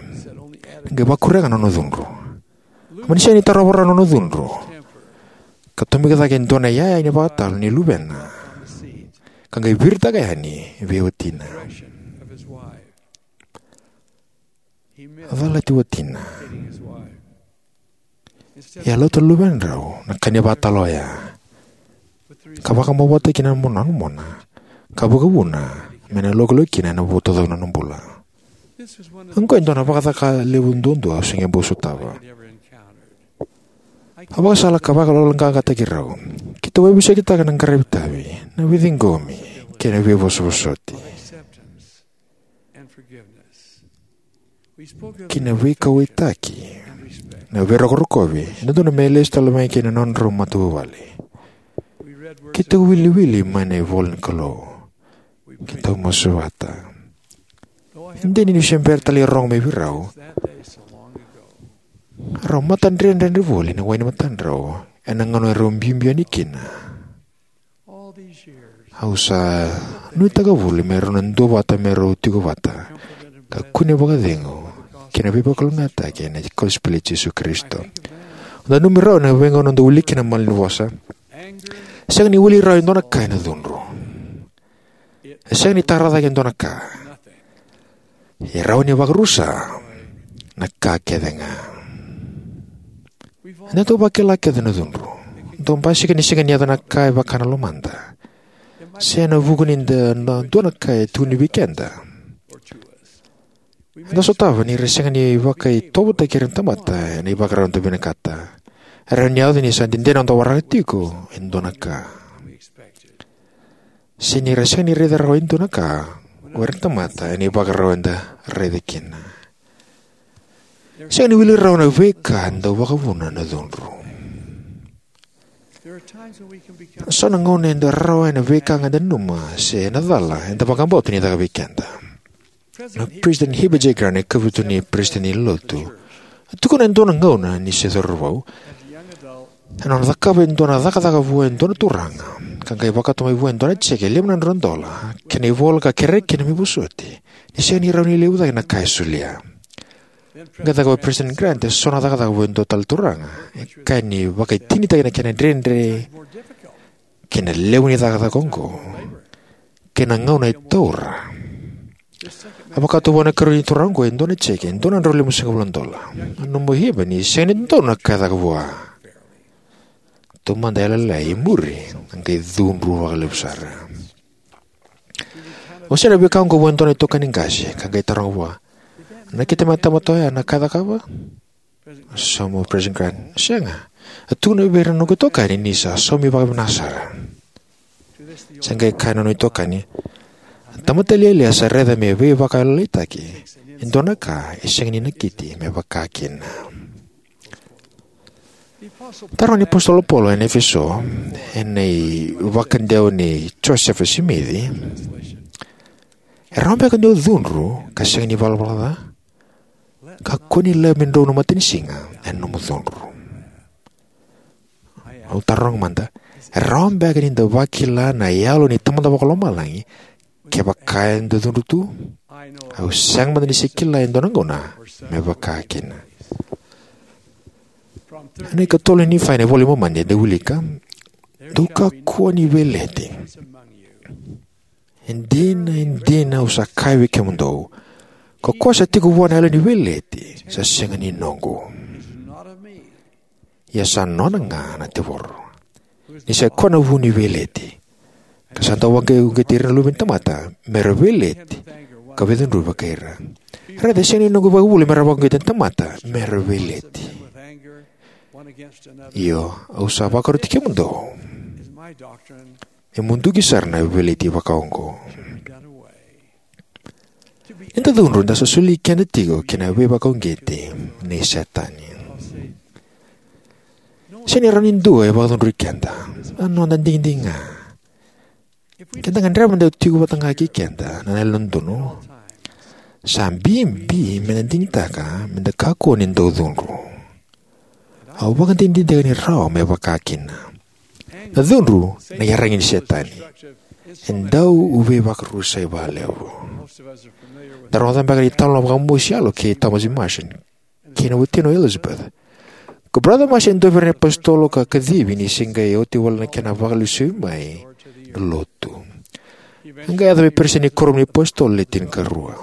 qai vakuria ga na nona cudru. Mani sega ni tarova rawa na nona cudru ka tomika cake e dua na iyaya ni vakatalo ni luvena, ka qai viritaka yani vei watina. A calati watina. Ia a lauta na luvedrau na ka ni vakatalo oya ka vakamau vata kina na mona, na mona, ka vakavuna me na lokiloki kina ena vuku taucoko ni nona bula. Oqo e dua na vakacaka levu duadua au se qai bau sotava. Au vakasala ka vakayaloqaqataki rau. Keitou veivosakitaka na qaravi tavi, na veiciqomi, kei na veivosovosoti, kei na veikauwaitaki, na veirokorokovi, e dodonu me lesu tale mai kei na nodrau matavuvale. Keitou wiliwili mai na ivola ni Kalou. Keitou masu vata. E dina niu se bera tale ni rogo mai vei rau, rau matadredredre voli na wai ni matadrau ena gauna erau biubiu yani kina. Au sa nuitaka voli me rau na duavata me rau tiko vata ka kune vakacegu kei na veivakalougatataki ena kosipeli i Jisu Karisito. Au nanumi rau ena veigauna au dau wilika kina na malanivosa. Sega ni wili rawa e dua na ka ena cudru. E sega ni tara cake e dua na ka. E rawa ni vakarusa na ka kece ga. Eda dau vakila kece na cudru. Dau basika ni sega ni yaco na ka e vaka na lomada, se ena vuku ni da, na dua na ka e tukuni vei keda. Eda sotava ni ra sega ni vakaitovotaki ira na tamata ena ivakarau eda vinakata. E rawa ni yaco ni sa dede na noda waraka tiko e dua na ka, se ni ra sega ni raica rawa e dua na ka o ira na tamata ena ivakarau eda raica kina. Sega ni wili rawa na veika e dau vakavuna na cudru. So na gauna eda rarawa ena veika ga eda nanuma se ena cala eda vakabauta ni caka vei keda. Na President Heber J. Grant, e kavitu ni peresitedi ni Lotu, a tukuna e dua na gauna ni se cauravou, ena nona cakava e dua na cakacaka vua e dua na turaga, ka qai vakauta mai vua e dua na jeke e lima na drau na dola kei na ivola ka kerea kina me vosoti ni sega ni rawa ni levu cake na ka e solia. Qai cakava o President Grant e so na cakacaka vua e dua tale na turaga, e kaya ni vakaitinitaki na kena dredre kei na levu ni cakacaka oqo kei na gauna e taura. A vakauta vua na ikarua ni turaga oqo e dua na jeke e dua na drau limasagavulu na dola. A nanuma o Heber ni sega ni dodonu na ka e caka vua. Taumada e lailai, e muri a qai cudru vakalevu sara. A wasea na veika oqo vua e dua na itokani qase ka qai taroga vua, "Nakita mai na tamata oya na ka e cakava?" A sauma o President Grant, "Sega. A tukuna vei ira na noqu itokani ni sa saumi vakavinaka sara." Sa qai kaya na nona itokani, "Na tamata lialia sa raica me veivakayalolailaitaki e dua na ka e sega ni nakiti me vaka kina." Taroga ni apositolo Paula ena Efeso, ena ivakadewa nei Josefa Simici, "E rawa beka ni o cudru ka sega ni valavala ca? Kakua ni laiva me drau na matanisiga ena nomu cudru. Au taroga mada, e rawa beka ni da vakila na yalo ni Tamada Vakalomalagi kevaka eda cudru tu? Au sega mada ni se kila e dua na gauna me vaka kina. Ena ikatolu ni Nifai, na iVola i Momani, eda wilika: Dou kakua ni veileti. E dina, e dina, au sa kaya vei kemudou, ko koya sa tiko vua na yalo ni veileti sa sega ni noqu, ia sa nona ga na tevoro. Ni sa i koya na vu ni veileti, ka sa dau vakauqeti ira na luve ni tamata me ra veileti ka veicudruvi vakai ira. Raica, e sega ni noqu ivakavuvuli me ra vakauqeti na tamata me ra veileti. Io, au sa vakaroti kemudou, e muduki sara na veileti vakaoqo. Ni da cudru, da sa soli keda tiko ki na veivakauqeti nei Setani. Sega ni rawa ni dua e vakacudrui keda, na noda digidigi ga. Ke da gadreva me da tiko vata ga kei keda na yalododonu, sa bibi me da digitaka me da kakua ni dau cudru. Au vakadinadinataka ni rawa me vaka kina. Na cudru na iyaragi ni Setani. E dau veivakarusai vakalevu. Da rogoca beka na italanoa vakamosi yalo kei Thomas Marsh kei na watina o Elizabeth. Ko Brother Marsh e dua vei ira na iapositolo ka kacivi ni se qai oti wale na kena vakalesui mai na Lotu. A qai yaco me peresitedi ni Kuoramu ni iApositolo Le Tinikarua.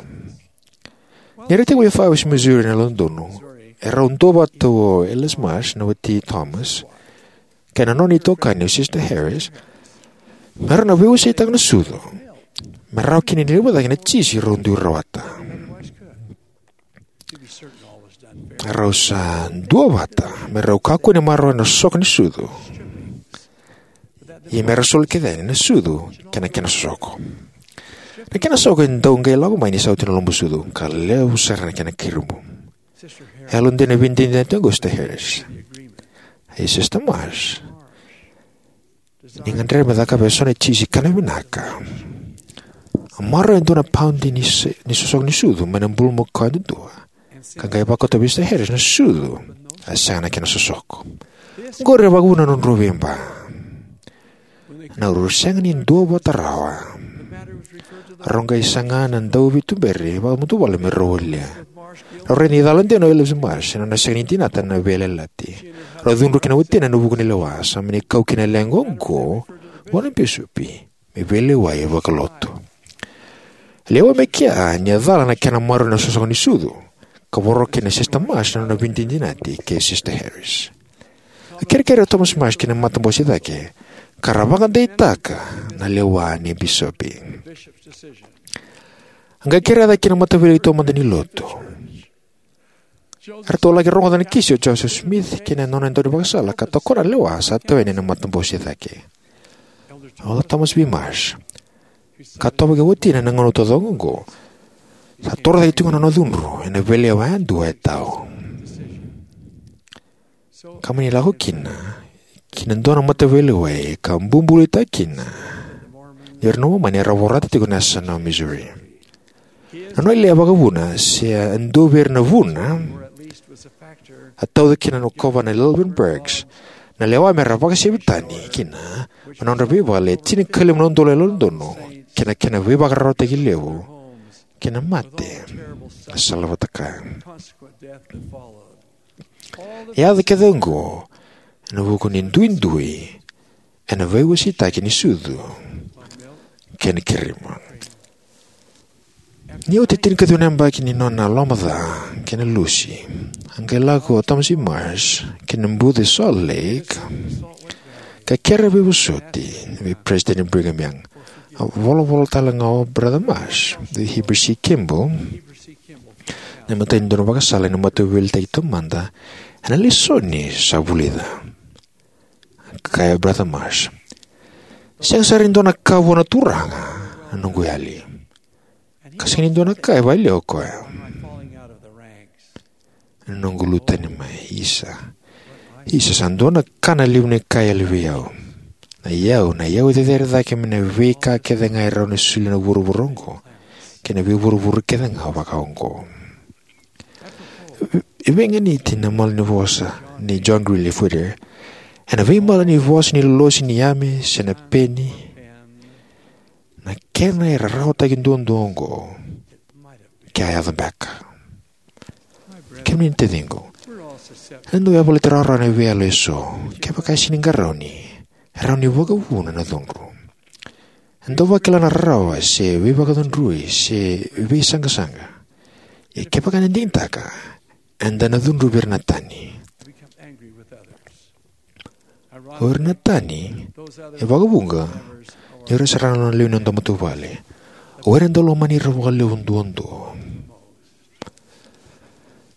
Ni ra tekivu i Fairbanks, Missouri, ena yalododonu, erau duavata o Ellis Marsh, na wati Thomas, kei na nona itokani o Sister Harris, me rau na veiwaseitaka na sucu me rawa kina ni levu cake na tisi rau dui rawata. Rau sa duavata me rau kakua ni maroroya na sosoka ni sucu, ia me ra soli kece yani na sucu kei na kena sosoko. Na kena sosoko e dau qai lako mai ni sa oti na lobo sucu, ka levu sara na kena kirimu. E yalodina na veidinadinati oqo o Sister Harris. Ia Sister Marsh, ni gadreva me cakava eso na tisi kana vinaka, a maroroya e dua na paudi ni se-, ni sosoko ni sucu mai na bulumakau yadudua, ka qai vakauta vei Sister Harris na sucu a sega na kena sosoko. Oqori e vakavuna na nodrau veiba. Na rau sega ni duavata rawa, rau qai saga na dauveituberi vakamatavuvale me rau walia. Rau raica ni cala dina o Elizabeth Marsh ena nona sega ni dinata na veiyalayalati. Rau cudru kei na watina ena vuku ni lewa, sa mani kau kina na leqa oqo vua na bisopi me veilewai vakalotu. Lewa mai kea ni a cala na kena maroroi na sosoga ni sucu, ka voro kina Sister Marsh na nona veidinadinati kei Sister Harris. A kerekere o Thomas Marsh ki na matabose cake, ka ra vakadeitaka na lewa ni bisopi. A qai kerea cake ki na mataveilewai taumada ni Lotu. Eratou laki rogoca na kisi o Joseph Smith kei na nona daunivakasala ka tokona na lewa sa tawani ena matabose cake. O Thomas B. Marsh, ka tovaki watina ena gauna taucoko oqo, sa toro cake tiko na nona cudru ena veilewa yadua e tau. Ka mani lako kina ki na dua na mataveilewai ka bubului kina ni ira na Momani era vorata tiko na yasana o Missouri. Na nona ilewa vakavuna, se a dua vei ira na vuna, a tauca kina na kovana Lilburn Burges na lewa me ra vakasevi tani kina mai na nodra veivale e tinikalima na udolu na yalododonu kei na kena veivakararawataki levu kei na mate e salavata kaya. E yaco kece oqo ena vuku ni duidui ena veiwaseitaki ni sucu kei na kirimu. Ni oti e tinikaciwa na yabaki ni nona lomaca kei na Lucy, a qai lako o Thomas E. Marsh ki na buca e Salt Lake ka kerea veivosoti vei President Brigham Young. A volavola tale ga o Brother Marsh vei Heber C. Kimball, na imatai ni daunivakasala ena Mataveiliutaki Taumada, ena lesoni sa vulica. Kaya o Brother Marsh, "Sega sara ni dua na ka vua na Turaga na noqu yali, ka sega ni dua na ka e vakaliu o koya na noqu lutu tani mai. Isa, isa, sa dua na ka na levu ni ka e yali vei au. Na iyau, na iyau e cecere cake mai na veika kece ga e rawa ni solia na vuravura oqo kei na veivuravura kece ga vakaoqo." E veiganiti na malanivosa nei John Greeley Whittier ena veimala ni vosa ni lolosi ni yame se na peni, na kena e rarawataki duadua oqo ke a yaco beka. Kemuni na taciqu, eda dau yavalati rawarawa ena veiyalo eso. Kevaka e sega ni qarauni, e rawa ni vakavuna na cudru. Eda dau vakila na rarawa se veivakacudrui se veisaqasaqa. Ia kevaka eda digitaka, eda na cudruvi ira na tani. O ira na tani e vakavuqa ni o ira sara ga na lewe ni noda matavuvale. O ira eda lomani ira vakalevu duadua.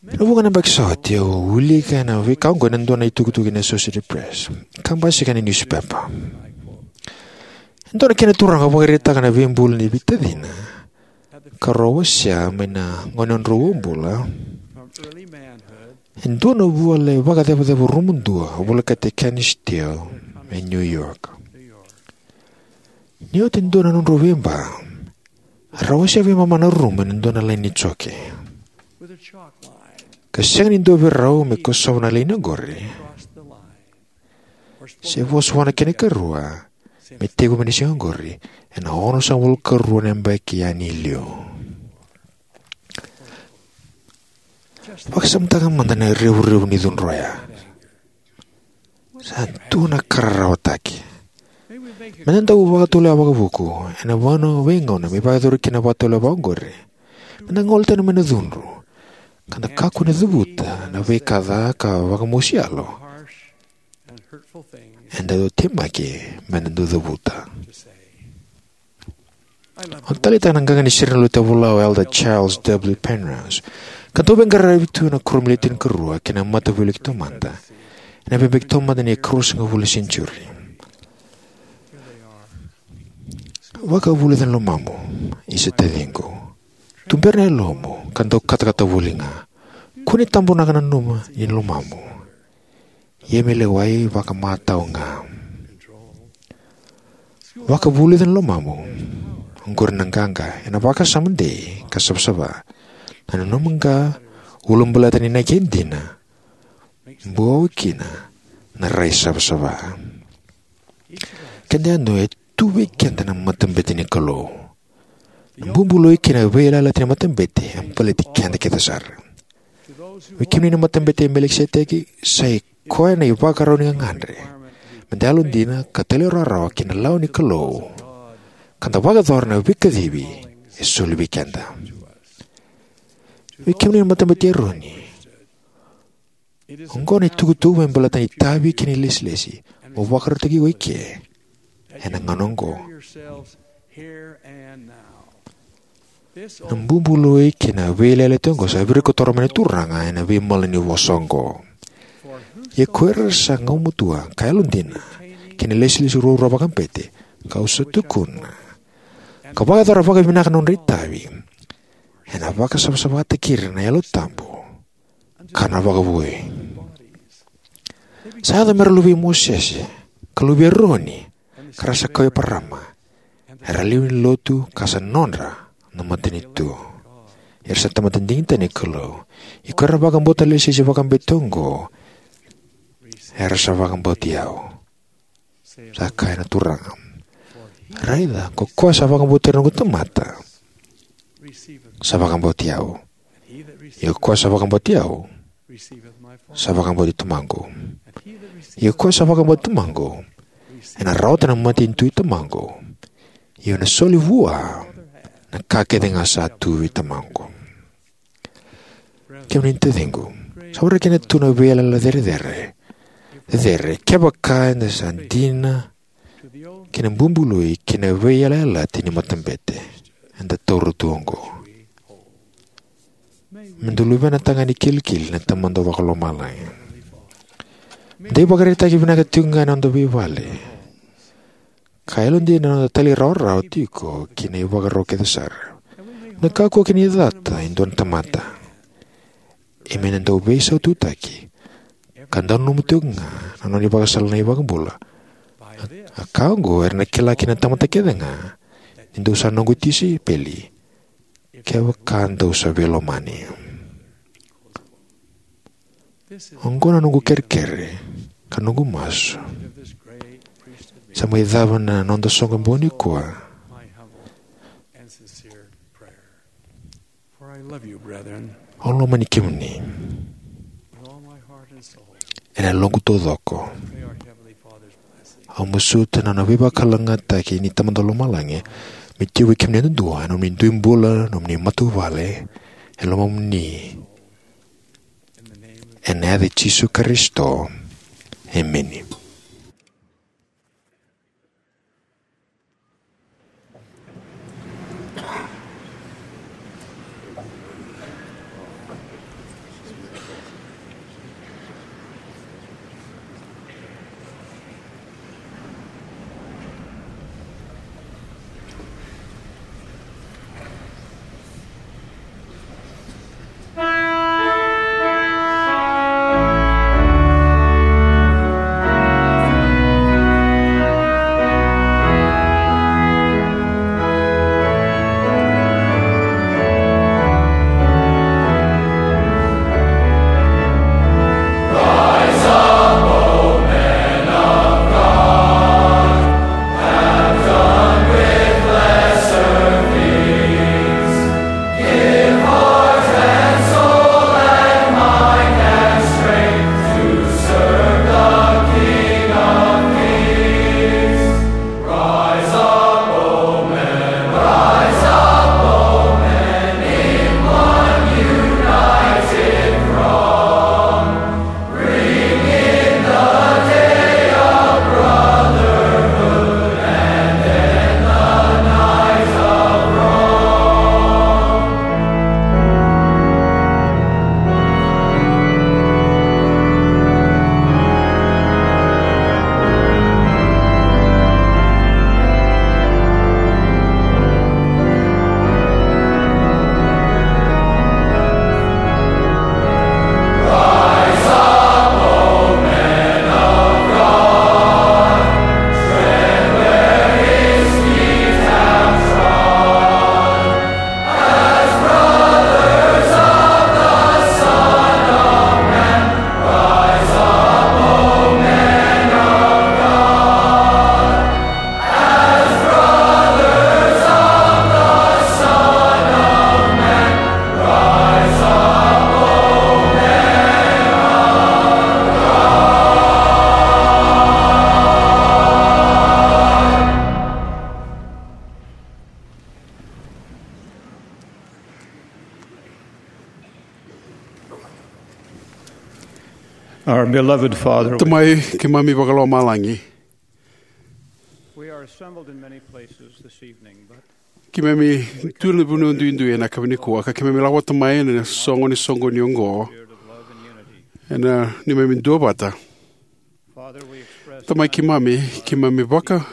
Ena vuqa na yabaki sa oti au wilika ena veika oqo ena dua na itukutuku ni Associated Press ka basika ena niusipepa. E dua na kena turaga vakaraitaka na veibulu ni veitacina ka rau wasea mai na gauna ni nodrau uabula. E dua na vuvale vakacevaceva rumu dua volekati Kenny Steele e New York. Ni oti e dua na nodrau veiba, rau wasea veimama na rumu ena dua na laini ni joke. Ka sega ni dua vei rau me kosova na laini oqori se vosa vua na kena ikarua me tekivu mai na siga oqori ena onosagavulu karua na yabaki yani i liu. Vakasamataka mada na revurevu ni cudru oya. Sa dua na ka rarawataki. Meda dau vakatulewa vakavuku ena vanua veigauna me vakayacori kina na vakatulewa vakaoqori. Meda gole tani mai na cudru ka da kakua ni cavuta na veika ca ka vakamosi yalo. Eda dau temaki meda dau cavuta. Au taleitaka na qaqa ni sere ni lotu e vola o Elder Charles W. Penrose, ka dau veiqaravi tu ena Kuoramu ni Le Tinikarua kei na Mataveiliutaki Taumada ena veibeki taumada ni ikaruasagavulu ni senitiuri. Vakavulica na lomamu, isa taciqu. Tubera na yalomu ka dau katakata voli ga. Kua ni tabonaka na nanuma ni lomamu. Ia me lewai vakamatau ga. Vakavulica na lomamu. Oqori na qaqa ena vakasama dei ka savasava. Na nanuma qa, ulabaleta ni naki e dina, buawa kina na rai savasava. Keda yadua e tu vei keda na matabete ni Kalou. Na bubului kei na veiyalayalati ni matabete e baleti keda kece sara. Vei kemuni na matabete i Melikiseteki, sa i koya na ivakarau ni gagadre meda yalodina ka talairawarawa ki na lawa ni Kalou ka da vakayacora na veikacivi e soli vei keda. Vei kemuni na matabete i Eroni, oqo na itukutuku me baleta na itavi kei na ilesilesi mo vakarautaki iko eke ena gauna oqo. Na bubului kei na veiyalayalati oqo sa virikotora mai na Turaga ena veimala ni vosa oqo. Ia ko ira sa gumatua ka yalodina ki na ilesilesi ruarua vakabete, kau sa tukuna, ka vakayacora vakavinaka na nodra itavi, ena vakasavasavataki ira na Yalo Tabu ka na vakavoui. Sa yaco mera luvei Mosese ka luvei Eroni, ka ra sa kau i Eparama, era lewe ni lotu ka sa nodra na matanitu. Era sa tamata digitaki ni Kalou. Ia ko ira vakabauta na ilesilesi vakabete oqo, era sa vakabauti au, sa kaya na Turaga. Raica, ko koya sa vakabauti ira na noqu tamata sa vakabauti au. Ia ko koya sa vakabauti au sa vakabauti Tamaqu. Ia ko koya sa vakabauti Tamaqu ena rawata na matanitu i Tamaqu. Ia ena soli vua na ka kece ga sa tu vei Tamaqu. Kemuni na taciqu, sa warai keda tu na veiyalayala cerecere, cecere kevaka eda sa dina ki na bubului kei na veiyalayalati ni matabete eda taura tu oqo. Me da luvena tagane kilikili na Tamada Vakalomalagi. Me da ivakaraitaki vinaka tiko ga ena noda veivale ka yalodina na noda talairawarawa tiko ki na ivakarau kece sara. Me da kakua kina ni cata e dua na tamata. E me na dau veisaututaki ka dau nanuma tiko ga na nona ivakasala na iVakabula. A ka oqo era na kila kina na tamata kece ga ni dou sa noqu tisaipeli, kevaka dou sa veilomani. Oqo na noqu kerekere ka noqu masu. Sa mai cava na noda soqo boni kua. Au lomani kemuni ena yaloqu taucoko. Au masuta na nona veivakalougatataki ni Tamada Lomalagi me tiko vei kemuni yadudua, ena nomuni dui bula, nomuni matavuvale, e lomamuni. Ena yaca i Jisu Karisito. Emeni. Our beloved Father, Tamai keimami vakalomalagi, we are assembled in many places this evening, but keimami tu ena vanua duidui ena yakavi nikua, ka keimami lako vata mai ena soqo ni soqoni oqo, spirit of love and unity. Ena neimami duavata. Father, we express Tamai keimami, keimami vaka,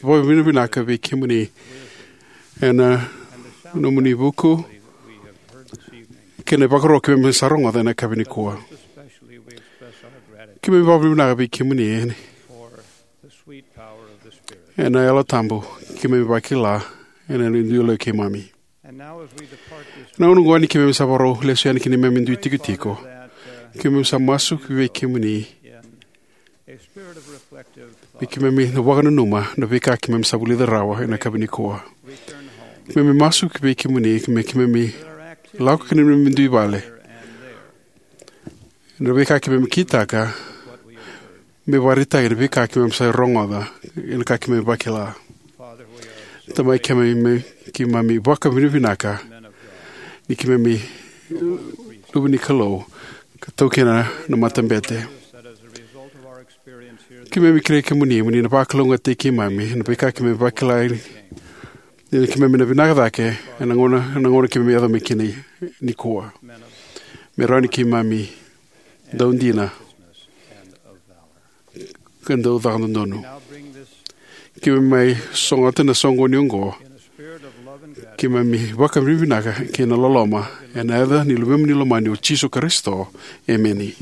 vakavinavinaka vei kemuni ena nomuni vuku kei na ivakaro keimami sa rogoca ena yakavi nikua. Keimami vakavinavinaka vei kemuni ena Yalo Tabu keimami vakila ena dui lewa keimami. Ena gauna oqo ni keimami sa vakarau lesu yani ki na neimami dui tikotiko, keimami sa masu vei kemuni me keimami na vakananuma na veika keimami sa vulica rawa ena yakavi nikua. Keimami masu vei kemuni me keimami lako ki na neimami dui vale. Na veika keimami kitaka me vakaraitaki na veika keimami sa rogoca, na ka keimami vakila. Tamai keimami, keimami vakavinavinaka ni keimami luve ni Kalou ka taukena na matabete. Keimami kerei kemuni mo ni na vakalougatataki keimami na veika keimami vakila ni keimami na vinaka cake ena gauna, ena gauna keimami yaco mai kina nikua. Me rawa ni keimami dau dina ka dau caka dodonu. Keimami mai sogota na soqoni oqo, keimami vakavinavinaka kei na loloma ena yaca ni Luvemuni lomani o Jisu Karisito. Emeni.